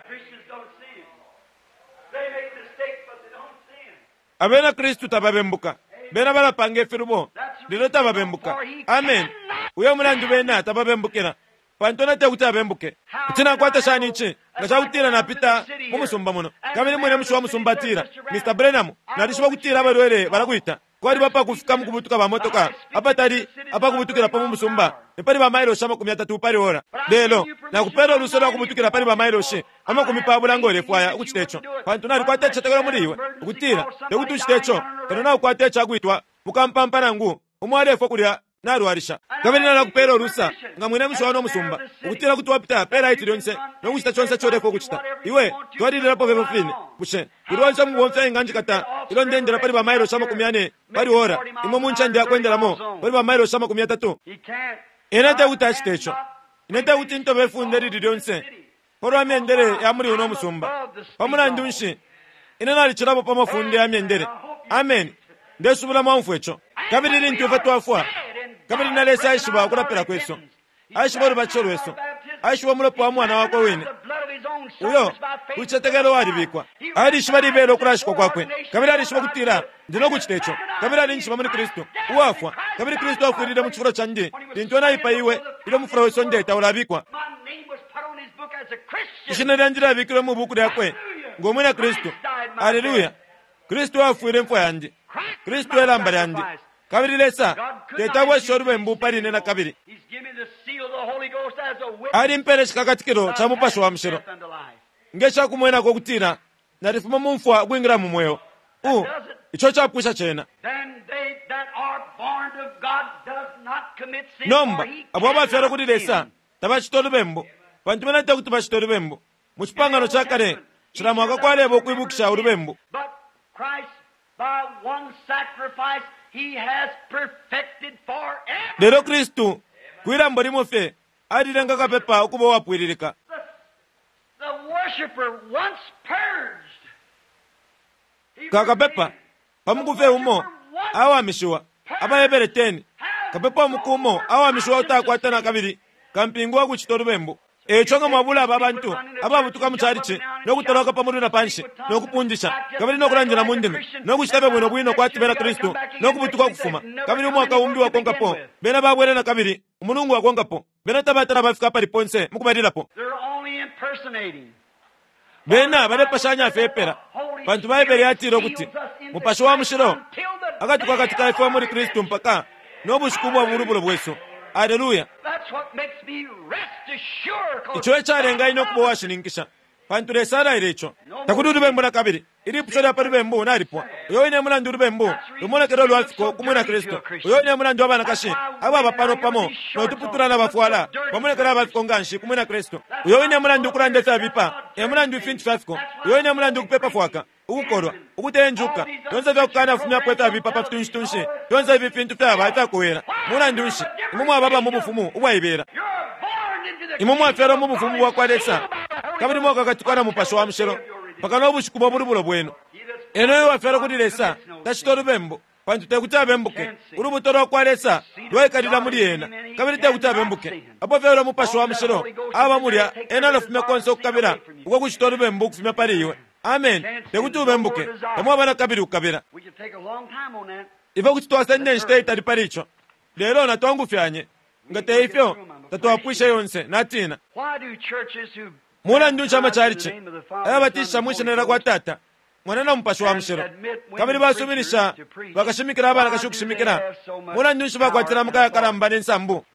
Abena Kristu tababembuka. Bena balapanga ifilubo, lelo tababembuka. Ameni. Uyo mulandu bena tababembukila, pantu ena tekuti abembuke. Kuti nakwata shani ici nga cakutila napita mu musumba muno, kabili mwine mushi wa musumba atila, Mr. Branham, nalishiba ukutila abalwele balakwita. Kwaliba apakufika mukubutuka ba motoka apatali apakubutukilapo mu musumba, ni pali ba mailoshi 30 pali ora. Lelo, nakupela ulusa lwa kubutukila pali ba mailoshi 40 ngo ulefwaya ukucita ico, pantu nalikwata icicetekelo muli iwe ukutila tekuti ucite ico kano naukwata icakwitwa mukampampa nangu umo alefwa kulya nalwalisha. Kabili nalakupela ulusa, nga mwine mushi wa uno musumba, ukutila kuti wapita pe laiti lyonse no kucita conse ico ulefwaya ukucita. Iwe twalililapo fye ifyo fine. Bushe kuli onse umubomfi ainganjikata ilyo ndeendela pali ba mailoshi 40 pali ora imo mu ncende ya kwendelamo pali ba mailoshi 30? Ine tekuti acite ico. Ine tekuti ntobe ifunde ilili lyonse palwa myendele ya muli uno musumba. Pa mulandu nshi, ine nalicilapo pa mafunde ya myendele. Ameni. Ndesubila mwaumfwa ico. Kabili lintu ifwe twafwa, kabili na Lesa aishiba ukulapila kwesu, aishiba ulubatisho lwesu, aishiba umulopa wa Mwana wakwe wine, uyo ku cicetekelo walibikwa. Alishiba libela ukulashikwa kwakwe, kabili alishiba ukutila ndi no kucita ico. Kabili alinjishiba muli Kristu, uwafwa, kabili Kristu afwilile mu cifulo candi lintu ena aipaiwe ilyo umufula we sonde taulabikwa. Ishina lyandi lyabikilwe mu buku lyakwe ngo mwina Kristu. Aleluya! Kristu afwile imfwa yandi. Kristu e lamba lyandi. Kabili Lesa teti abweshe ulubembu pali ine nakabili. Alimpele icikakatikilo ca Mupashi wa Mushilo nge ca kumwenako ukutila nalifuma mu mfwa ukwingila mu mweo. U, ico capwisha cena. Nomba, abo abafyalwa kuli Lesa tabacita ulubembu, pantu bena tekuti bacite ulubembu. Mu Cipangano ca Kale, cila mwaka kwaleba ukwibukisha ulubembu. Lelo Kristu, kwi lambo limo fye, alilenga kapepa ukuba uwapwililika. Ka kapepa, pa muku fye umo, awamishiwa. AbaHebere 10, Kapepa umuku umo awamishiwa utakwata na kabili. Kampingu wa kucito lubembu. Eico nga mwabula aba bantu ababutuka mu chalichi no kutoloka pa mulu na panshi no kupundisha kabili no kulandila mu ndimi no kucita fye bwino bwino kwati bena Kristu no kubutuka ukufuma, kabili umwaka umbi wakonkapo bena babwela na kabili, umulungu wakonkapo bena tabatala bafika apali ponse mukubalilapo. Bena balepashanya fye epela, pantu Baibele yatile ukuti Mupashi wa Mushilo akatukakatika ifwe muli Kristu mpaka no bushiku ubwa bulubulo bwesu. Aleluya! Ico ecalenga ine ukuba uwashininkisha, pantu Lesa alaile ico. Takuli ulubembu na kabili. Ilipusho lya pa lubembu nalipwa. Uyo wine mulandu ulubembu lumonekela ulwa fiko ku Mwina Kristu. Uyo wine mulandu abanakashi ababa pano pamo no tuputula na bafwala bamonekela aba fiko nganshi ku Mwina Kristu. Uyo wine mulandu ukulanda ifyabipa e mulandu ifintu fya fiko. Uyo wine mulandu ukupepa fwaka, ukukolwa, ukuteya injuka, fyonse ifya kukanafumyapo ifyabipa pa fitunshitunshi, fyonse ifi fintu fyaba ifyakowela. Mulandu nshi, imwe mwaba aba mu bufumu ubwaibela. Imwe mwafyalwa mu bufumu bwa kwa Lesa, kabili mwakakatikwa na Mupashi wa Mushilo mpaka no bushiku bwa bulubulo bwenu. Ena uyo uwafyalwa kuli Lesa tacita ulubembu, pantu te kuti abembuke. Ulubuto lwa kwa Lesa lwaikalila muli ena, kabili te kuti abembuke. Apo fyalwa Mupashi wa Mushilo aba mulya, ena alafumya konse ukukabila ukwa kucita ulubembu ukufumya pali iwe. Ameni. Te kuti ubembuke. Tamwaba na kabili ukukabila. Ifwe kuti twasenda inshita itali pali ico, lelo natwangufyanye. Nga te ifyo, tatwapwishe yonse. Natina. Mulandu nshi amacalici ayabatisha mwi shina lya kwa Tata, Mwana na Mupashi wa Mushilo, kabili basuminisha bakashimikila abanakashi ukushimikila? Mulandu nshi bakwatila amaka yakalamba ne nsambu?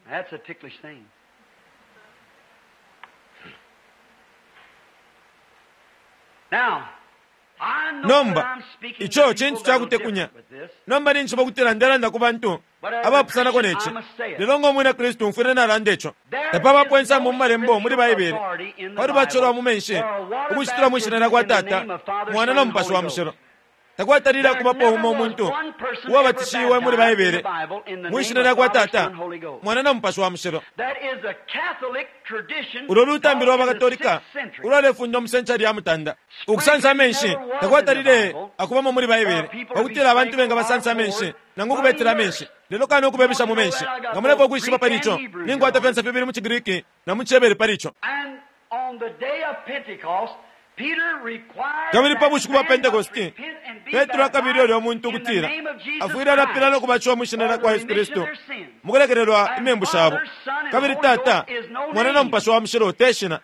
Nomba, ico cintu ca kutekunya. Nomba ninjishiba ukutila ndelanda ku bantu abapusanako ne ci, lelo ngo Mwina Kristu mfwile nalanda ico. Tapabapo insambu mu Malembo muli Baibele pa lubatisho lwa mu menshi ukucitila mwi shina lya kwa Tata, Mwana na Mupashi wa Mushilo. Takwatalile akubapo umo umuntu uwabatishiwe muli Baibele mwi shina lya kwa Tata, Mwana na Mupashi wa Mushilo. Ulo lutambi lwa baKatolika ulwalefundwa mu senchari ya mutanda. Ukusansa amenshi takwatalile akubamo muli Baibele pa kutila abantu bengabasansa amenshi nangu ukubetela amenshi, lelo kano ukubebesha mu menshi. Nga mulefwaya ukwishiba pali ico, ninkwata fyonse fibili mu ciGriki na mu ciHebere pali ico. Kabili pa bushiku bwa Pentekoste, Petro akabile ulya muntu ukutila afwile alapila no kubatishiwa mwi shina lya kwa Yesu Kristu mu kulekelelwa imembu shabo. Kabili Tata, Mwana na Mupashi wa Mushilo te shina.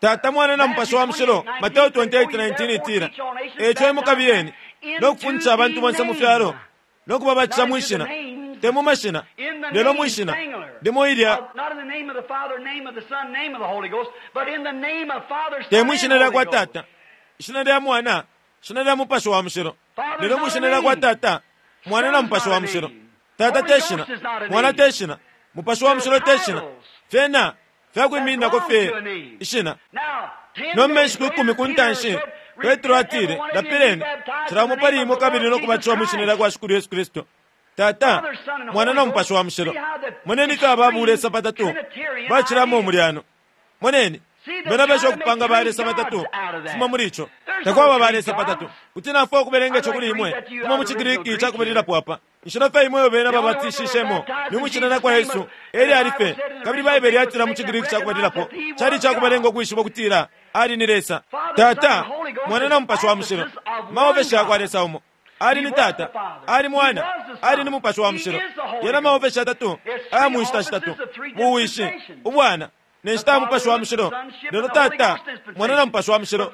Tata, Mwana na Mupashi wa Mushilo, Mateo 28:19 itila, E ico imwe kabiyeni no kufundisha abantu bonse mu fyalo no kubabatisha mwi shina, te mu mashina, lelo mwi shina limo ilya, te mwi shina lya kwa Tata, ishina lya Mwana, ishina lya Mupashi wa Mushilo, lelo mwi shina lya kwa Tata, Mwana na Mupashi wa Mushilo. Tata te shina, Mwana te shina, Mupashi wa Mushilo te shina, fyena fyakwimininako fye ishina. Nomba inshiku ikumi ku ntanshi, Petro atile, Lapileni, cila umo pali imwe kabili no kubatishiwa mwi shina lya kwa Shikulu Yesu Kristu, Tata, Mwana na Mupashi wa Mushilo. Moneni ifyo aba bulesa batatu bacilamo umulyano. Moneni, bena besha ukupanga balesa batatu kufuma muli ico. Takwaba balesa batatu. Kuti nafwaya ukubelenga ico kuli imwe kufuma mu ciGriki ca kubalilapo apa. Inshila fye imo iyo bena babatishishemo ni mwi shina lya kwa Yesu, e lyali fye. Kabili Baibele yatila mu ciGriki ca kubalilapo, cali ica kubalenga ukwishiba ukutila Ali ni Lesa, Tata, Mwana na Mupashi wa Mushilo, maofeshi ya kwa Lesa umo. Ali ni Tata, Ali Mwana, Ali ni Mupashi wa Mushilo. Yena maofeshi yatatu aya mu nshita shitatu, buwishi, ubwana, ne nshita ya Mupashi wa Mushilo. Lelo Tata, Mwana na Mupashi wa Mushilo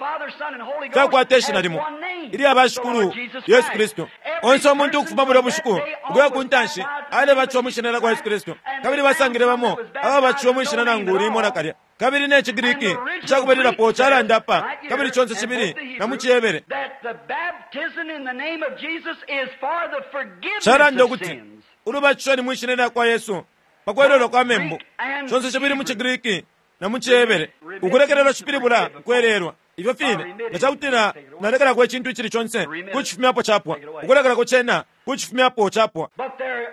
fyakwata ishina limo, ilya ba Shikulu Yesu Kristu. Onse umuntu ukufuma bulya bushiku ukuya ku ntanshi alebatishiwa mwi shina lya kwa Yesu Kristu, kabili basangile bamo ababatishiwe mwi shina nangu limo nakalya. Kabili ne ciGriki ica kubalilapo calanda apa, kabili conse cibili na mu ciHebere calanda ukuti ulubatisho ni mwi shina lya kwa Yesu pa kwelelwa kwa membu, conse cibili mu ciGriki na mu ciHebere. Ukulekelelwa cipilibula ukwelelwa. Ifyo fine, nga ca kutila nalekelako icintu icili conse, kucifumyapo capwa. Ukulekelako cena, kucifumyapo capwa.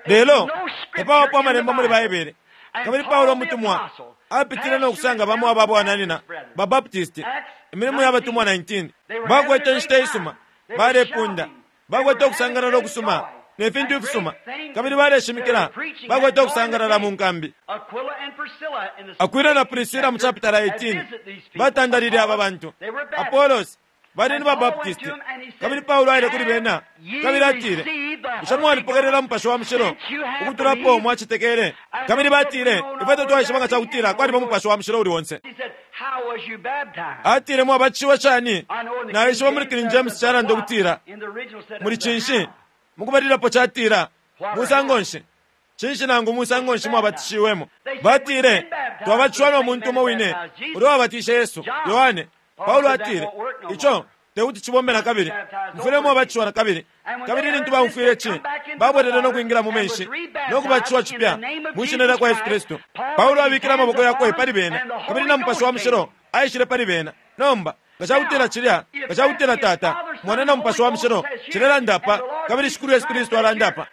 Lelo tapabapo amalembo muli Baibele. Kabili Paulo umutumwa apitile no kusanga bamo aba bwananyina ba Baptist, Imilimo ya Batumwa 19. Bakwete inshita isuma, balepunda, bakwete ukusangalala ukusuma. ne fintu ifisuma, kabili baleshimikila, bakwete ukusangalala mu nkambi. Akwila na Prisila mu chapitala 18 batandalile aba bantu. Apolos bali ni baBaptisti, kabili Paulo aile kuli bena kabili atile, Bushe mwalipokelela Mupashi wa Mushilo ukutulapo mwacetekele? Kabili batile, Ifwe tatwaishiba nga cakutila kwaliba Mupashi wa Mushilo uli onse. Atile, Mwabatishiwe shani? Naishiba muli King James calanda ukutila, muli cinshi? Mukubalilapo catila, musango nshi? Cinshi nangu musango nshi mwabatishiwemo? Batile, Twabatishiwa no muntu umo wine ulya wabatishe Yesu, Yohane. Paulo atile, Ico tekuti cibombe na kabili. Mufwile mwabatishiwa na kabili. Kabili lintu baumfwile ci, babwelele no kwingila mu menshi no kubatishiwa cipya mwi shina lya kwa Yesu Kristu. Paulo abikile amaboko yakwe pali bena, kabili na Mupashi wa Mushilo aishile pali bena. Nomba, nga cakutila cilya, nga cakutila Tata, Mwana na Mupashi wa Mushilo cilelanda apa, kabili Shikulu Yesu Kristu alanda apa,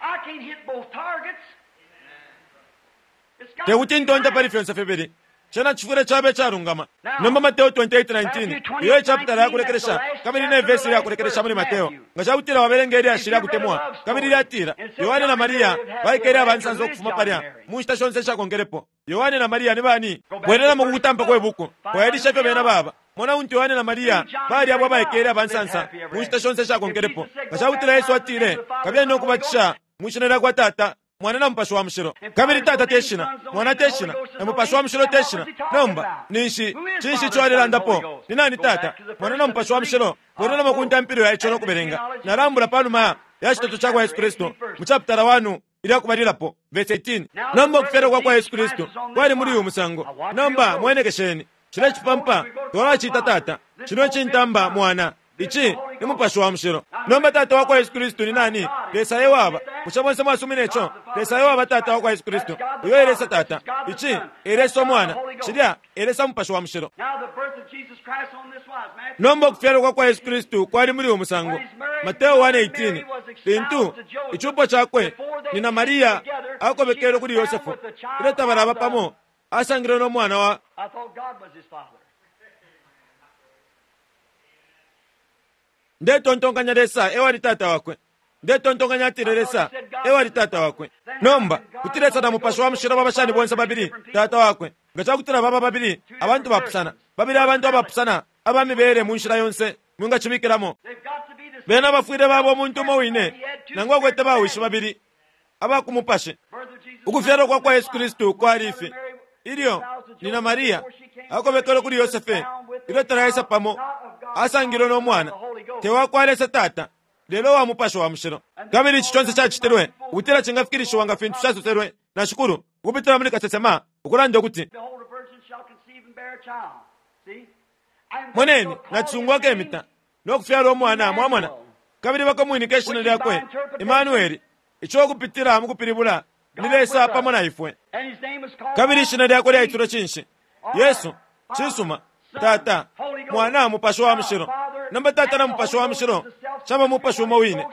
tekuti ntonte pali fyonse fibili. Cena cifwile caba icalungama. Nomba Mateo 28:19, iyo e chapitala ya kulekelesha kabili ne vesi lya kulekelesha muli Mateo. Nga ca kutila wabelenga ilyashi lya kutemwa, kabili lyatila, Yohane na Maria baikele aba nsansa ukufuma palya mu nshita shonse ishakonkelepo. Yohane na Maria ni bani? Bwelelamo ku kutampa kwe buku, fwailisha ifyo bena baba. Mona untu Yohane na Maria bali abo abaikele aba nsansa mu nshita shonse ishakonkelepo. Nga ca kutila Yesu atile, Kabiyeni no kubatisha mwi shina lya kwa Tata, Mwana na Mupashi wa Mushilo. Kabili Tata te shina, Mwana te shina, na Mupashi wa Mushilo te shina. Nomba, ninshi, cinshi ico alelandapo? Ni nani Tata, Mwana na Mupashi wa Mushilo? Bwelelamo ku ntampilo ya ico no kubelenga. Nalambula pa numa ya citeto ca kwa Yesu Kristu mu chapitala 1 ilya kubalilapo, verse 18. Nomba ukufyalwa kwa kwa Yesu Kristu kwali muli uyu musango. Nomba mwenekesheni. Cile cipampa twalacita Tata, cino cintamba Mwana. Ici ni Mupashi wa Mushilo. Nomba Tata wa kwa Yesu Kristu ni nani? Lesa e waba. Bushe bonse mwasumina ico? Lesa e waba Tata wa kwa Yesu Kristu. Uyo e Lesa Tata. Ici e Lesa Umwana. Cilya e Lesa Mupashi wa Mushilo. Nomba ukufyalwa kwa kwa Yesu Kristu kwali muli uyu musango. Mateo 1:18. Lintu icupo cakwe nyina Maria akobekelwe kuli Yosefu, ilyo tabalaba pamo, asangilwe no mwana wa. Ndetontonkanya Lesa e wali Tata wakwe. Ndetontonkanya atile Lesa e wali Tata wakwe. Nomba, kuti Lesa na Mupashi wa Mushilo baba shani bonse babili Tata wakwe, nga ca kutila baba babili abantu bapusana, babili abantu abapusana aba mibele mu nshila yonse mwingacibikilamo? Bena bafwile baba umuntu umo wine, nangu akwete bawishi babili aba ku mupashi. Ukufyalwa kwa kwa Yesu Kristu kwali ifi: Ilyo nyina Maria akobekelwe kuli Yosefe, ilyo talaisa pamo, asangilwe no mwana, te wa kwa Lesa Tata, lelo wa Mupashi wa Mushilo. Kabili ici conse cacitilwe ukutila cingafikilishiwa nga fintu casoselwe na Shikulu ukupitila muli kasesema, ukulanda ukuti, Moneni, nacisungu akemita no kufyala umwana, mwamona, kabili bakamwinika ishina lyakwe Imanueli, ico ukupitila mu kupilibula ni Lesa pamo na ifwe. Kabili ishina lyakwe lyaitilwe cinshi? Yesu. Cisuma. Tata, Mwana, Mupashi wa Mushilo. Nomba Tata na Mupashi wa Mushilo caba Mupashi umo wine.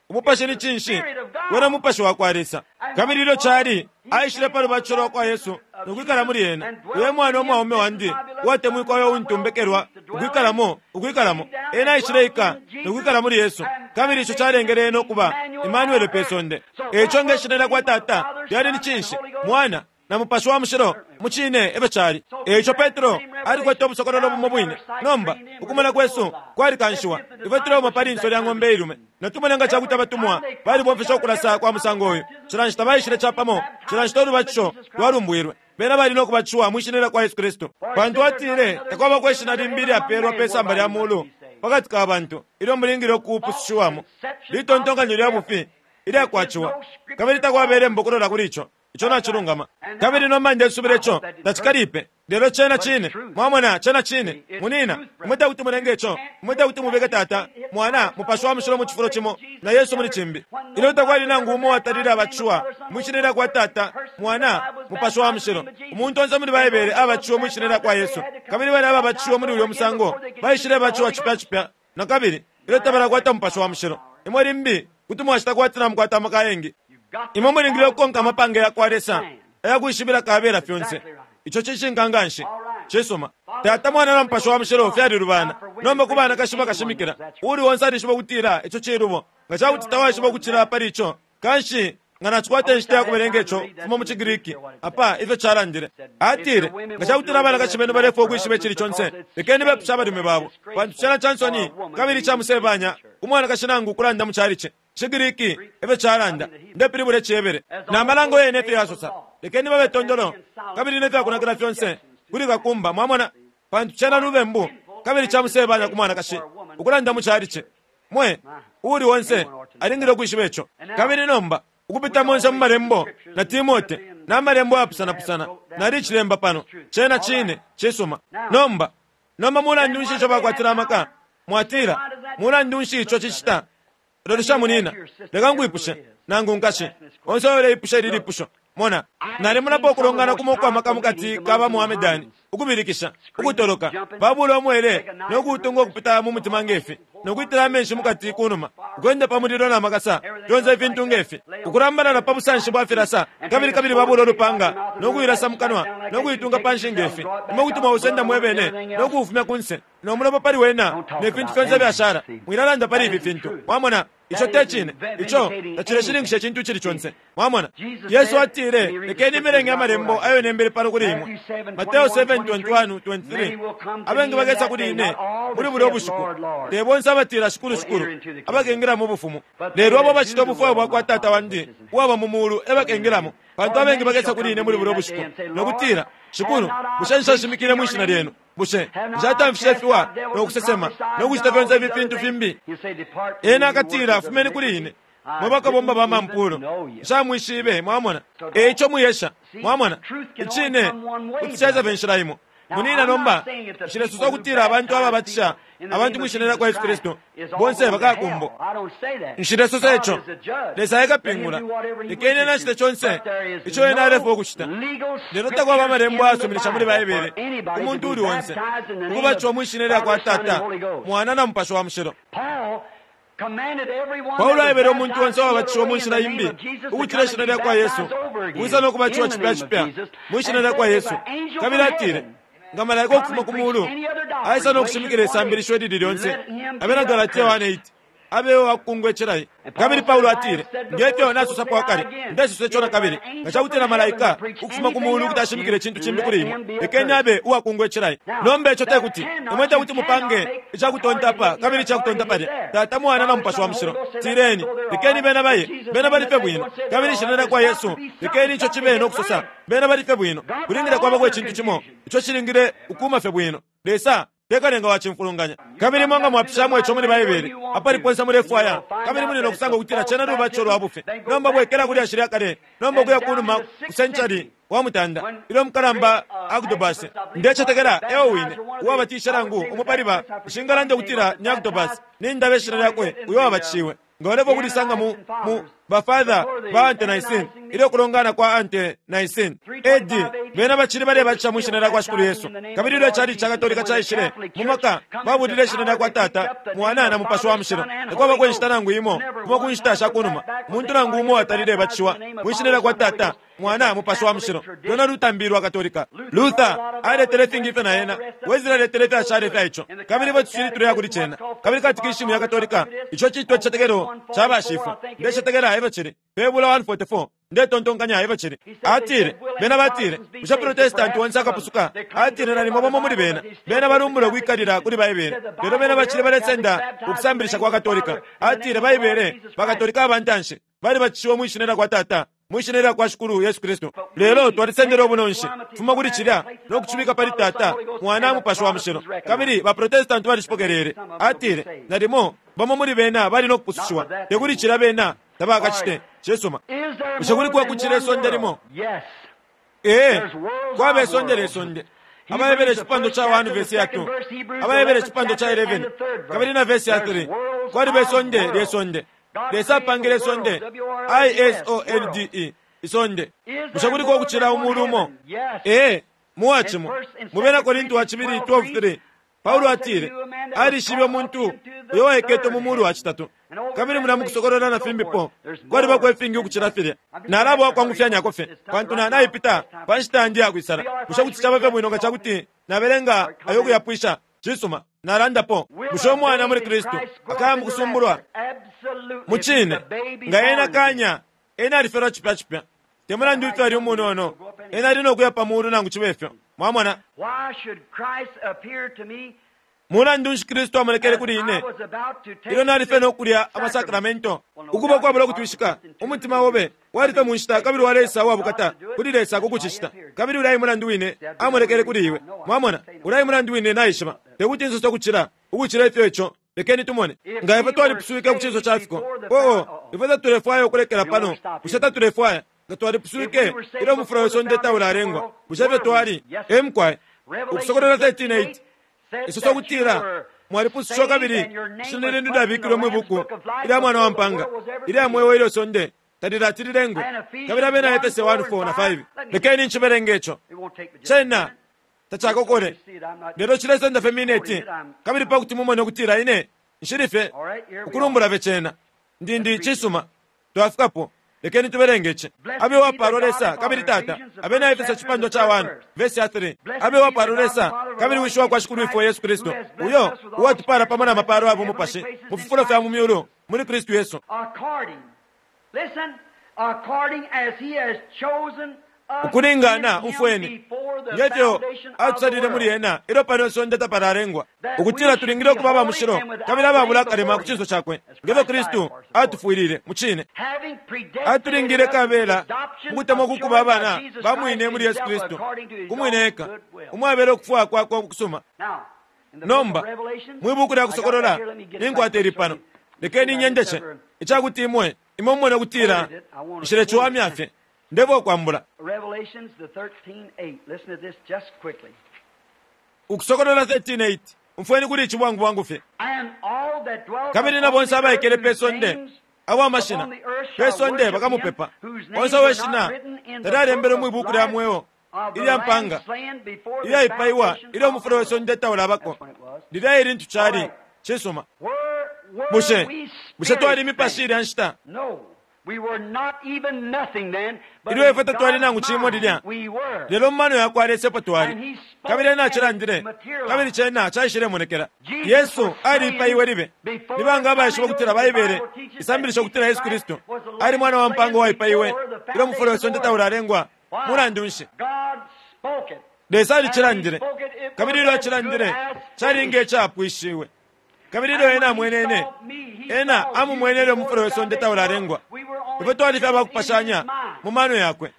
Umupashi ni cinshi? Wena Mupashi wa kwa Lesa. Kabili ilyo cali, aishile pa lubatisho lwa kwa Yesu no kwikala muli ena. Uyo e Mwana umwaume wandi uwatemwikwa uyo untu mbekelwa ukwikalamo, ukwikalamo. Ena aishileika no kwikala muli Yesu, kabili ico calengele ena ukuba Emmanuel pe sonde. E ico nge shina lya kwa Tata lyali ni cinshi? Mwana, na Mupashi wa Mushilo, mucine efyo cali. E ico Petro alikwete ubusokololo bumo bwine. Nomba, ukumona kwesu kwalikanshiwa. Ifwe tuleuma pa linso lya ng'ombe ilume. Natumone nga ca kuti abatumwa balibomfeshe ukulasa kwa musango uyu. Cila nshita baishile capamo, cila nshita ulubatisho lwalumbwilwe, bena bali no kubatishiwa mwi Shina lya kwa Yesu Kristu. Pantu atile, Takwabako ishina limbi ilyapeelwa pe samba lya mulu pa kati ka bantu ilyo mulingile ukupusushiwamo. Litontonkanyo lya bufi ilyakwaciwa, kabili takwaba ilembo ukulola kuli ico. Ico nacilungama. Kabili nomba ndesubila ico tacikalipe, lelo cena Cine. Mwamona, cena Cine. Munina, imwe tekuti mulenge ico. Imwe tekuti mubike Tata, Mwana, Mupashi wa Mushilo mu cifulo cimo, na Yesu muli cimbi. Ilyo takwali nangu umo uwatalile abatishiwa mwi Shina lyakwa Tata, Mwana, Mupashi wa Mushilo. Umuntu onse muli Baibele abatishiwe mwi Shina lyakwa Yesu. Kabili balya ababatishiwe muli uyo musango baishilebatishiwa cipya cipya nakabili, ilyo tabalakwata Mupashi wa Mushilo. Imwe limbi kuti mwacita kwati namukwata amaka ayengi. Imwe mulingile ukukonka amapange ya kwa Lesa aya kwishibila kabela fyonse. Ico cishinka nga nshi. Cisuma. Tata, Mwana, na Mupashi wa Mushilo fyalilubana. Nomba ku banakashi bakashimikila, uuli onse alishiba ukutila ico cilubo. Nga ca kuti tawaishiba ukucila pali ico, Kanshi nga nacikwata inshita ya kubelenga ico fuma mu ciGriki apa ifyo calandile. Atile, Nga ca kutila abanakashi benu balefwaya ukwishiba icili conse, lekeni bepushe abalume babo, pantu cena ca nsoni kabili ica musebanya ku mwanakashi nangu ukulanda mu calici. IciGriki e fyo calanda, ndepilibula iciHebere. Na Malango yene efyo yasosa, lekeni babe tondolo kabili ne fya kunakila fyonse kuli kakumba, mwamona, pantu cena lubembu kabili ca musebanya ku mwanakashi ukulanda mu calici. Mwe, uuli onse alingile ukwishiba ico. Kabili nomba, ukupita monse mu Malembo, na Timote, na Malembo ayapusana-pusana, nalicilemba pano. Cena Cine. Cisuma. Nomba, nomba mulandu nshi ico bakwatila amaka? Mwatila, Mulandu nshi ico cicita? Lolesha, munina. Leka nkwipushe, nangu nkashi, onse uyo uleipusha ili lipusho. Mona, nalimonapo ukulongana kumo ukwa maka mukati ka ba Mohammedani, ukubilikisha, ukutoloka, babula umwele no kuutunga ukupita mu mutima nge fi, no kwitila amenshi mukati kunuma, ukwenda pa mulilo na makasa, fyonse ifintu nge fi, ukulambalala pa busanshi bwa filasa, kabili kabili babula ulupanga no kuilasa mu kanwa no kuitunga panshi nge fi. Imwe kuti mwausenda mwebene no kuufumya kunse, no mulopa pali wena, ne fintu fyonse ifyashala. Mwilalanda pali ifi fintu. Mwamona? Ico te cine. Ico tacileshininkisha icintu icili conse. Mwamona? Yesu atile, Lekeni imelenge Amalembo ayo nembele pano kuli imwe. Mateo 7:21, 23. Abengi bakesa kuli ine muli bulya ubushiku, te bonse abatila, Shikulu, Shikulu, abakengila mu Bufumu, lelo abo abacita ubufwayo bwa kwa Tata wandi uwaba mu mulu e bakengilamo. Pantu abengi bakesa kuli ine muli bulya ubushiku, no kutila, Shikulu, bushe nshashimikile mwi shina lyenu? Bushe nshatamfishe ifiwa, no kusesema, no kucita fyonse ifi fintu fimbi? Ena akatila, Fumeni kuli ine, mwe bakabomba ba mampuulu, nshamwishibe. Mwamona? E ico mwiyesha. Mwamona? Icine kuti caisa fye inshila imo. Munina nomba, nshilesosa ukutila abantu ababatisha abantu mwi Shina lyakwa Yesu Kristu bonse bakaya ku mbo. Nshilesosa ico. Lesa e kapingula. Lekeni Ena acite conse ico Ena alefwaya ukucita. Lelo takwaba amalembo ayasuminisha muli Baibele ku muntu uuli onse ukubatishiwa mwi Shina ilya kwa Tata, Mwana, na Mupashi wa Mushilo. Paulo aebele umuntu onse uwabatishiwe mu nshila imbi ukucila ishina lya kwa Yesu ukwisa no kubatishiwa cipya cipya mwi shina lya kwa Yesu, kabili atile, Nga malaika ukufuma ku muulu aisa no kushimikila isambilisho ilili lyonse, Abena Galatia 1:8, abe uwa kukungwe cilai. Kabili Paulo atile, Nge fyo nasosapo akale, ndesosa ico na kabili, nga ca kutila malaika ukufuma ku muulu kuti ashimikila icintu cimbi kuli imwe, lekeni abe uwa kungwe cilai. Nomba ico te kuti imwe te kuti mupange ica kutonta apa kabili ica kutonta palya, Tata, Mwana, na Mupashi wa Mushilo. Tileni, Lekeni bena baye, bena bali fye bwino. Kabili Ishina lyakwa Yesu, lekeni ico cibe no kusosa, bena bali fye bwino. Kulingile kwabako icintu cimo ico cilingile ukuuma fye bwino. Lesa te kalenga wa cimfulunganya. Kabili imwe nga mwapishamo ico muli Baibele, apali ponse mulefwaya, kabili muli no kusanga ukutila cena lubatisho lwa bufi. Nomba bwekela ku lyashi lya kale, nomba ukuya kunuma ku century wa mutanda, ilyo umukalamba Agdobasi, ndecetekela eo wine, uwabatishe nangu umo pali ba, nshingalanda ukutila ni Agdobasi, nindaba ishina lyakwe, uyo wabatishiwe. Nga ulefwaya ukulisanga mu, mu, ba Father ba Ante-Nicene, ilyo kulongana kwa Ante-Nicene, A.D., bena bacili balebatisha mwi Shina lyakwa Shikulu Yesu. Kabili ilyo icalici ca Katolika caishile mu maka, babulile Ishina lyakwa Tata, Mwana, na Mupashi wa Mushilo. Takwabako inshita nangu imo, kumo ku nshita sha kunuma, umuntu nangu umo uwatalile batishiwa mwi Shina lyakwa Tata, Mwana, Mupashi wa Mushilo. Lwena lutambi lwa Katolika. Luther aletele ifingi ifyo na ena. Wesley aletele ifyashala ifya ico. Kabili ifwe tucili tuleya kuli cena. Kabili katikishimu ya Katolika, ico citwa icicetekelo ca bashifwe. Ndecetekela efyo cili. Pe bula 144, ndetontonkanya efyo cili. Atile, bena batile, Bushe Protestanti onse akapusuka? Atile, Nalimo bamo muli bena. Bena balumbula ukwikalila kuli Baibele, lelo bena bacili balesenda ukusambilisha kwa Katolika. Atile, Baibele, ba Katolika aba ntanshi, balibatishiwe mwi Shina lyakwa Tata, mwi Shina lyakwa Shikulu Yesu Kristu. Lelo twalisendele ubunonshi kufuma kuli cilya no kucibika pali Tata, Mwana, Mupashi wa Mushilo, kabili ba Protestanti balicipokelele. Atile, Nalimo bamo muli bena bali no kupusushiwa, te kuli cilya bena tabakacite. Cisuma. Bushe kuliko ukucila isonde limo? Ee, kwaba isonde lye sonde. AbaHebere icipandwa ca 1 vesi ya 2, AbaHebere icipandwa ca 11 kabili na vesi ya 3, kwaliba isonde lye sonde. Lesa apangile isonde, I-S-O-N-D-E, isonde. Bushe kuliko ukucila umulu umo? Ee, mu wa cimo. Mu Bena Korinti wa Cibili 12:3, Paulo atile alishibe umuntu uyo waiketwe mu mulu wa citatu. Kabili mulya mu Kusokolola na fimbipo, kwalibako ifingi ukucila filya. Nalaba uwakwangufyanyako fye, pantu na, naipita pa nshita yandi iya kwisala. Bushe kuti caba fye bwino nga ca kuti nabelenga ayo ukuyapwisha? Cisuma. Nalandapo. Bushe umwana muli Kristu akaya mukusumbulwa? Mucine, nga ena kanya, ena alifyalwa cipya cipya. Te mulandu ifyo ali umunono, ena ali no kuya pa muulu nangu cibe fyo. Mwamona? Mulandu nshi Kristu amonekele kuli ine ilyo nali fye no kulya amasakramento? Ukuba ukwabula ukutwishika, umutima obe wali fye mu nshita kabili waleisa uwa bukata kuli Lesa ku kucicita. Kabili ulya e mulandu wine amonekele kuli iwe. Mwamona? Ulya e mulandu wine naishiba. Te kuti nsose ukucila, ukucila ifyo ico. Lekeni tumone. Nga ifwe twalipuswike ku cinso ca fiko. Oo, ifwe tatulefwaya ukulekela pano, bushe tatulefwaya? Nga twalipuswike ilyo umufula we sonde taulalengwa, bushe efyo twali? Ee, mukwai. Ukusokolola 13:8 isosa ukutila mwalipusushiwa kabili ishina lyenu lyabikilwe mwi buku ilya Mwana wa mpaanga ilya mweo ilyo sonde talilati lilengwe. Kabili Abena Efese 1, 4 na 5. Lekeni ncibelenge ico. Cena tacakokole, lelo cilesenda fye mineti, kabili pa kuti mumone ukutila ine nshili fye ukulumbula fye cena. Ndi, ndi, cisuma, twafikapo. Lekeni tubelenge ici. Abe uwapaalwa Lesa kabili Tata, Abena Efeso icipandwa ca 1 vesi ya 3. Abe uwapaalwa Lesa kabili Wishi wa kwa Shikulwifwe Yesu Kristu, uyo uwatupaala pamo na mapaalo ya bumupashi mu fifulo fya mu myulu muli Kristu Yesu. Ukulingana, umfweni, nge fyo atusalile muli ena ilyo pano isonde tapalalengwa, ukutila tulingile ukuba aba mushilo kabili ababula akalema ku cinso cakwe, nge fyo Kristu atufwilile. Mucine, atulingile kabela mu kutemwa ku kuba abana ba mwine muli Yesu Kristu, ku mwine eka, umwabela ukufwaya kwakwe ukusuma. Nomba, mwi buku lya Kusokolola, ninkwata ili pano. Lekeni nyendeshe, ica kuti imwe, imwe mumone ukutila nshileciwamya fye. Ndefwaya ukwambula. Ukusokolola 13:8. Umfweni kuli ici bwangu bwangu fye. Kabili na bonse abaikele pe sonde, abo amashina pe sonde bakamupepa, onse uwe shina talyalembelwe mwi buku lya mweo ilya mpanga ilyaipaiwa ilyo umufula we sonde taulabako. Lilya e lintu cali. Cisuma. Bushe, bushe twali imipashi ilya nshita? Ilyo ifwe tatwali nangu cimo lilya, lelo mu mano yakwa Lesa epo twali, kabili Ena acilandile, kabili cena caishilemonekela. Yesu aliipaiwe libe. Ni banga abaishiba ukutila Baibele isambilisha ukutila Yesu Kristu ali Mwana wa mpaanga uwaipaiwe ilyo umufula we sonde taulalengwa? Mulandu nshi? Lesa alicilandile, kabili ilyo Acilandile, cali nge capwishiwe. Kabili ilyo Ena amwene ine, Ena amumwene ilyo umufula we sonde taulalengwa. Ifwe twali fye abakupashanya mu mano Yakwe.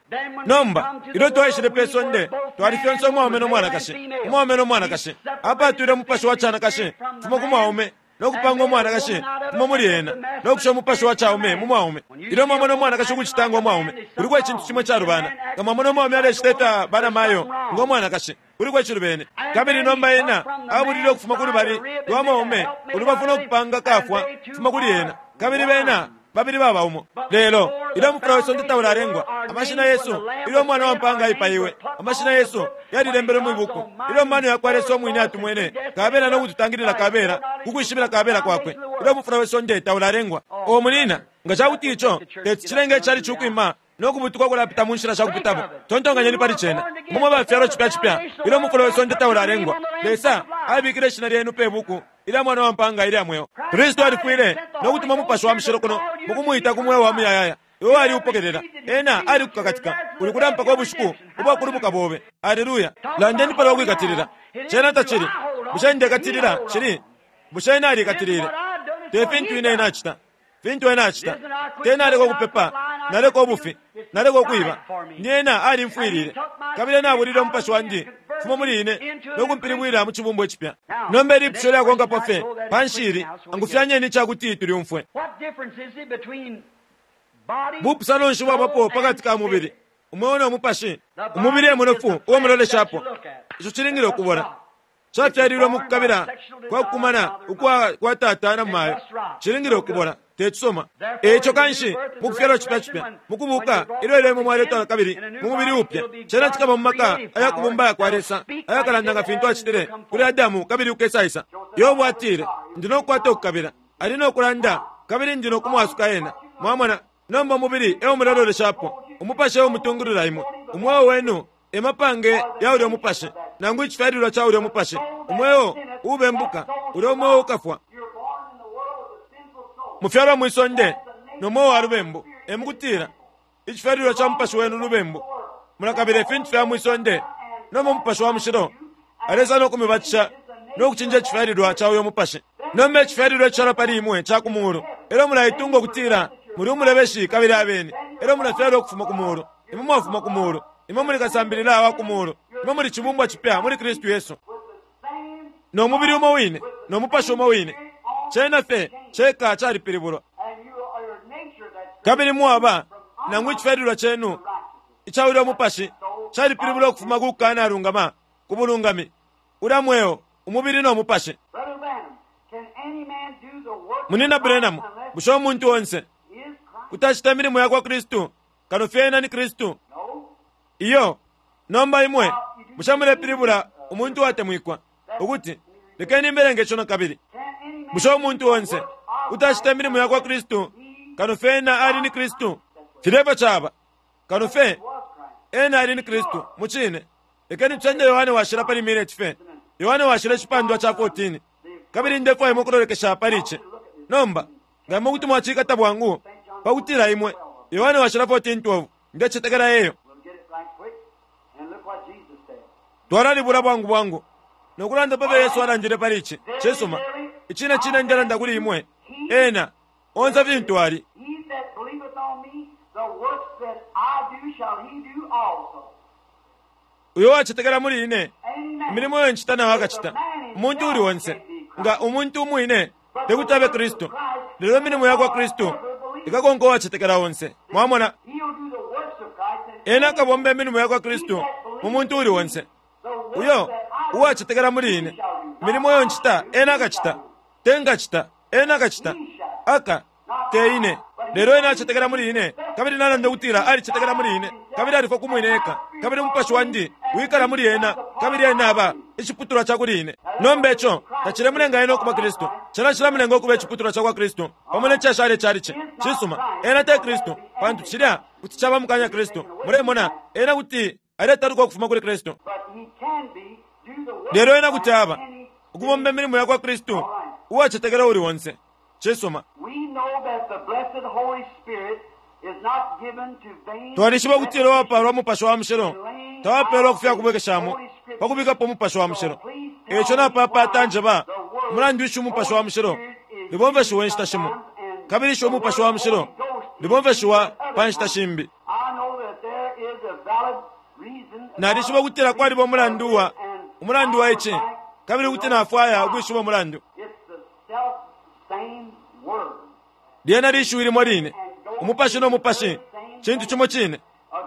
Nomba, ilyo twaishile pe sonde, twali fyonse umwaume no mwanakashi, umwaume no mwanakashi. Apatwile umupashi wa canakashi fuma ku mwaume, no kupanga umwanakashi umo muli ena, no kusha umupashi wa caume mu mwaume. Ilyo mwamona umwanakashi ukucita ngo mwaume, kuliko icintu cimo icalubana. Nga mwamona umwaume alecita ifya banamayo ngo mwanakashi, kuliko icilubene. Kabili nomba ena abulile ukufuma ku lubali lwa mwaume ulubafu no kupanga kafwa kufuma kuli ena, kabili bena babili baba umo. Lelo ilyo umufula we sonde taulalengwa, amashina yesu, ilyo Umwana wa mpaanga aipaiwe, amashina yesu yalilembelwe mwi buku. Ilyo mano ya kwa Lesa umwine atumwene kabela no kututangilila kabela ku kwishibila kabela kwakwe, ilyo umufula we sonde taulalengwa. O munina, nga ca kuti ico teti cilenge icalici ukwima no kubutuka ukulapita mu nshila sha kupitamo, tontonkanyeni pali cena. Imwe mwe bafyalwa cipya cipya, ilyo umufula we sonde taulalengwa, Lesa abikile ishina lyenu pe buku ilya Mwana wa mpaanga ilya mweo. Kristu alifwile no kutuma Umupashi wa Mushilo kuno mukumwita ku mweo wa muyayaya. Iwe waliupokelela. Ena alikukakatika. Uli kulya mpaka ubushiku ubwa kulubuka bobe. Aleluya! Landeni palwa kwikatilila. Cena tacili, Bushe ndekatilila? Cili, Bushe ena alikatilile? Te fintu ine nacita. Fintu ena acita. Te naleka ukupepa, naleka ubufi, naleka ukwiba. Ni ena alimfwilile. Kabili ena abulile umupashi wandi fuma muli ine no kumpilibwila mu cibumbwa icipya. Nomba ilipusho lyakonkapo fye panshi ili, angufyanyeni ica kuti tulyumfwe. Bupusano nshi bwabapo pa kati ka mubili, umweo no mupashi? Umubili e munofu uo muloleshapo. Ico cilingile ukubola. Cafyalilwe mu kukabila kwa kukumana ukwa kwa tata na mayo. Cilingile ukubola, te cisuma. E ico kanshi, mu kufyalwa cipya cipya, mu kubuuka, ilyo ilyo imwe mwaletwa na kabili mu mubili upya, cena cikaba mu maka aya kubumba aya kwa Lesa, ayakalanda nga fintu acitile kuli Adamu kabili ukesaisa. Yobo atile, Ndi no kukwata ukukabila. Ali no kulanda, kabili ndi no kumwasuka ena. Mwamona? Nomba umubili e o muleloleshapo, umupashi e umutungulula imwe. Umweo wenu e mapange ya ulyo mupashi, nangu icifyalilwa ca ulyo mupashi. Umweo Uubembuka, ulya umweo ukafwa. Mufyalwa mwi sonde no mweo wa lubembu, e mukutila, icifyalilwa ca mupashi wenu lubembu. Mulakabila ifintu fya mwi sonde, nomba Umupashi wa Mushilo alesa no kumibatisha no kucinja icifyalilwa ca uyo mupashi. Nomba icifyalilwa icishala pali imwe ca ku muulu, e lyo mulaitunga ukutila muli umulebeshi kabili abeni, e lyo mulafyalwa ukufuma ku muulu. Imwe mwafuma ku muulu. Imwe muli kasambilila wa ku muulu. Imwe muli cibumbwa cipya muli Kristu Yesu. No mubili umo wine, no mupashi umo wine. Cena fye ceka calipilibulwa. Kabili mwaba, nangu icifyalilwa cenu ica ulya mupashi calipilibulwa ukufuma ku kukanalungama ku bulungami, ulya mweo, umubili no mupashi. Munyina Branham, bushe umuntu onse kuti acita imilimo yakwa Kristu kano fye ena ni Kristu? Iyo. Nomba imwe bushe mulepilibula umuntu uwatemwikwa ukuti, lekeni mbelenge ico nakabili. Bushe umuntu onse kuti acita imilimo yakwa Kristu kano fye ena ali ni Kristu? Filya efyo caba. Kano fye ena ali ni Kristu, mucine. Lekeni tusende Yohane Washila pali mineti fye. Yohane Washila icipandwa ca 14. Kabili ndefwaya imwe ukulolekesha pali ici. Nomba, nga imwe kuti mwacikata bwangu, pa kutila imwe, Yohane Washila 14:12, ndecetekela eyo. Twalalibula bwangu bwangu no kulanda pa fyo Yesu alandile pali ici. Cisuma. Icine cine ndelanda kuli imwe, ena, onse fintu ali. He that believeth on me, the works that I do shall he do also. Uyo uwacetekela muli ine, Any man. imilimo iyo ncita nao akacita. Umuntu uuli onse, nga umuntu umwine, te kuti abe Kristu, lelo imilimo ya kwa Kristu ikakonka uwacetekela onse. Mwamona? He'll do the works of Christ and Ena akabomba imilimo ya kwa Kristu mu muntu uuli onse. the works Uyo that I do, uwacetekela muli ine, imilimo iyo ncita ena akacita, te nkacita, ena akacita, aka, te ine. Lelo ena acetekela muli ine, kabili nalanda ukutila alicetekela muli ine, kabili alifwa ku mwine eka, kabili umupashi wandi wikala muli ena, kabili ena aba iciputulwa ca kuli ine. Nomba ico tacilemulenga ena ukuba Kristu, cena cilamulenga ukuba iciputulwa ca kwa Kristu pamo ne cashala icalici. Cisuma, ena te Kristu, pantu cilya kuti caba mukanya Kristu. Mulemona, ena kuti aletaluka ukufuma kuli Kristu. But he can be, do the works Lelo ena of kuti Christ aba any ukubomba imilimo ya kwa Kristu uwacetekela uuli onse. Cisuma. We know that the blessed Holy Spirit is not given to vain Twalishiba ukutila uwapaalwa Mupashi wa Mushilo tawapeelwa ku fya kubwekeshamo pa kubikapo Umupashi wa Mushilo. E ico napaapaata njeba umulandu nshi Umupashi wa Mushilo libomfeshiwa inshita shimo kabili isho Umupashi wa Mushilo libomfeshiwa pa nshita shimbi. I know that there is a valid reason Nalishiba ukutila kwaliba umulandu wa umulandu wa ici kabili kuti nafwaya ukwishiba umulandu. It's the self same word. Lyena lishiwi limo line, umupashi no mupashi cintu cimo cine.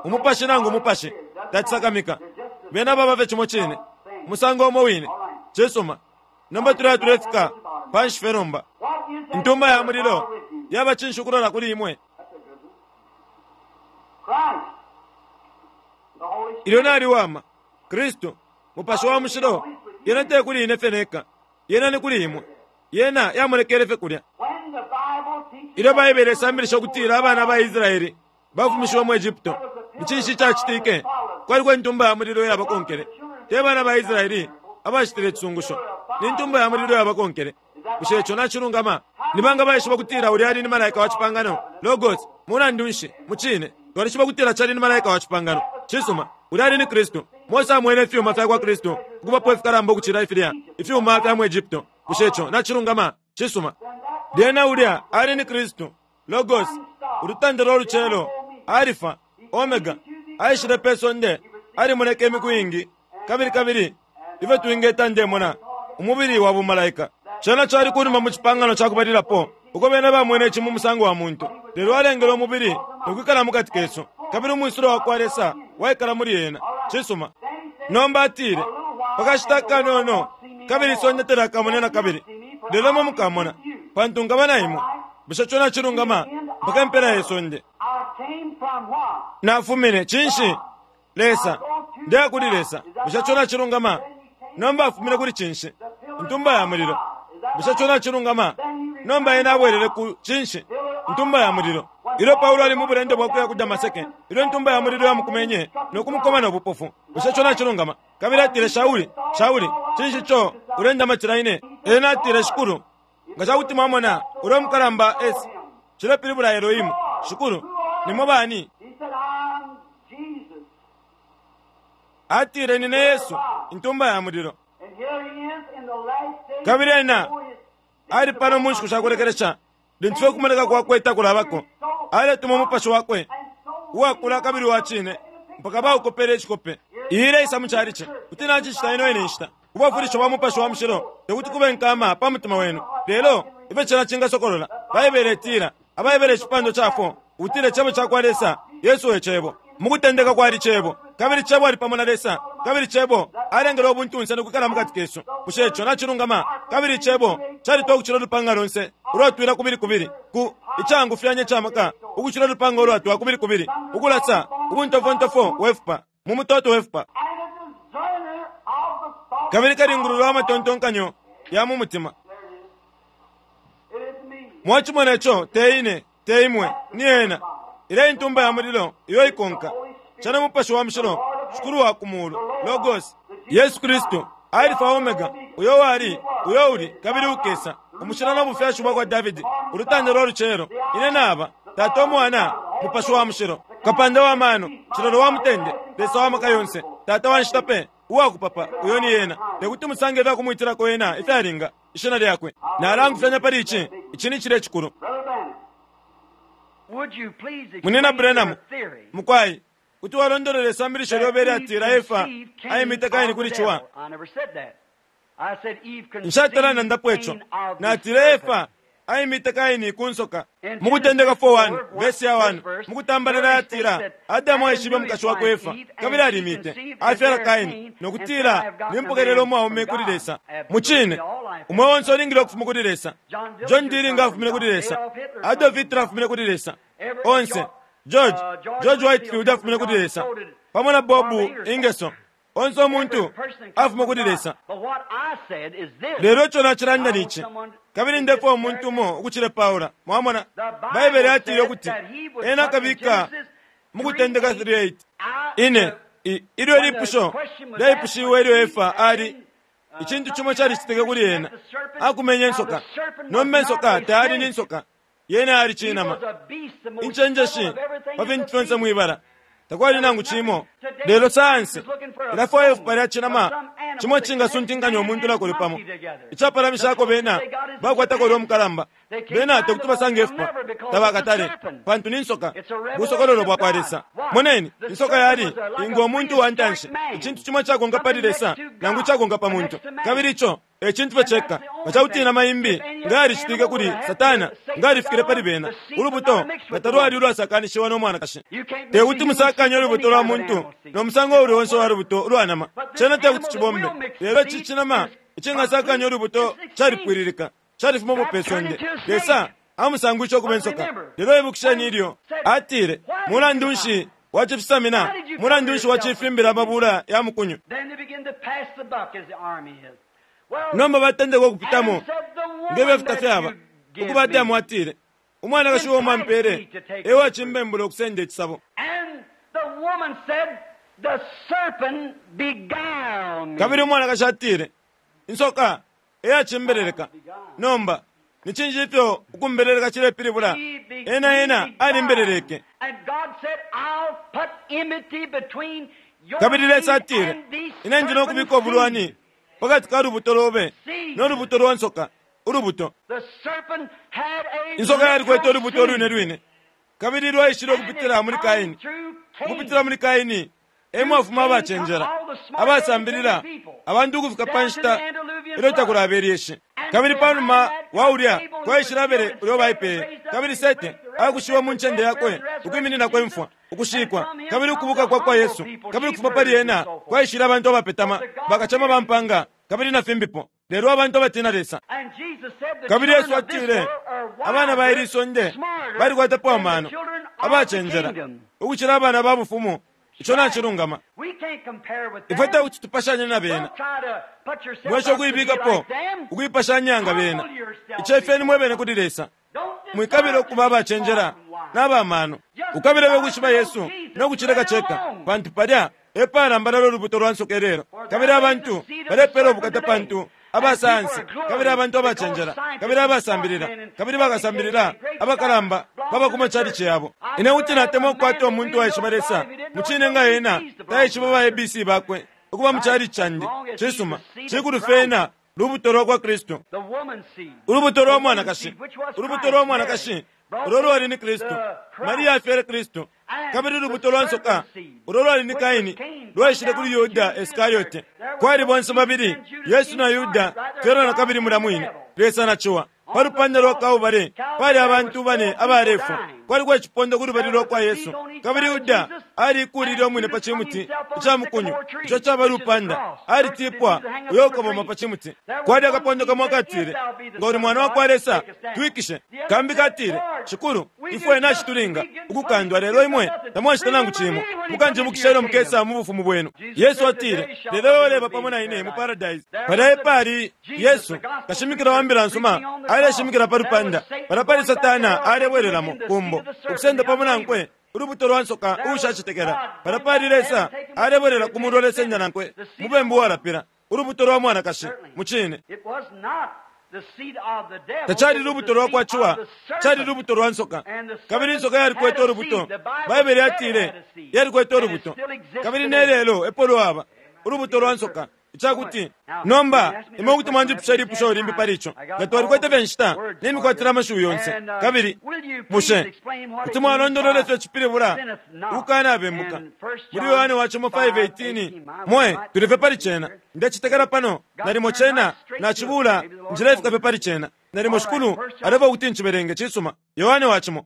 Umupashi nangu umupashi tacisakamika, bena baba fye cimo cine, umusango umo wine. Cisuma. Nomba tuleya tulefika panshi fye nomba. What is that Intumba ya word mulilo with you? yaba cinshi ukulola kuli imwe? That's a good one. Christ, the Holy Spirit. Ilyo naliwama, Kristu, Mupashi wa Mushilo, yena te kuli ine fye neka, yena ni kuli imwe. Yena yamonekele fye kulya. When the Bible teaches Ilyo Baibele isambilisha ukutila abana ba Israele bafumishiwe mu Egypto, ni cinshi icacitike? Kwaliko intumba ya mulilo iyabakonkele. Te bana ba Israele abacitile icisungusho, ni ntumba ya mulilo iyabakonkele. Bushe ico nacilungama? Ni banga baishiba ukutila ulya ali ni malaika wa cipangano? Logos, mulandu nshi? Mucine, twalishiba ukutila cali ni malaika wa cipangano. Cisuma, ulya ali ni Kristu. Mose amwene ifyuma fya kwa Kristu ukubapo ifikalamba ukucila ifilya ifyuma fya mu Egypto. Bushe ico nacilungama? Cisuma. Lyena ulya ali ni Kristu, Logos, ulutanda lwa lucelo, Alifa, Omega, aishile pe sonde, alimoneke imiku iingi, kabili kabili ifyo twingeta ndemona, umubili wa bumalaika. Cena cali kunuma mu cipangano ca kubalilapo, uko bena bamwene ici mu musango wa muntu, lelo alengele umubili no kwikala mu kati kesu, kabili umwisulo wa kwa Lesa waikala muli ena. Cisuma. Nomba atile, pa kashita kanono, kabili isonde telakamone na kabili, lelo imwe mukamona, pantu nkaba na imwe. Bushe ico nacilungama? Mpaka impela ye sonde. I came from what? Nafumine cinshi? Lesa. Ndeya kuli Lesa. Bushe ico nacilungama? Nomba afumine kuli cinshi? Intumba ya mulilo. Bushe ico nacilungama? Nomba ena abwelele ku cinshi? Intumba ya mulilo. Ilyo Paulo ali mu bulendo bwa kuya ku Damaseke, ilyo intumba ya mulilo yamukumenye no kumukoma no bupofu. Bushe ico nacilungama? Kabili atile, Shauli, Shauli, cinshi ico Ulendamatila ine? Ena atile, Shikulu, nga ca kuti mwamona ulya mukalamba S, cilepilibula Elohimu, Shikulu, nimwe bani? Atile, Nine Yesu, intumba ya mulilo. Kabili ena ali pano mu nshiku sha kulekelesha, lintu fye ukumoneka kwakwe takulabako, aletuma umupashi wakwe uwakula kabili uwa cine mpaka baukopele icikope. Iyi ileisa mu calici. Kuti nacicita ino ine nshita. Ubwafwilisho bwa Mupashi wa Mushilo tekuti kube nkama pa mutima wenu, lelo ifyo cena cingasokolola. Baibele itila, AbaHebere icipandwa ca 4, ukutila Icebo cakwa Lesa, Yesu e Cebo. Mu kutendeka kwali Cebo, kabili Cebo ali pamo na Lesa, kabili Cebo alengele ubuntunse no kwikala mukati kesu. Bushe ico nacilungama? Kabili Icebo calitwa ukucila ulupanga lonse ulwatwila kubili kubili, ku icangufyanya ica maka ukucila ulupanga ulwatwa kubili kubili, ukulasa ubuntofontofo we fupa mu mutoto we fupa, kabili kalingulula wa matontonkanyo ya mu mutima. Mwacimona ico, te ine, te imwe, ni Ena. Ilya Intumba ya Mulilo iyo ikonka cena Mupashi wa Mushilo, Shikulu wa ku Mulu, Logos, Yesu Kristu, Alifa Omega, uyo wali, uyo uli, kabili ukesa, umushila no bufyashi bwa kwa Davidi, ulutanda lwa lucelo, ine naba, Tata, Umwana, Mupashi wa Mushilo, Kapanda wa mano, Cilolo wa mutende, Lesa wa maka yonse, Tata wa nshita pe, uwa kupapa, uyo ni Ena. Te kuti musange ifya kumwitilako Ena ifyalinga ishina lyakwe. Nalangufyanya pali ici, ici ni cilye cikulu. Munyina Branham, mukwai, kuti walondolola isambilisho lyobe ilyatila Efa aimite Kaini kuli Ciwa? Nshatala nandapo ico. Natile Efa aimite Kaini ku nsoka. Mu Kutendeka 4:1, vesi ya 1, mu kutambalala yatila, Adamu aishibe umukashi wakwe Efa, kabili alimite, afyala Kaini, no kutila, Nimpokelela umwaume kuli Lesa. Mu cine, umweo onse ulingile ukufuma kuli Lesa. John Deering afumine kuli Lesa. Adolf Hitler afumine kuli Lesa. Onse, George, George Whitefield afumine kuli Lesa. Pamo na Bob Ingersoll. Onse umuntu afuma kuli Lesa. Lelo ico nacilanda ni ici, kabili ndefwaya umuntu umo ukucilepaula. Mwamona? Baibele yatile ukuti ena akabika mu Kutendeka 3:8. Ine, i, ilyo ilipusho lyaipushiwe ilyo Efa ali, icintu cimo calicitike kuli ena. Akumenye insoka. Nomba insoka tayali ni nsoka. Yena yali cinama. Incenjeshi pa fintu fyonse mwibala. Takwali nangu cimo. Lelo sayansi ilafwaya ifupa lya cinama cimo icingasuntinkanya umuntu na kuli pamo. Icapalamishako bena bakwatako ulya umukalamba. Bena tekuti basange ifupa. Tabakatale, pantu ni nsoka. Busokololo bwakwa Lesa. Moneni, insoka yali ingo muntu wa ntanshi, icintu cimo icakonka pali Lesa nangu icakonka pa muntu. Kabili ico e cintu fye ceka. Nga ca kuti inama imbi nga yalicitike kuli Satana, nga alifikile pali bena. Ulubuto nga talwali ulwasakanishiwa no mwanakashi. Te kuti musakanye ulubuto lwa muntu no musango uuli onse uwa lubuto ulwa nama. Cena te kuti cibombe. Lelo ici cinama icingasakanya ulubuto calipwililika, califumapo pe sonde. Lesa amusangwishe ukuba insoka. Lelo ibukisheni ilyo Atile, Mulandu nshi wacifisamina? Mulandu nshi wacifimbila amabula ya mukunyu? Nomba batendeka ukupitamo nge fyo fita fyaba. Ukuba Adamu atile, Umwanakashi uo mwampele e wacimbembula ukusenda icisabo. Kabili umwanakashi atile, Insoka e yacimbeleleka. Nomba, ni cinshi ifyo ukumbeleleka cilepilibula? Ena, ena alimbeleleke. Kabili Lesa atile, Ine ndi no kubika ubulwani pakati ka lubuto lobe no lubuto lwa nsoka, ulubuto. Insoka yalikwete ulubuto ulwine lwine, kabili lwaishile ukupitila muli Kaini. Ukupitila muli Kaini e mwafuma abacenjela, abasambilila, abantu ukufika pa nshita ilyo takulaba ilyeshi. Kabili pa numa wa ulya kwaishile Abele uyo baipeye, kabili Sete akushiwe mu ncende yakwe ukwimininako imfwa, ukushikwa, kabili ukubuka kwa kwa Yesu, kabili ukufuma pali ena kwaishile abantu abapetama, bakacema ba mpanga, kabili na fimbipo, lelo abantu abatina Lesa. Kabili Yesu atile, Abana ba ili sonde balikwatapo amano, abacenjela, ukucila abana ba Bufumu. Ico nacilungama. Ifwe te kuti tupashanye na bena. Mwesha ukuibikapo ukuipashanya nga bena. Icefyeni mwe bene kuli Lesa. Mwikabila ukuba abacenjela na ba mano. Ukabila fye ukwishiba Yesu no kucileka ceka, pantu palya e palambalala ulubuto lwa nsoka ilelo. Kabili abantu balepela ubukata pantu Aba sayansi, kabili abantu abacenjela, kabili abasambilila, kabili bakasambilila abakalamba baba ku macalici yabo. Ine kuti natemwa ukukwata umuntu waishiba Lesa mucine nga ena taishiba ba ABC bakwe ukuba mu calici candi. Cisuma, cikulu fye ena lubuto lwa kwa Kristu. Ulubuto lwa mwanakashi, ulubuto lwa mwanakashi ulo lwali ni Kristu. Maria afyele Kristu. Kabili ulubuto lwa nsoka ulo lwali ni Kaini lwaishile kuli Yuda Iskariote. Kwali bonse babili Yesu na Yuda fyelwa na kabili mulya mwine, Lesa na ciwa. Pa lupanda lwa Kalbale pali abantu bane abalefwa. Kwaliko icipondo ku lubali lwa kwa Yesu, kabili Yuda aliikuulile umwine pa cimuti ica mukunyu, ico caba lupanda. Alitipwa uyo ukaboma pa cimuti. Kwali akapondo kamo akatile, Nga uli Mwana wa kwa Lesa, twikishe. Kambi katile, Shikulu, ifwe nacitulinga ukukandwa, lelo imwe tamwacita nangu cimo. Mukanjibukisha ilyo mukesa mu bufumu bwenu. Yesu atile, Lelo iwe uleba pamo na ine mu Paradise. Palya epali Yesu, kashimikila wa mbila nsuma, aleshimikila pa lupanda. Palya pali Satana alebwelelamo ku mbo, ukusenda pamo nankwe ulubuto lwa nsoka uushacetekela. Palya pali Lesa alebwelela ku mulu alesenda nankwe umubembu uwalapila, ulubuto lwa mwanakashi. Mucine. Tacali lubuto lwa kwa Ciwa, cali lubuto lwa nsoka. Kabili insoka yalikwete ulubuto. Baibele yatile yalikwete ulubuto. Kabili ne lelo epo lwaba, ulubuto lwa nsoka. Ica kuti, nomba, imwe kuti mwanjipusha ilipusho limbi pali ico, nga twalikwete fye inshita, nimikwatila amashiwi yonse. Kabili, bushe kuti mwalondolola ifyo cipilibula ukukanabembuka? Muli Yohane wa cimo 5:18, mwe, tuli fye pali cena. Ndecetekela pano, nalimo cena nacibula, nshilefika fye pali cena. Nalimo Shikulu alefwaya ukuti ncibelenge. Cisuma. Yohane wa cimo.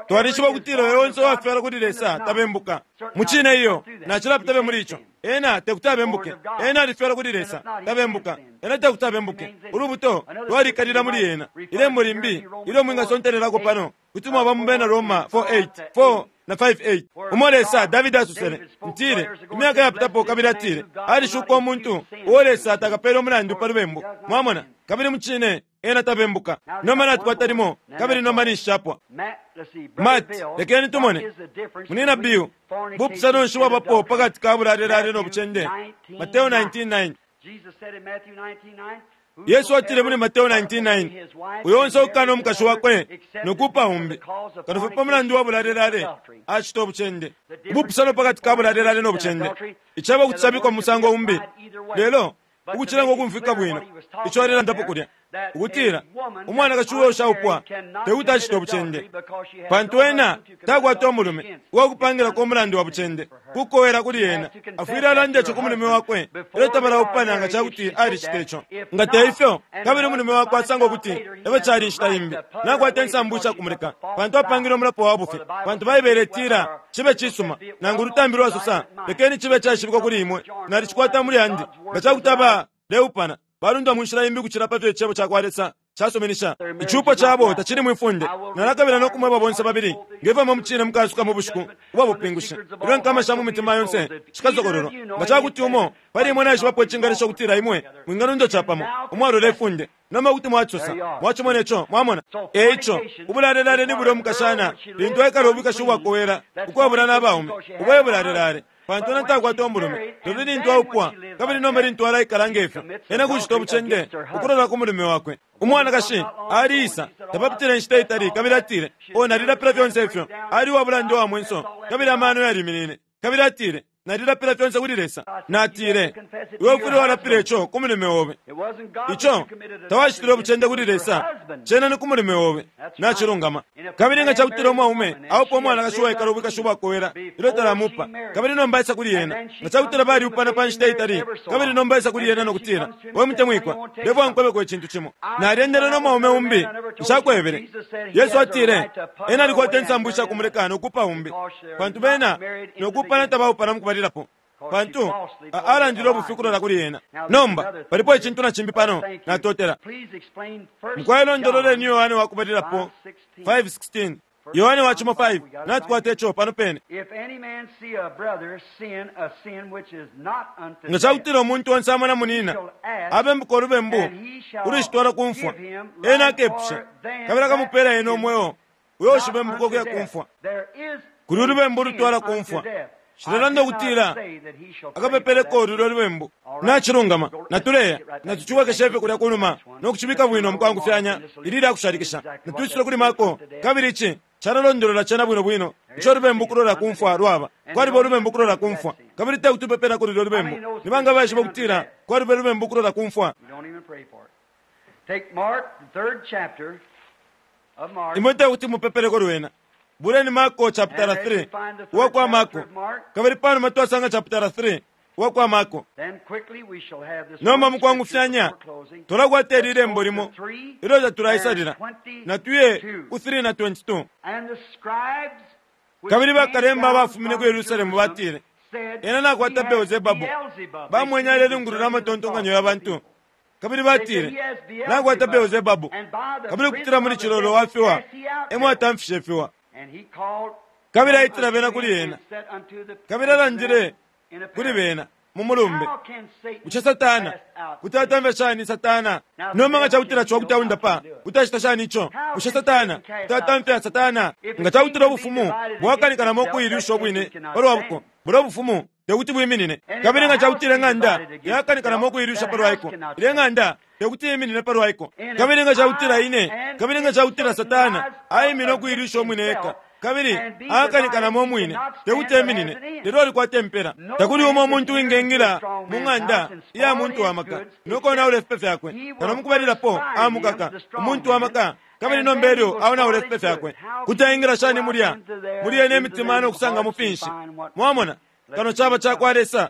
Twalishiba ukutila uyo onse uwafyalwa kuli Lesa tabembuka. Mucine iyo, nacilapita fye muli ico. Ena tekuti abembuke. Ena alifyalwa kuli Lesa, tabembuka. Ena tekuti abembuke. Ulubuto lwalikalila muli ena. Ilembo limbi ilyo mwingasontelelako pano, kuti mwaba mu Bena Roma 4:8, 4 na 5:8, umo Lesa, Davidi asosele, ntile, imyaka yapitapo, kabili atile, Alishuka umuntu uo Lesa takapele umulandu pa lubembu. Mwamona? Kabili mucine, ena tabembuka. Nomba natukwata limo, kabili nomba ninshi capwa. Matt, lekeni tumone. Munina Bill, bupusano nshi bwabapo pakati ka bulalelale no bucende? Mateo 19:9. Yesu atile muli Mateo 19:9, Uyo onse ukukana umukashi wakwe no kuupa umbi, kano fye pa mulandu wa bulalelale, acita ubucende. Ubupusano pakati ka bulalelale no bucende, icebo kuti cabikwa mu musango umbi, lelo ukucilenga ukumfwika bwino ico alelandapo kulya, ukutila umwanakashi uo ushaupwa te kuti acite ubucende, pantu ena takwata umulume uwa kupangilako umulandu wa bucende kukowela kuli ena. Afwile alanda ico ku mulume wakwe ilyo tabalaupana nga ca kuti alicita ico. Nga te ifyo, kabili umulume wakwe asanga ukuti e fyo cali inshita imbi, nakwata insambu isha kumuleka, pantu apangile umulapo wa bufi. Pantu Baibele itila, Cibe cisuma, nangu ulutambi lwasosa, lekeni cibe caishibikwa kuli imwe, nalicikwata muli yandi. Nga ca kuti abaleupana balundwa mu nshila imbi ukucila pa fyo Icebo ca kwa Lesa casuminisha, icupo cabo tacili mwi funde. Nalakabila no kumweba bonse babili, nge fyo imwe mucine mukaasuka mu bushiku ubwa bupingushi, ilyo inkama sha mu mitima yonse shikasokololwa. Nga ca kuti umo pali imwe naishibapo icingalesha ukutila imwe mwingalundwa capamo umwalola ifunde, nomba kuti mwacisosa. Mwacimone co, mwamona. E ico, ubulalelale ni bulya umukashana lintu aikala ubwikashi ubwakowela ukwabula na baume. Ubo e bulalelale, pantu ena takwata umulume. Lelo lintu aupwa, kabili nomba lintu alaikala nge fyo, ena kucita ubucende ukulola ku mulume wakwe. Umwanakashi aliisa, tapapitile inshita itali, kabili atile, Oh, nalilapila fyonse ifyo. Ali uwa bulanda uwa mwenso, kabili amano yaliminine. Kabili atile, Nalilapila fyonse kuli Lesa. Natile, Iwe ufwile walapila ico ku mulume obe. Ico, tawacitile ubucende kuli Lesa, cena ni ku mulume obe. Nacilungama. Kabili nga cakutila umwaume aupa umwanakashi uwaikala ubwikashi ubwakowela ilyo talamupa, kabili nomba aisa kuli ena, nga cakutila balyupana pa nshita itali, kabili nomba aisa kuli ena no kutila, We mutemwikwa, ndefwaya nkwebeko icintu cimo. Nalyendele no mwaume umbi, nshakwebele. Yesu atile, Ena alikwata insambu isha kumuleka no kuupa umbi, pantu bena no kuupana tabaupana mukubalilapo, pantu a, alandile ubufi ukulola kuli ena. Nomba, palipo icintu na cimbi pano, natotela. Mukwai londololeni Yohane wa kubalilapo 5:16. Yohane wa cimo 5, natukwata ico pano pene. Nga cakutila umuntu onse amona munina abembuka ulubembu ulushitwala ku mfwa, ena akepusha, kabili akamupela ena umweo uyo ushibembuka ukuya ku mfwa. Kuli ulubembu ulutwala ku mfwa. Nshilelanda ukutila akapepeleko lulyo lubembu. Nacilungama, natuleya, natucibwekeshe fye kulya kunuma no kucibika bwino mukwangufyanya ili ilyakushalikisha. Natwisule kuli Marko, kabili ici calalondolola cena bwino bwino ico lubembu kulola ku mfwa lwaba. Kwaliba ulubembu kulola ku mfwa, kabili te kuti upepelako lulyo lubembu. Ni banga abaishiba ukutila kwaliba ulubembu kulola ku mfwa? Imwe te kuti mupepeleko lwena. Buleni Marko chapitala 3 uwa kwa Marko, kabili panuma twasanga chapitala 3 uwa kwa Marko. Nomba mukwangufyanya twalakwata ili lembo limo ilyo tatulaisalila. Natuye ku 3 na 22. Kabili bakalemba abafumine ku Yerusalemu batile, Ena nakwata Beelzebabu. Bamwene alelingulula amatontonkanyo ya bantu. Kabili batile, Nakwata Beelzebabu, kabili ukupitila muli cilolo wa fiwa e mo atamfishe ifiwa. Kabili aitila bena kuli ena, kabili alandile kuli bena mu mulumbe, Bushe Satana kuti atamfya shani Satana? Nomba nga cakutila ciwa kuti aundapa, kuti acita shani ico? Bushe Satana kuti atamfya Satana? Nga cakutila ubufumu bwakanikanamo ukuilusha ubwine pa lwa buko, bulya bufumu te kuti bwiminine. Kabili nga cakutila ing'anda yakanikanamo ukuilusha pa lwa iko, ilya ing'anda te kuti iminine pa lwa iko. Kabili nga cakutila ine, kabili nga cakutila Satana aimine ukuilusha umwine eka, kabili aakanikanamo umwine, te kuti eminine, lelo alikwata impela. Takuli umo umuntu uwingengila mu ng'anda iya muntu wa maka no konaula ifipe fyakwe, kano mukubalilapo amukaka umuntu wa maka, kabili nomba elyo aonaula ifipe fyakwe. Kuti aingila shani mulya muli yene imitima no kusangamo finshi? Mwamona? Kano caba ca kwa Lesa.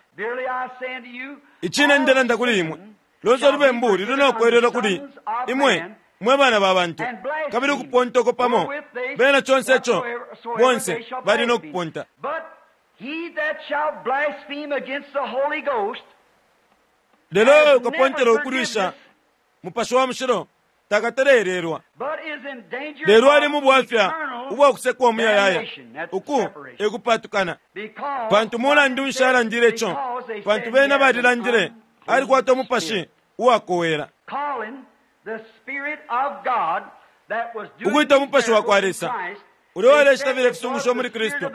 Icine ndelanda kuli imwe, lonse ulubembu luli no kwelelwa kuli imwe mwe bana ba bantu, kabili ukuponta uko pamo bena conse ico bonse bali no kuponta. Lelo ukapontela ukulwisha Mupashi wa Mushilo takatale-elelwa, lelo ali mu bwafya ubwa kusekwa umuyayaya. Uku e kupatukana. Pantu mulandu nshi alandile ico? Pantu bena balilandile, Alikwata umupashi uwakowela. Ukwita umupashi wa kwa Lesa ulya uwalecita filya ifisungusho muli Kristu,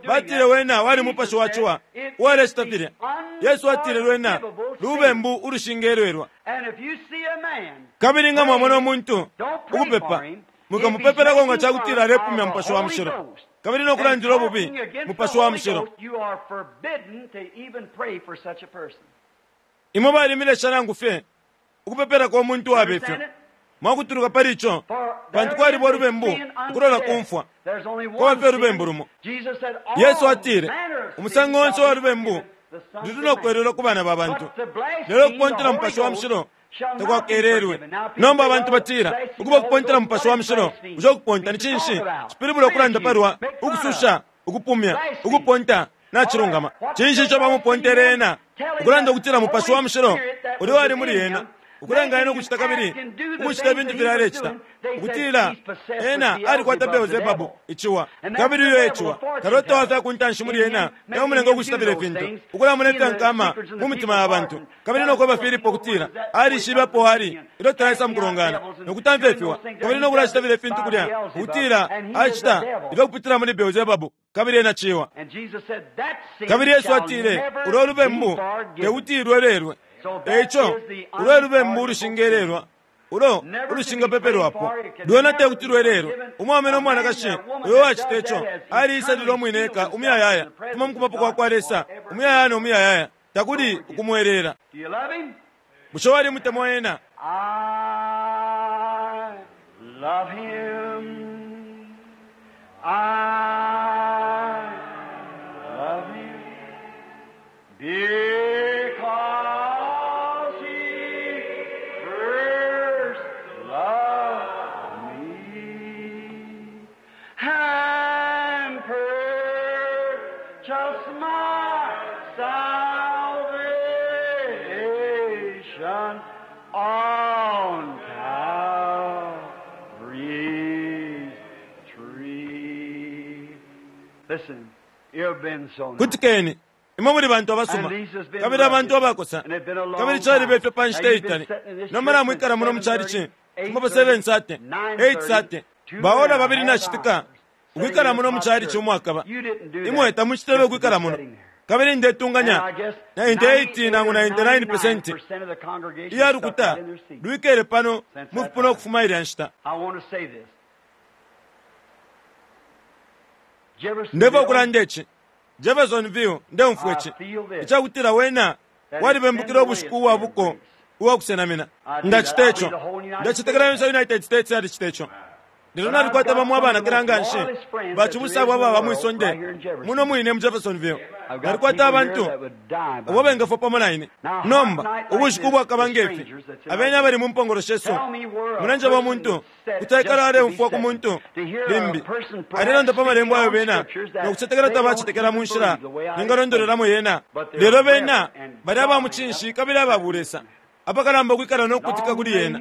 batile wena wali mupashi wa ciwa uwalecita filya. Yesu atile lwena lubembu ulushingelelwa. Kabili nga mwamona umuntu ukupepa, mwikamupepelako nga ca kutila alepumya Mupashi wa Mushilo kabili no kulandila ububi Mupashi wa Mushilo. Imwe balimilesha nangu fye ukupepelako umuntu uwabe fyo. Mwakutuluka pali ico, pantu kwaliba ulubembu ukulola ku mfwa. Kwaba fye ulubembu lumo. Yesu atile, Umusango onse uwa lubembu luli no kwelelwa ku bana ba bantu, lelo ukupontela Mupashi wa Mushilo takwakelelwe. Nomba abantu batila, Ukuba ukupontela Mupashi wa Mushilo, bushe ukuponta ni cinshi? Cipilibula ukulanda palwa ukususha, ukupumya, ukuponta. Nacilungama. Cinshi ico bamupontele ena? Ukulanda ukutila Mupashi wa Mushilo ulya wali muli ena, ukulenga ena ukucita kabili ukucita ifintu filya alecita, ukutila ena alikwata Beelzebabu, iciwa, kabili uyo e ciwa, kalota wa fya ku ntanshi muli ena e umulenga ukucita filya fintu, ukulamona ifya nkama mu mitima ya bantu, kabili no kweba Filipo ukutila alishibe apo ali ilyo talaisa mukulongana, no kutamfya ifiwa, kabili no kulacita filya fintu kulya, ukutila acita ifyo ukupitila muli Beelzebabu, kabili ena ciwa. Kabili Yesu atile, Ulo lubembu tekuti lwelelwe. E ico, ulo e lubembu ulushingelelwa, ulo ulushingapepelwapo. Lwena te kuti lwelelwe. Umwaume no mwanakashi uyo uwacita ico aliisalile umwine eka umuyayaya ukufuma mu kubapo kwa kwa Lesa, umuyayaya no muyayaya, takuli ukumweleela. Bushe walimutemwa ena? I love him. I love him. Because he first loved me and purchased my salvation on Calvary's tree. Listen, you've been so nice. Kutikeni, imwe muli bantu abasuma kabili abantu abakosa, kabili caliba ifyo pa nshita iitali. Nomba namwikala muno mu calici, fuma pa 7:30, 8:30, baora babili na citika, ukwikala muno mu chalichi umwakaba. Imwe tamucitele ukwikala muno. Kabili ndetunganya 98 nangu 99% iya lukuta lwikele pano mufipuna ukufuma ilya nshita. Ndefwaya ukulanda ici. Jeffersonville, ndeumfwa ici icakutila wena walibembukila ubushiku ubwa buko ubwa kusenamina. Ndacita ico. Ndecetekela yonse United States yalicita ico. Lelo nalikwata bamo abanakila nganshi bacibusa abo ababa mwi sonde muno mwine mu Jeffersonville. Nalikwata abantu abo bengafwa pamo na ine. Nomba, ubushiku ubwakaba nge fi, abeni abali mu mpongolo shesu, mulenjeba umuntu kuti aikala aleumfwa ku muntu limbi alelanda pa malembo ayo bena no kucetekela tabacetekela mu nshila ningalondololamo yena. Lelo bena bali aba mucinshi kabili aba bulesa, apakalamba ukwikala no kukutika kuli yena.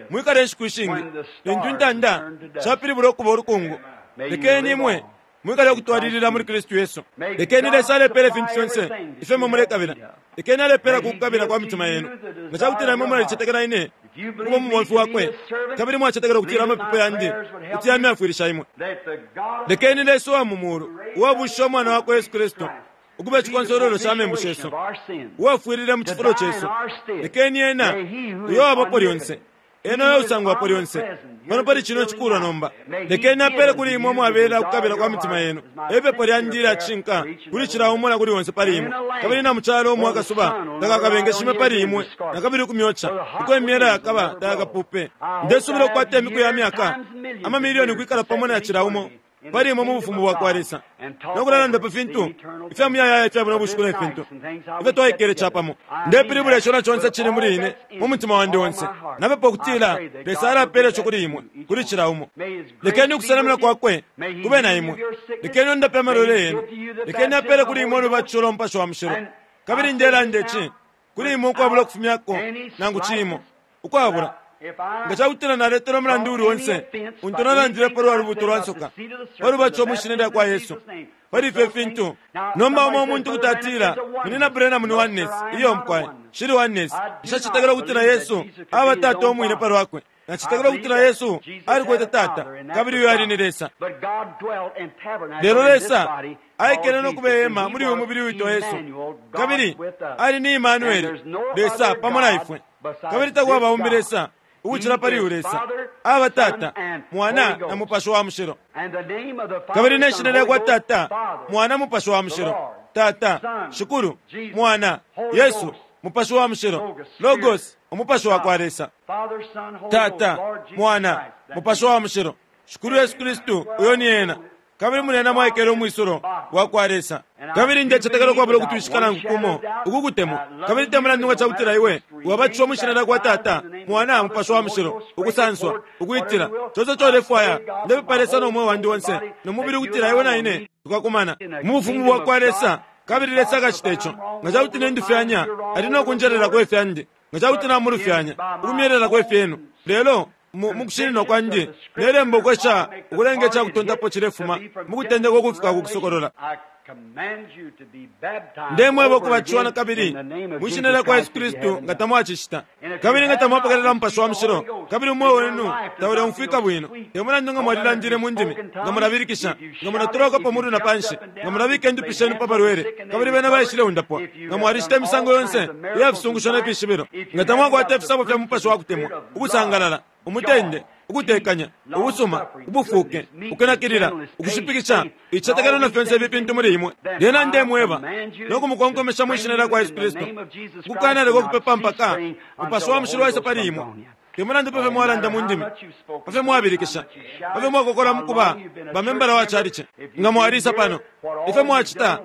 Mwikale inshiku ishingi lintu intanda shapilibula ukuba ulukungu. Lekeni imwe mwikale ukutwalilila muli Kristu Yesu. Lekeni Lesa alepela ifintu fyonse ifyo imwe mulekabila. Lekeni alepela ku kukabila kwa mitima yenu. Nga ca kutila imwe mulalicetekela ine ukuba umubomfi wakwe, kabili mwacetekela ukutila amapepo yandi kuti yamyafwilisha imwe, lekeni Lesa uwa mu mulu, uwabushishe Umwana wakwe Yesu Kristu ukuba icikonsolwelo ca membu shesu, uwafwilile mu cifulo cesu, lekeni ena uyo uwabapo lyonse, ena uyo usangwapo lyonse pano pali cino cikulwa nomba, lekeni apele kuli imwe umwabela ukukabila kwa mitima yenu. Epepo lyandi ilya cishinka kuli cila umo na kuli onse pali imwe, kabili na mu calo umo akasuba takakabengeshime pali imwe na kabili ukumyoca, uko imyela yakaba tayakapupe. Ndesubila ukukwata imiku ya myaka amamilioni ukwikala pamo na cila umo pali imwe mu bufumu bwa kwa Lesa, no kulalanda pa fintu ifya muyayaya ifya buno bushiku ne fintu ifyo twaikele capamo. Ndepilibula ico na conse cili muli ine mu mutima wandi onse. Napepa ukutila Lesa alapela ico kuli imwe, kuli cila umo. Lekeni ukusenamina kwakwe kube na imwe. Lekeni ondape amalwele yenu. Lekeni apele kuli imwe ulubatisho lwa Mupashi wa Mushilo. Kabili ndelanda ici kuli imwe ukwabula ukufumyako nangu cimo, ukwabula nga ca kutila naletele umulandu uuli onse untu nalandile pa lwa lubuto lwa nsoka, pa lubatisho mwi shina lya kwa Yesu, pali ifyo fintu. Nomba umo umuntu kuti atila, Munyina Branham ni Oneness. Iyo, mukwai, nshili Oneness. Nshacetekela ukutila Yesu aba Tata umwine pa lwakwe. Nacetekela ukutila Yesu alikwete Tata, kabili uyo ali ni Lesa. Lelo Lesa aikele no kubehema muli uyu mubili witwa Yesu, kabili ali ni Imanueli, Lesa pamo na ifwe. Kabili takwaba umbi Lesa ukucila pali uyu Lesa. Aba Tata, Mwana, na Mupashi wa Mushilo. Kabili ne shina lyakwa Tata, Mwana, Mupashi wa Mushilo. Tata, Shikulu, Mwana, Yesu, Mupashi wa Mushilo, Logos, Umupashi wa kwa Lesa. Tata, Mwana, Mupashi wa Mushilo, Shikulu Yesu Kristu, uyo ni ena. Kabili muli ena mwaikele umwisulo wa kwa Lesa. Kabili ndecetekela ukwabula ukutwishika nangu kumo uku kutemwa. Kabili te mulandu nga cakutila iwe wabatishiwa mwi shina lyakwa Tata, Mwana, Mupashi wa Mushilo, ukusanswa, ukwitila, conse ico ulefwaya, ndepepa Lesa no mweo wandi onse no mubili ukutila iwe na ine tukakumana mu bufumu bwa kwa Lesa. Kabili Lesa akacita ico. Nga cakuti nendufyanya, ali no kunjelelako ifyandi. Nga cakuti namulufyanya, ukumyelelako ifyenu. Lelo mu kushininwa kwandi, nelemba ukwesha ukulenga ica kutontapo cilefuma mu kutendeka ukufika ku Kusokolola. Ndemweba ukubatishiwa na kabili mwi shina lya kwa Yesu Kristu nga tamwacicita, kabili nga tamwapokelela Mupashi wa Mushilo, kabili umweo wenu tauleumfwika bwino, te mulandu nga mwalilandile mu ndimi, nga mulabilikisha, nga mulatoloka pa mulu na panshi, nga mulabika indupi shenu pa balwele, kabili bena baishileundapwa, nga mwalicita imisango yonse iya fisungusho ne fishibilo, nga tamwakwata ifisabo fya Mupashi wa kutemwa, ukusangalala, umutende, ukutekanya, ubusuma, ubufuke, ukunakilila, ukushipikisha, icitetekelo na fyonse ifi fintu muli imwe, lyena ndemweba no kumukonkomesha mwi shina lya kwa Yesu Kristu, ukukanaleka ukupepa mpaka Mupashi wa Mushilo waisa pali imwe. Te mulandu pa fyo mwalanda mu ndimi, pa fyo mwabilikisha, pa fyo mwakokola mu kuba bamembala wa calici, nga mwalisa pano, ifyo mwacita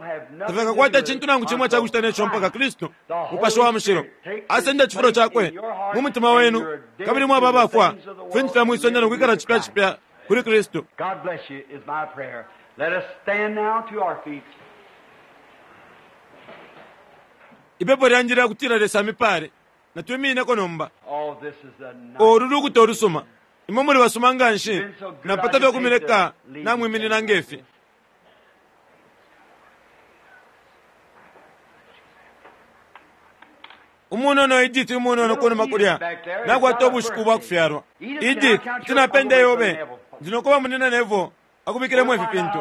tafyakakwata icintu nangu cimo ica kucita ne co mpaka Kristu, Mupashi wa Mushilo, asenda icifulo cakwe mu mutima wenu, kabili mwaba abafwa ku fintu fya mwi sonde no kwikala cipya cipya kuli Kristu. God bless you is my prayer. Let us stand now to our feet. Ipepo lyandi lya kutila Lesa amipale. Natwimineko nomba. Oh, this is a nice. Olu lukuta olusuma. Imwe muli basuma nga nshi. Napata fye ukumileka namwiminina nge fi. Umunono Edith umunono kunuma kulya nakwata ubushiku bwa kufyalwa. Edith, kuti napenda yobe. Ndi nokuba munina Neville. akubikilemo ifi fintu.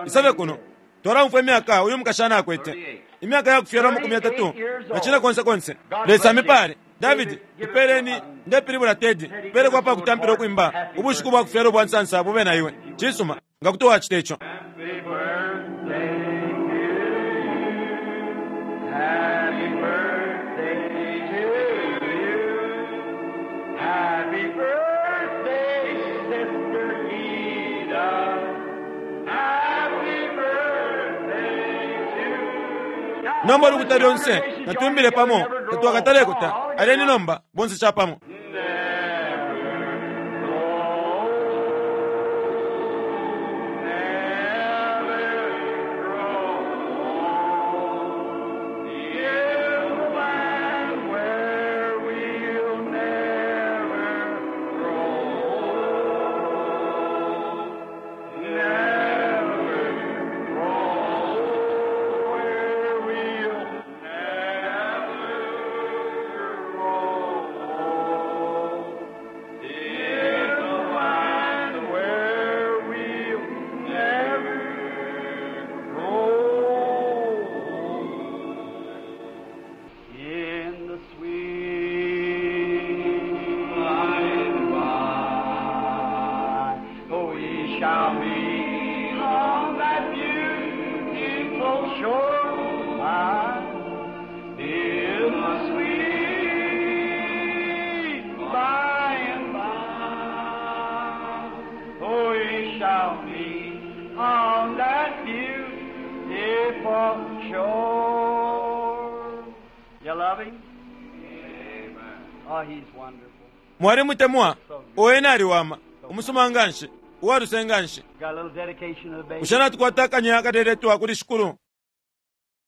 Isabe kuno. Twalaumfwa imyaka uyu mukashana akwete. Imyaka ya kufyalwa 35 na cine konse konse. Lesa amipale. David, ipeleni, ndepilibula Teddy, peleko apa kutampila ukwimba ubushiku bwa kufyalwa ubwa nsansa bube na iwe. Cisuma, nga kuti wacita ico. Happy birthday to you. Happy birthday to you. Happy birthday, Sister Ida. Happy birthday to you. Nomba ulukuta lyonse natwimbile pamo tatwakatalekuta. Aleni nomba bonse capamo. In the sweet by and by, we shall meet on that beautiful shore. In the sweet by and by, we shall meet on that beautiful shore. You love him? Oh, he's wonderful. Mwalimutemwa, ena aliwama, umusuma nganshi, uwaluse nganshi. Got a little dedication of the baby. Bushe natukwata akanya akateletwa kuli shikulu